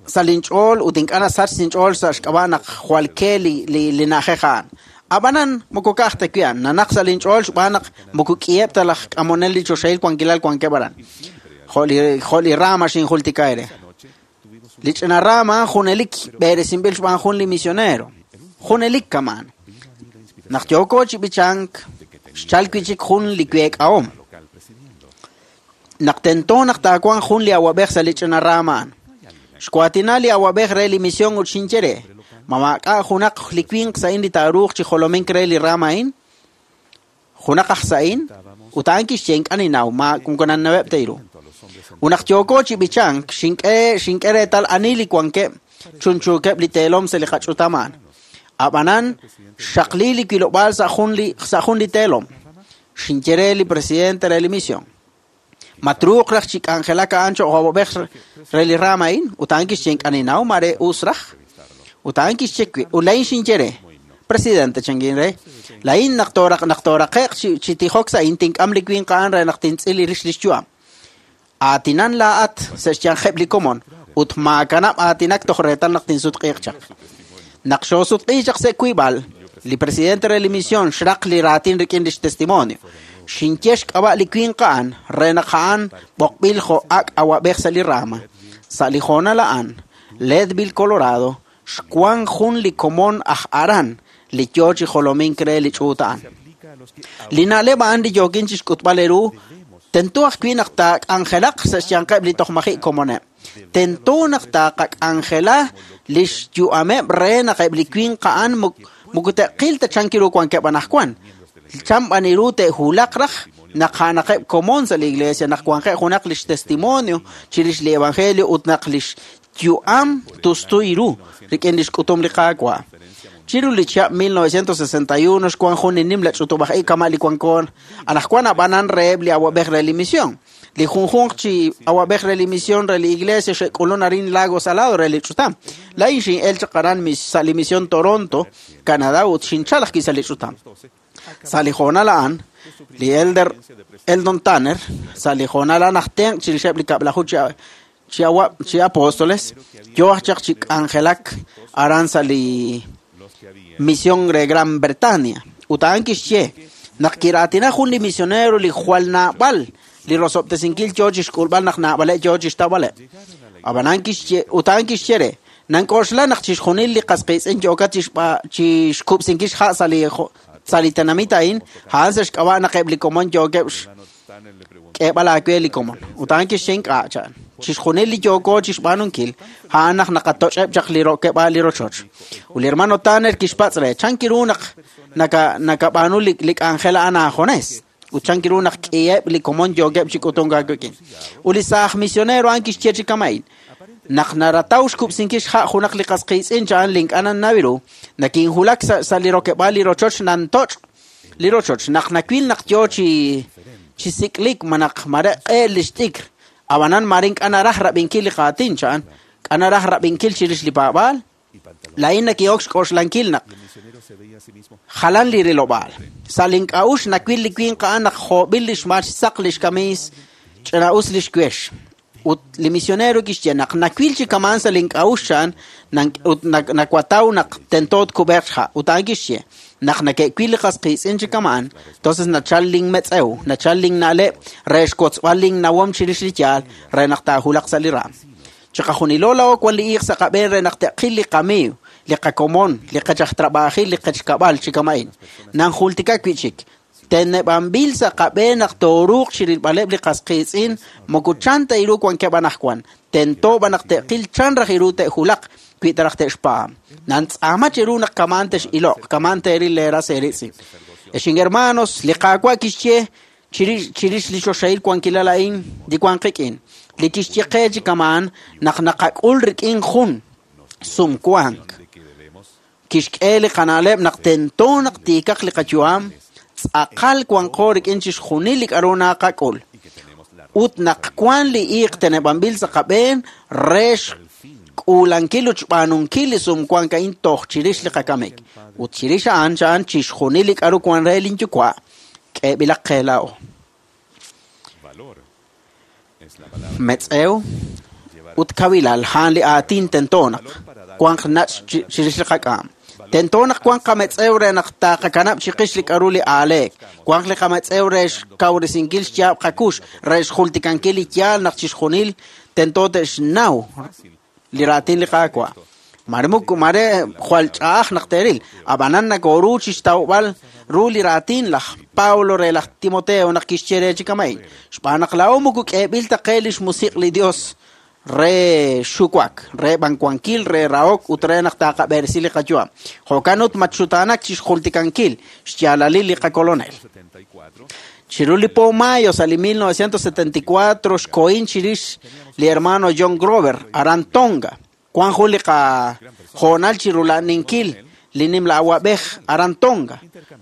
sa' linch'ool ut ink'a' nasach sinch'ool sa' xk'ab'a' naq jwal ke li, li, li na'ajej a'an. Ab'anan moko ka'aj ta wi' a'an, nanaq sa' linch'ool xb'aan naq moko k'iheb' ta laj k'amonel li choxahil wankilal wankeb' aran. Jo' li, jo' li rama xinjultika ere. Li ch'ina rama junelik b'eresinb'il xb'aan jun li misionero. Junelik kaman. Naq yooko chi b'ichank, xchal wi' chik jun li week'ahom. Naq tento naq taawanq jun li awab'ej sa' li ch'ina rama a'an. Xwaatina li awab'ej re li misión ut xinye re, ma maak'a' junaq li winq sa'in li taaruuq chi jolomink re li rama a'in? Junaq aj sa'in? Ut a'an kixye ink'a' ninnaw, ma moko nannaweb' ta ru. Ut naq yooko chi b'ichank, xink'e xink'e reetal ani li wankeb' chunchuukeb' li teelom sa' li qach'utam a'an. Ab'anan xaqli li wilob'aal sa' jun li sa' jun li teelom. Xinye re li presidente re li misión. Matruuq raj chi k'anjelak a'an cho'q awab'ej re li rama a'in, ut a'an kixye ink'a' ninnaw mare us raj. Ut a'an kixye wi' ut laa'in xinye re, presidente chankin re, laa'in naq tooraq naq tooraqe'q chi, chi tijok sa'in tink'am li winq a'an re naq tintz'il li rix li xyu'am. Aatinan laa'at sa' xyanqeb' li komon ut maakanab' aatinak toj reetal naq tinsutq'iiq chaq. Naq xoosutq'iiq chaq sa' wiib'al, li presidente re li misión xraq li raatin rik'in li xtestimonio. Xinye xk'ab'a' li winq a'an re naq a'an b'oqb'il jo' ak' awab'ej sa' li rama. Sa' li hoonal a'an, Leadville, Colorado, xwan jun li komon aj aran li yoo chi jolomink re li ch'uut a'an. Li na'leb' a'an li yookin chi xk'utb'al ru, tento ajwi' naq taak'anjelaq sa' xyanqeb' li toj maji' komoneb'. Tento naq taaqak'anjela li xyu'ameb' re naq eb' li winq a'an moko te'qil ta chan kiru wankeb' anaqwan. Chan b'an ru te'wulaq raj naq a'anaqeb' komon sa' li iglesia, naq wanqeb' junaq li xtestimonio chirix li evangelio ut naq li xyu'am tustu ru rik'in li xk'utum li Qaawa'. Chiru li chihab' mil novecientos sesenta y uno xwan jun li nimla ch'utub'aj ib' kama' li wanko anaqwan ab'anan reheb' li awab'ej re li misión. Li junjunq chi awab'ej re li misión re li iglesia xe'k'ulun arin Lago Salado re li ch'utam. Laa'in xin'el chaq aran sa' li misión Toronto, Canadá ut xinchal ajwi' sa' li ch'utam. Sa' li hoonal a'an, li Elder Eldon Tanner, sa' li hoonal a'an aj tenq' chirixeb' li kab'laju chi chi awab' chi apóstoles, yo aj chaq chi k'anjelak aran sa' li misión re Gran Bretaña. Ut a'an kixye naq kiraatina jun li misionero li jwal naab'al li rosob'tesinkil yo chi xk'ulb'al naq naab'aleb' yo chi xtawb'aleb'. Ab'anan kixye ut a'an kixye re nank'oxla naq chixjunil li qasqiitz'in yookat chi xb'a chi xkub'sinkil xha' sa' li sa' li tenamit a'in, a'an sa' xk'ab'a' naq eb' li komon yookeb' k'eeb'al aawe li komon. Ut a'an kixye ink'a' chan. Chixjunil li yooko chi xb'aanunkil, a'an naq naqatoch'eb' chaq li rokeb'aal li rochoch. Ut li hermano Tanner kixpatz' re, chan kiru naq naka nakab'aanu li li k'anjel a'an aajones. Ut chan kiru naq k'iheb' li komon yookeb' chi k'utunk aawik'in. Ut li saaj misionero a'an kixye chi kama'in, naq narataw xkub'sinkil xha' junaq li qasqiitz'in cha'an li ink'a' nannawiru, nakinjulak sa' sa' li rokeb'aal li rochoch nantoch' li rochoch. Naq nawil naq yo chi chi sik'lik ma naq mare q'eel li xt'ikr, ab'anan mare ink'a' naraj rab'inkil li qaatin cha'an, k'a naraj rab'inkil chirix li paab'aal, laa'in naki'ok xk'oxlankil naq jalan li rilob'aal. Sa' link'a'ux nawil li winq a'an naq joob'il li xmaal xsaq li xkamiis, ch'ina'us li xwex. Ut li misionero kixye naq nawil chi kamaan sa' link'a'ux cha'an, ut nakwataw naq tento tkub'eeq xha'. Ut a'an kixye naq nake'wil li qasqiitz'in chi kamaan, entonces nachal linmetz'ew, nachal linna'leb' re xkotzb'al linnawom chirix li yaal re naq taajulaq sa' li raam. Chiqajunilo laa'o wan li iiq sa' qab'een re naq te'qil li qamiiw, li qakomon, li qechajtrab'ajil, li qechkab'al chi kama'in. Nanjultika wi'chik. Teneb'anb'il sa' qab'een naq tooruuq chirilb'aleb' li qasqiitz'in moko chan ta iru wankeb' anaqwan. Tento b'an naq te'qil chan raj iru te'julaq wi ta raj te'xpaam. Nantz'aama chiru naq kamaan tex'iloq, kamaan teeril leeras eeritz'in. Exin hermanos, li Qaawa' kixye chirix chirix li choxahil wankilal a'in li wan qik'in. Li kixye qe chi kamaan naq naqak'ul rik'in jun sumwank. Kixk'e li qana'leb' naq tento naq tiikaq li qayu'am, tz'aqal wanqo rik'in chixjunil li k'aru naqak'ul. Ut naq wan li iiq teneb'anb'il sa' qab'een re xk'uulankil ut xb'aanunkil li sumwank a'in toj chirix li qakamik. Ut chirix a'an cha'an chixjunil li k'aru wan re linyuwa' k'eeb'ilaq qe laa'o. Metz'ew ut kawilal a'an li aatin tento naq wanq nach' chirix li qak'am. Tento naq wanq qametz'ew re naq taqakanab' chiqix li k'aru li aaleek. Wanq li qametz'ew re xkawresinkil xyaab' qakux, re xjultikankil li yaal naq chixjunil tento te'xnaw li raatin li Qaawa'. Mare muk mare jwal ch'a'aj naq teeril, ab'anan nakoru chi xtawb'al ru li raatin laj Pablo re laj Timoteo naq kixye re chi kama'in. Xb'aan naq laa'o moko k'eeb'il ta qe li xmusiq' li Dios re xuwak, re b'anwankil, re rahok ut re naq taqab'eresi li qayu'am. Jo'kan ut matxutaanak chi xjultikankil xyaalalil li qakolonel. Chiru li po mayo sa' li mil novecientos setenta y cuatro xkohin chirix li hermano John Grover aran Tonga. Wan jun li qajoonal chi rula'ninkil li nimla awab'ej aran Tonga.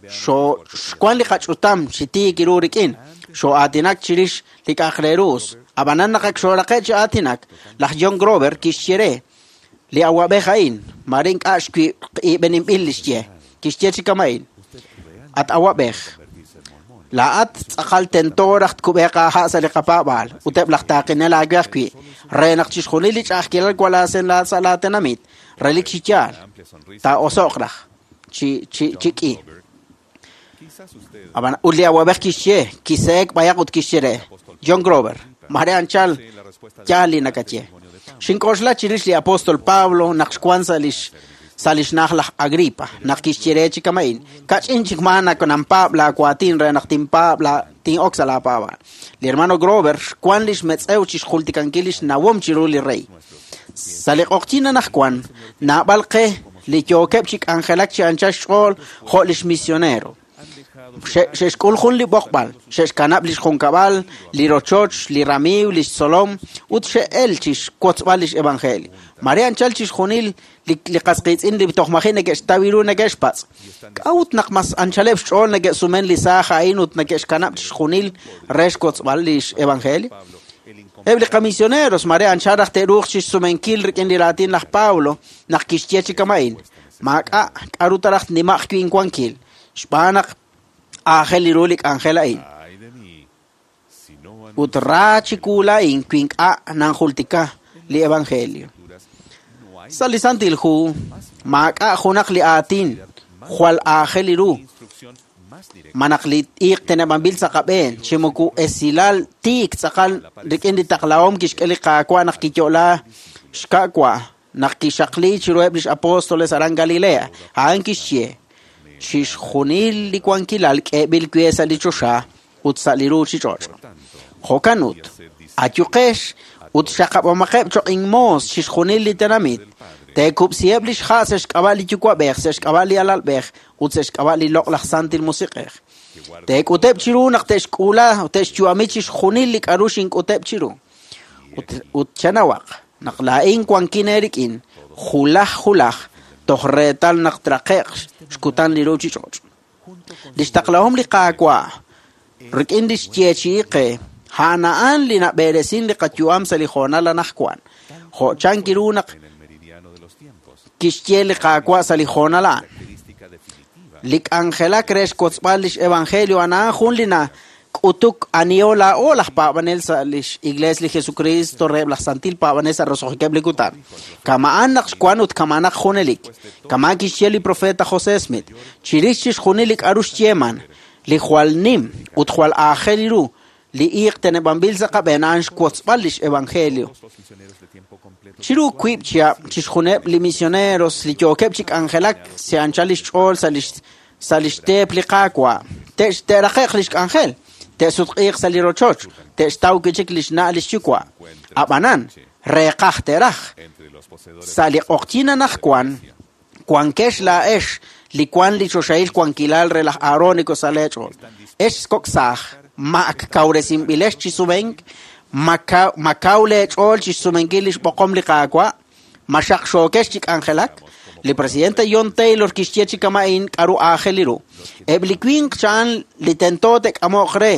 Xo xwan li qach'utam chi tiik iru rik'in. Xo'aatinak chirix li k'aj re ruus. Ab'anan naq ak xooraqe' chi aatinak, laj John Grover kixye re li awab'ej a'in, mare ink'a' xwiib'eninb'il li xye. Kixye chi kama'in, at awab'ej, laa'at tz'aqal tento raj tkub'eeq aaha' sa' li qapaab'aal ut eb' laj taaqinel aawe ajwi' re naq chixjunil li ch'a'ajkilal walaasen sa' laatenamit relik chi yaal taa'oso'q raj chi chi chi k'i. Ab'an ut li awab'ej kixye kiseek b'ayaq ut kixye re John Grover, mare anchal yaal li nakaye. Xink'oxla chirix li apóstol Pablo naq xwan sa' lix sa' lix na'aj laj Agripa, naq kixye re chi kama'in, kach'in chik maa nak nanpaab' laawaatin re naq tinpaab' la tin'ok sa' laapaab'aal. Li hermano Grover xwan lix metz'ew chi xjultikankil lix nawom chiru li rey. Sa' li q'oqyin anaqwan, naab'al qe li yookeb' chi k'anjelak chi anchal xch'ool jo' lix misionero. Xe'xk'ul jun li b'oqb'al, xe'xkanab' li xjunkab'al, li rochoch, li ramiiw, li xtzolom, ut xe'el chi xwotzb'al li xevangelio. Mare anchal chixjunil li li qas qiitz'in li toj maji' neke'xtaw ru neke'xpatz'. K'a'ut naq mas anchaleb' xch'ool neke'sumen li saaj a'in ut neke'xkanab' chixjunil re xwotzb'al li xevangelio? Eb' li qamisioneros mare anchal raj te'ruuq chixsumenkil rik'in li raatin laj Pablo naq kixye chi kama'in. Maak'a' k'a'ru ta raj nimaq wi' inwankil, xb'aan naq aajel ru li k'anjel a'in. Ut ra chiwu laa'in wi ink'a' nanjultika li evangelio. Sa' li Santil Hu maak'a' junaq li aatin jwal aajel ru ma naq li iiq teneb'anb'il sa' qab'een chi moko esilal tiik tz'aqal rik'in li taqlahom kixk'e li Qaawa' naq kiyo'la xka'wa naq kixaqli chiruheb' lix apóstoles aran Galilea. A'an kixye chixjunil li wankilal k'eeb'il we sa' li choxa ut sa' li ruuchich'och'. Jo'kan ut ayuqex ut xaqab'omaqeb' choq' inmoos chixjunil li tenamit. Teekub'siheb' li xha' sa' xk'ab'a' li Yuwa'b'ej, sa' xk'ab'a' li Alalb'ej ut sa' xk'ab'a' li Loq'laj Santil Musiq'ej. Teek'uteb' chiru naq te'xk'uula ut te'xyu'ami chixjunil li k'a'ru xink'uteb' chiru. Ut, ut chanawaq naq laa'in wankin eerik'in julaj julaj toj reetal naq traqe'q xkutan li ruuchich'och'. Li xtaqlahom li Qaawa' rik'in li xyeechi'i qe a'an a'an li nab'eresin li qayu'am sa' li hoonal anaqwan. Jo' chan kiru naq kixye li Qaawa' sa' li hoonal a'an. Li k'anjelak re xwotzb'al lix evangelio a'an a'an jun li nak'utuk aniho laa'o laj paab'anel sa' lix Iglesia li Jesucristo reheb' laj Santil Paab'anel sa' roso'jikeb' li kutan. Kama'an naq xwan ut kama'an naq junelik. Kama'an kixye li profeta José Smith. Chirix chixjunil li k'a'ru xyeeman, li jwal nim ut jwal aajel ru li iiq teneb'anb'il sa' qab'een a'an xwotzb'al lix evangelio. Chiru wiib' chihab' chixjuneb' li misioneros li yookeb' chi k'anjelak se anchal lix ch'ool sa' lix sa' lix teep li Qaawa'. Te'raqe'q lix k'anjel, te'sutq'iiq sa' li rochoch, te'xtaw wi' chik lix na' lix yuwa'. Ab'anan, reeqaj te'raj. Sa' li q'oqyin anaqwan, wankex laa'ex li wan li choxahil wankilal re laj Aarónico sa' leech'ool. Ex kok' saaj, ma ak kawresinb'ilex chi sumenk, ma kaw leech'ool chi xsumenkil li xb'oqom li Qaawa', ma xaqxookex chi k'anjelak. Li presidente John Taylor kixye chi kama'in k'a'ru aajel ru. Eb' li winq cha'an li tento te'k'amo'q re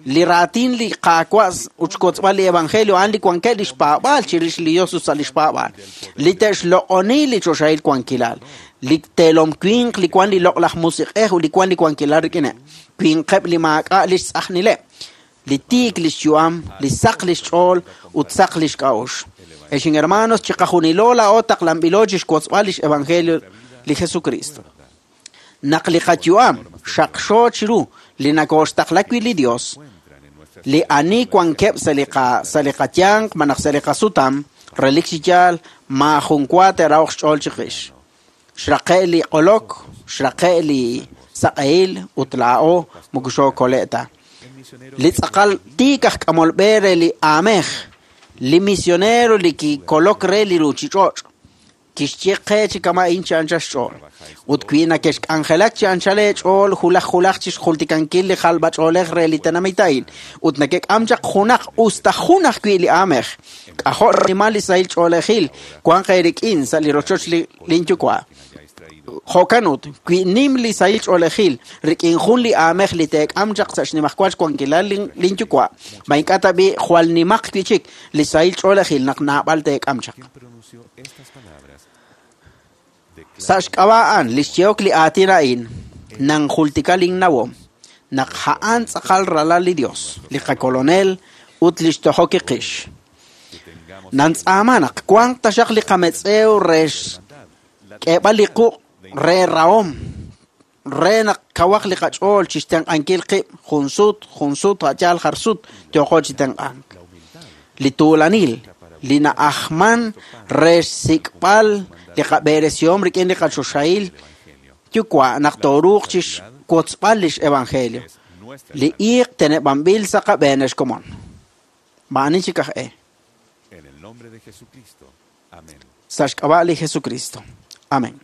li raatin li Qaawa' ut xwotzb'al li evangelio a'an li wankeb' li xpaab'aal chirix li Dios ut sa' li xpaab'aal. Li te'xloq'oni li choxahil wankilal. Li teelom winq li wan li loq'laj musiq'ej ut li wan li wankilal rik'ineb'. Winqeb' li maak'a' li xtz'ajnileb'. Li tiik li xyu'am, li saq li xch'ool ut saq li xk'a'uxl. Ex hermanos, chiqajunilo laa'o taqlanb'ilo chi xwotzb'al lix evangelio li Jesucristo. Naq li qayu'am xaqxo chiru li nakooxtaqla wi' li Dios, li ani wankeb' sa' li qa sa' li qayanq malaj sa' li qasutam, relik chi yaal maajun wa te'rahoq xch'ool chiqix. Xraqe' li q'olok, xraqe' li saq'ehil ut laa'o moko xookole' ta. Li tz'aqal tiik aj k'amol b'e re li aamej, li misionero li kikolok re li ruuchich'och', kixye qe chi kama'in chi anchal xch'ool. Ut wi nakexk'anjelak chi anchal eech'ool julaj julaj chi xjultikankil li jalb'ach'oolej re li tenamit a'in, ut nakek'am chaq junaq usta jun ajwi' li aamej, k'ajo' xnimal li sahil ch'oolejil wanq eerik'in sa' li rochoch li linyuwa'. Jo'kan ut, wi nim li sahil ch'oolejil rik'in jun li aamej li teek'am chaq sa' xnimajwal xwankilal linyuwa', ma ink'a' ta b'i jwal nimaq wi' chik li sahil ch'oolejil naq naab'al teek'am chaq. Sa' xk'ab'a' a'an li xyehok li aatin a'in nanjultika linnawom naq a'an tz'aqal ralal li Dios, li qakolonel ut li xtojok kiqix. Nantz'aama naq wanq taxaq li qametz'ew re xk'eeb'al li quq' re rahom, re naq kawaq li qach'ool chi xtenq'ankil qib' jun sut, jun sut, a'yaal jar sut yooqo chi tenq'ank. Li tuulanil, li na'ajman re xsik'b'al li qab'eresihom rik'in li qachoxahil yuwa' naq tooruuq chi xwotzb'al lix evangelio. Li iiq teneb'anb'il sa' qab'een ex komon. Ma'ani chik aj e. Sa' xk'ab'a' li Jesucristo. Amén.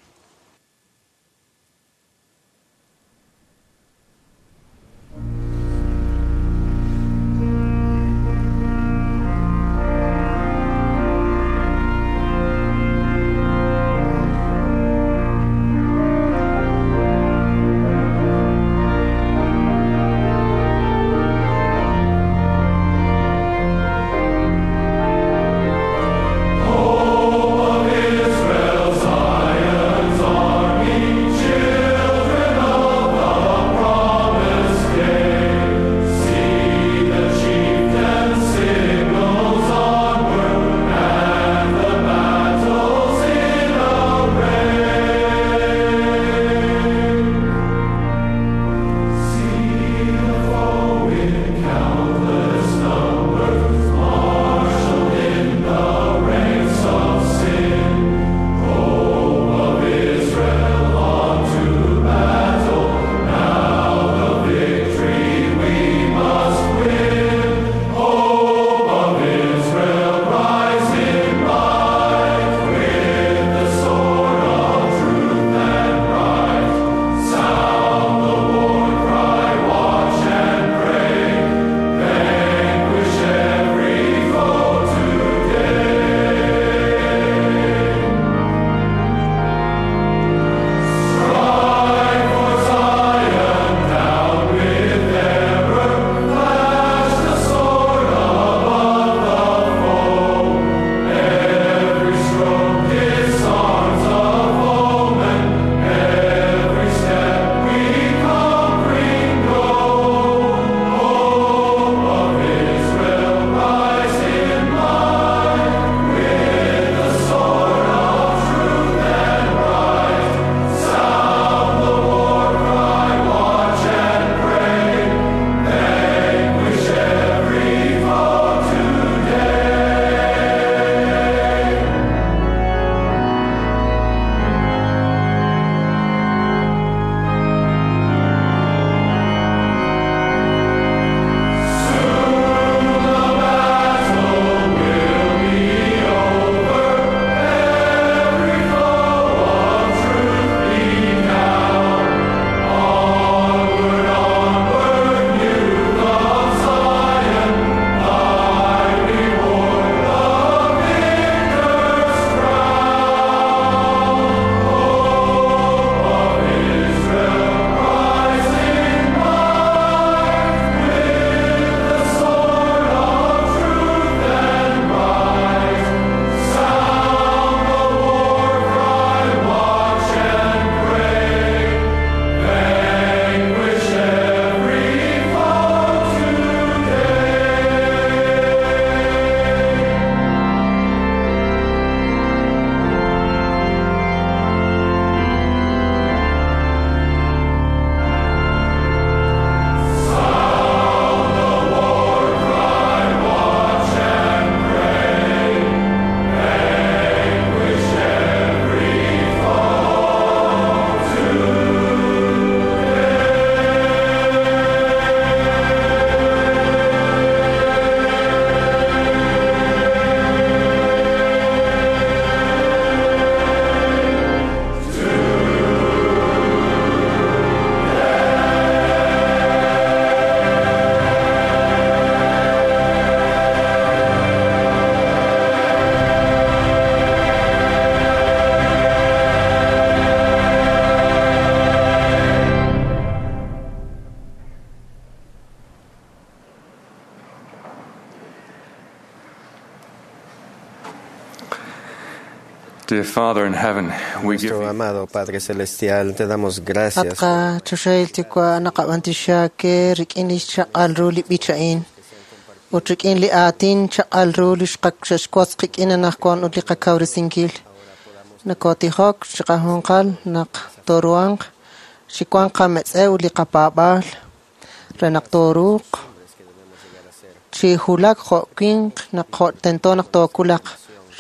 Dear Father in heaven, we give Nuestro amado Padre Celestial, te damos gracias At qachoxahil Yuwa' naqab'antioxi aawe rik'in li xchaq'al ru li b'ich a'in ut rik'in li aatin chaq'al ru li xqaxwotz qik'in anaqwan ut li qakawresinkil. Nakotijok chiqajunqal naq tooruhanq chi wanq qametz'ew ut li qapaab'aal re naq tooruuq chi wulak jo' winq naq jo' tento naq tookulaq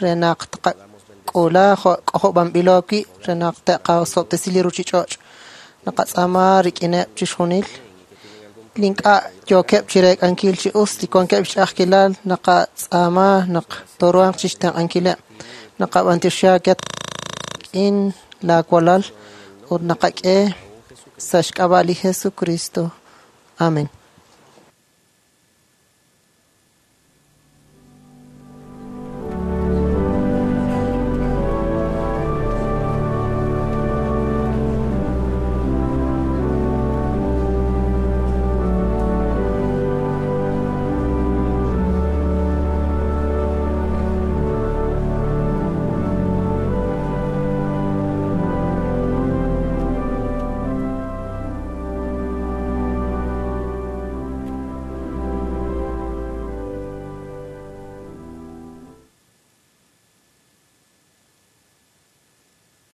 re naq tqak'ula jo' k'ojob'anb'ilo wi' re naq te'qasob'tesi li ruchich'och'. Naqatz'aama rik'ineb' chixjunil li ink'a' yookeb' chireek'ankil chi us li wankeb' xch'a'ajkilal naqatz'aama naq tooruhanq chixtenq'ankileb'. Naqab'antioxi aawe rik'in laawalal ut naqak'e sa' xk'ab'a' li Jesucristo. Amén.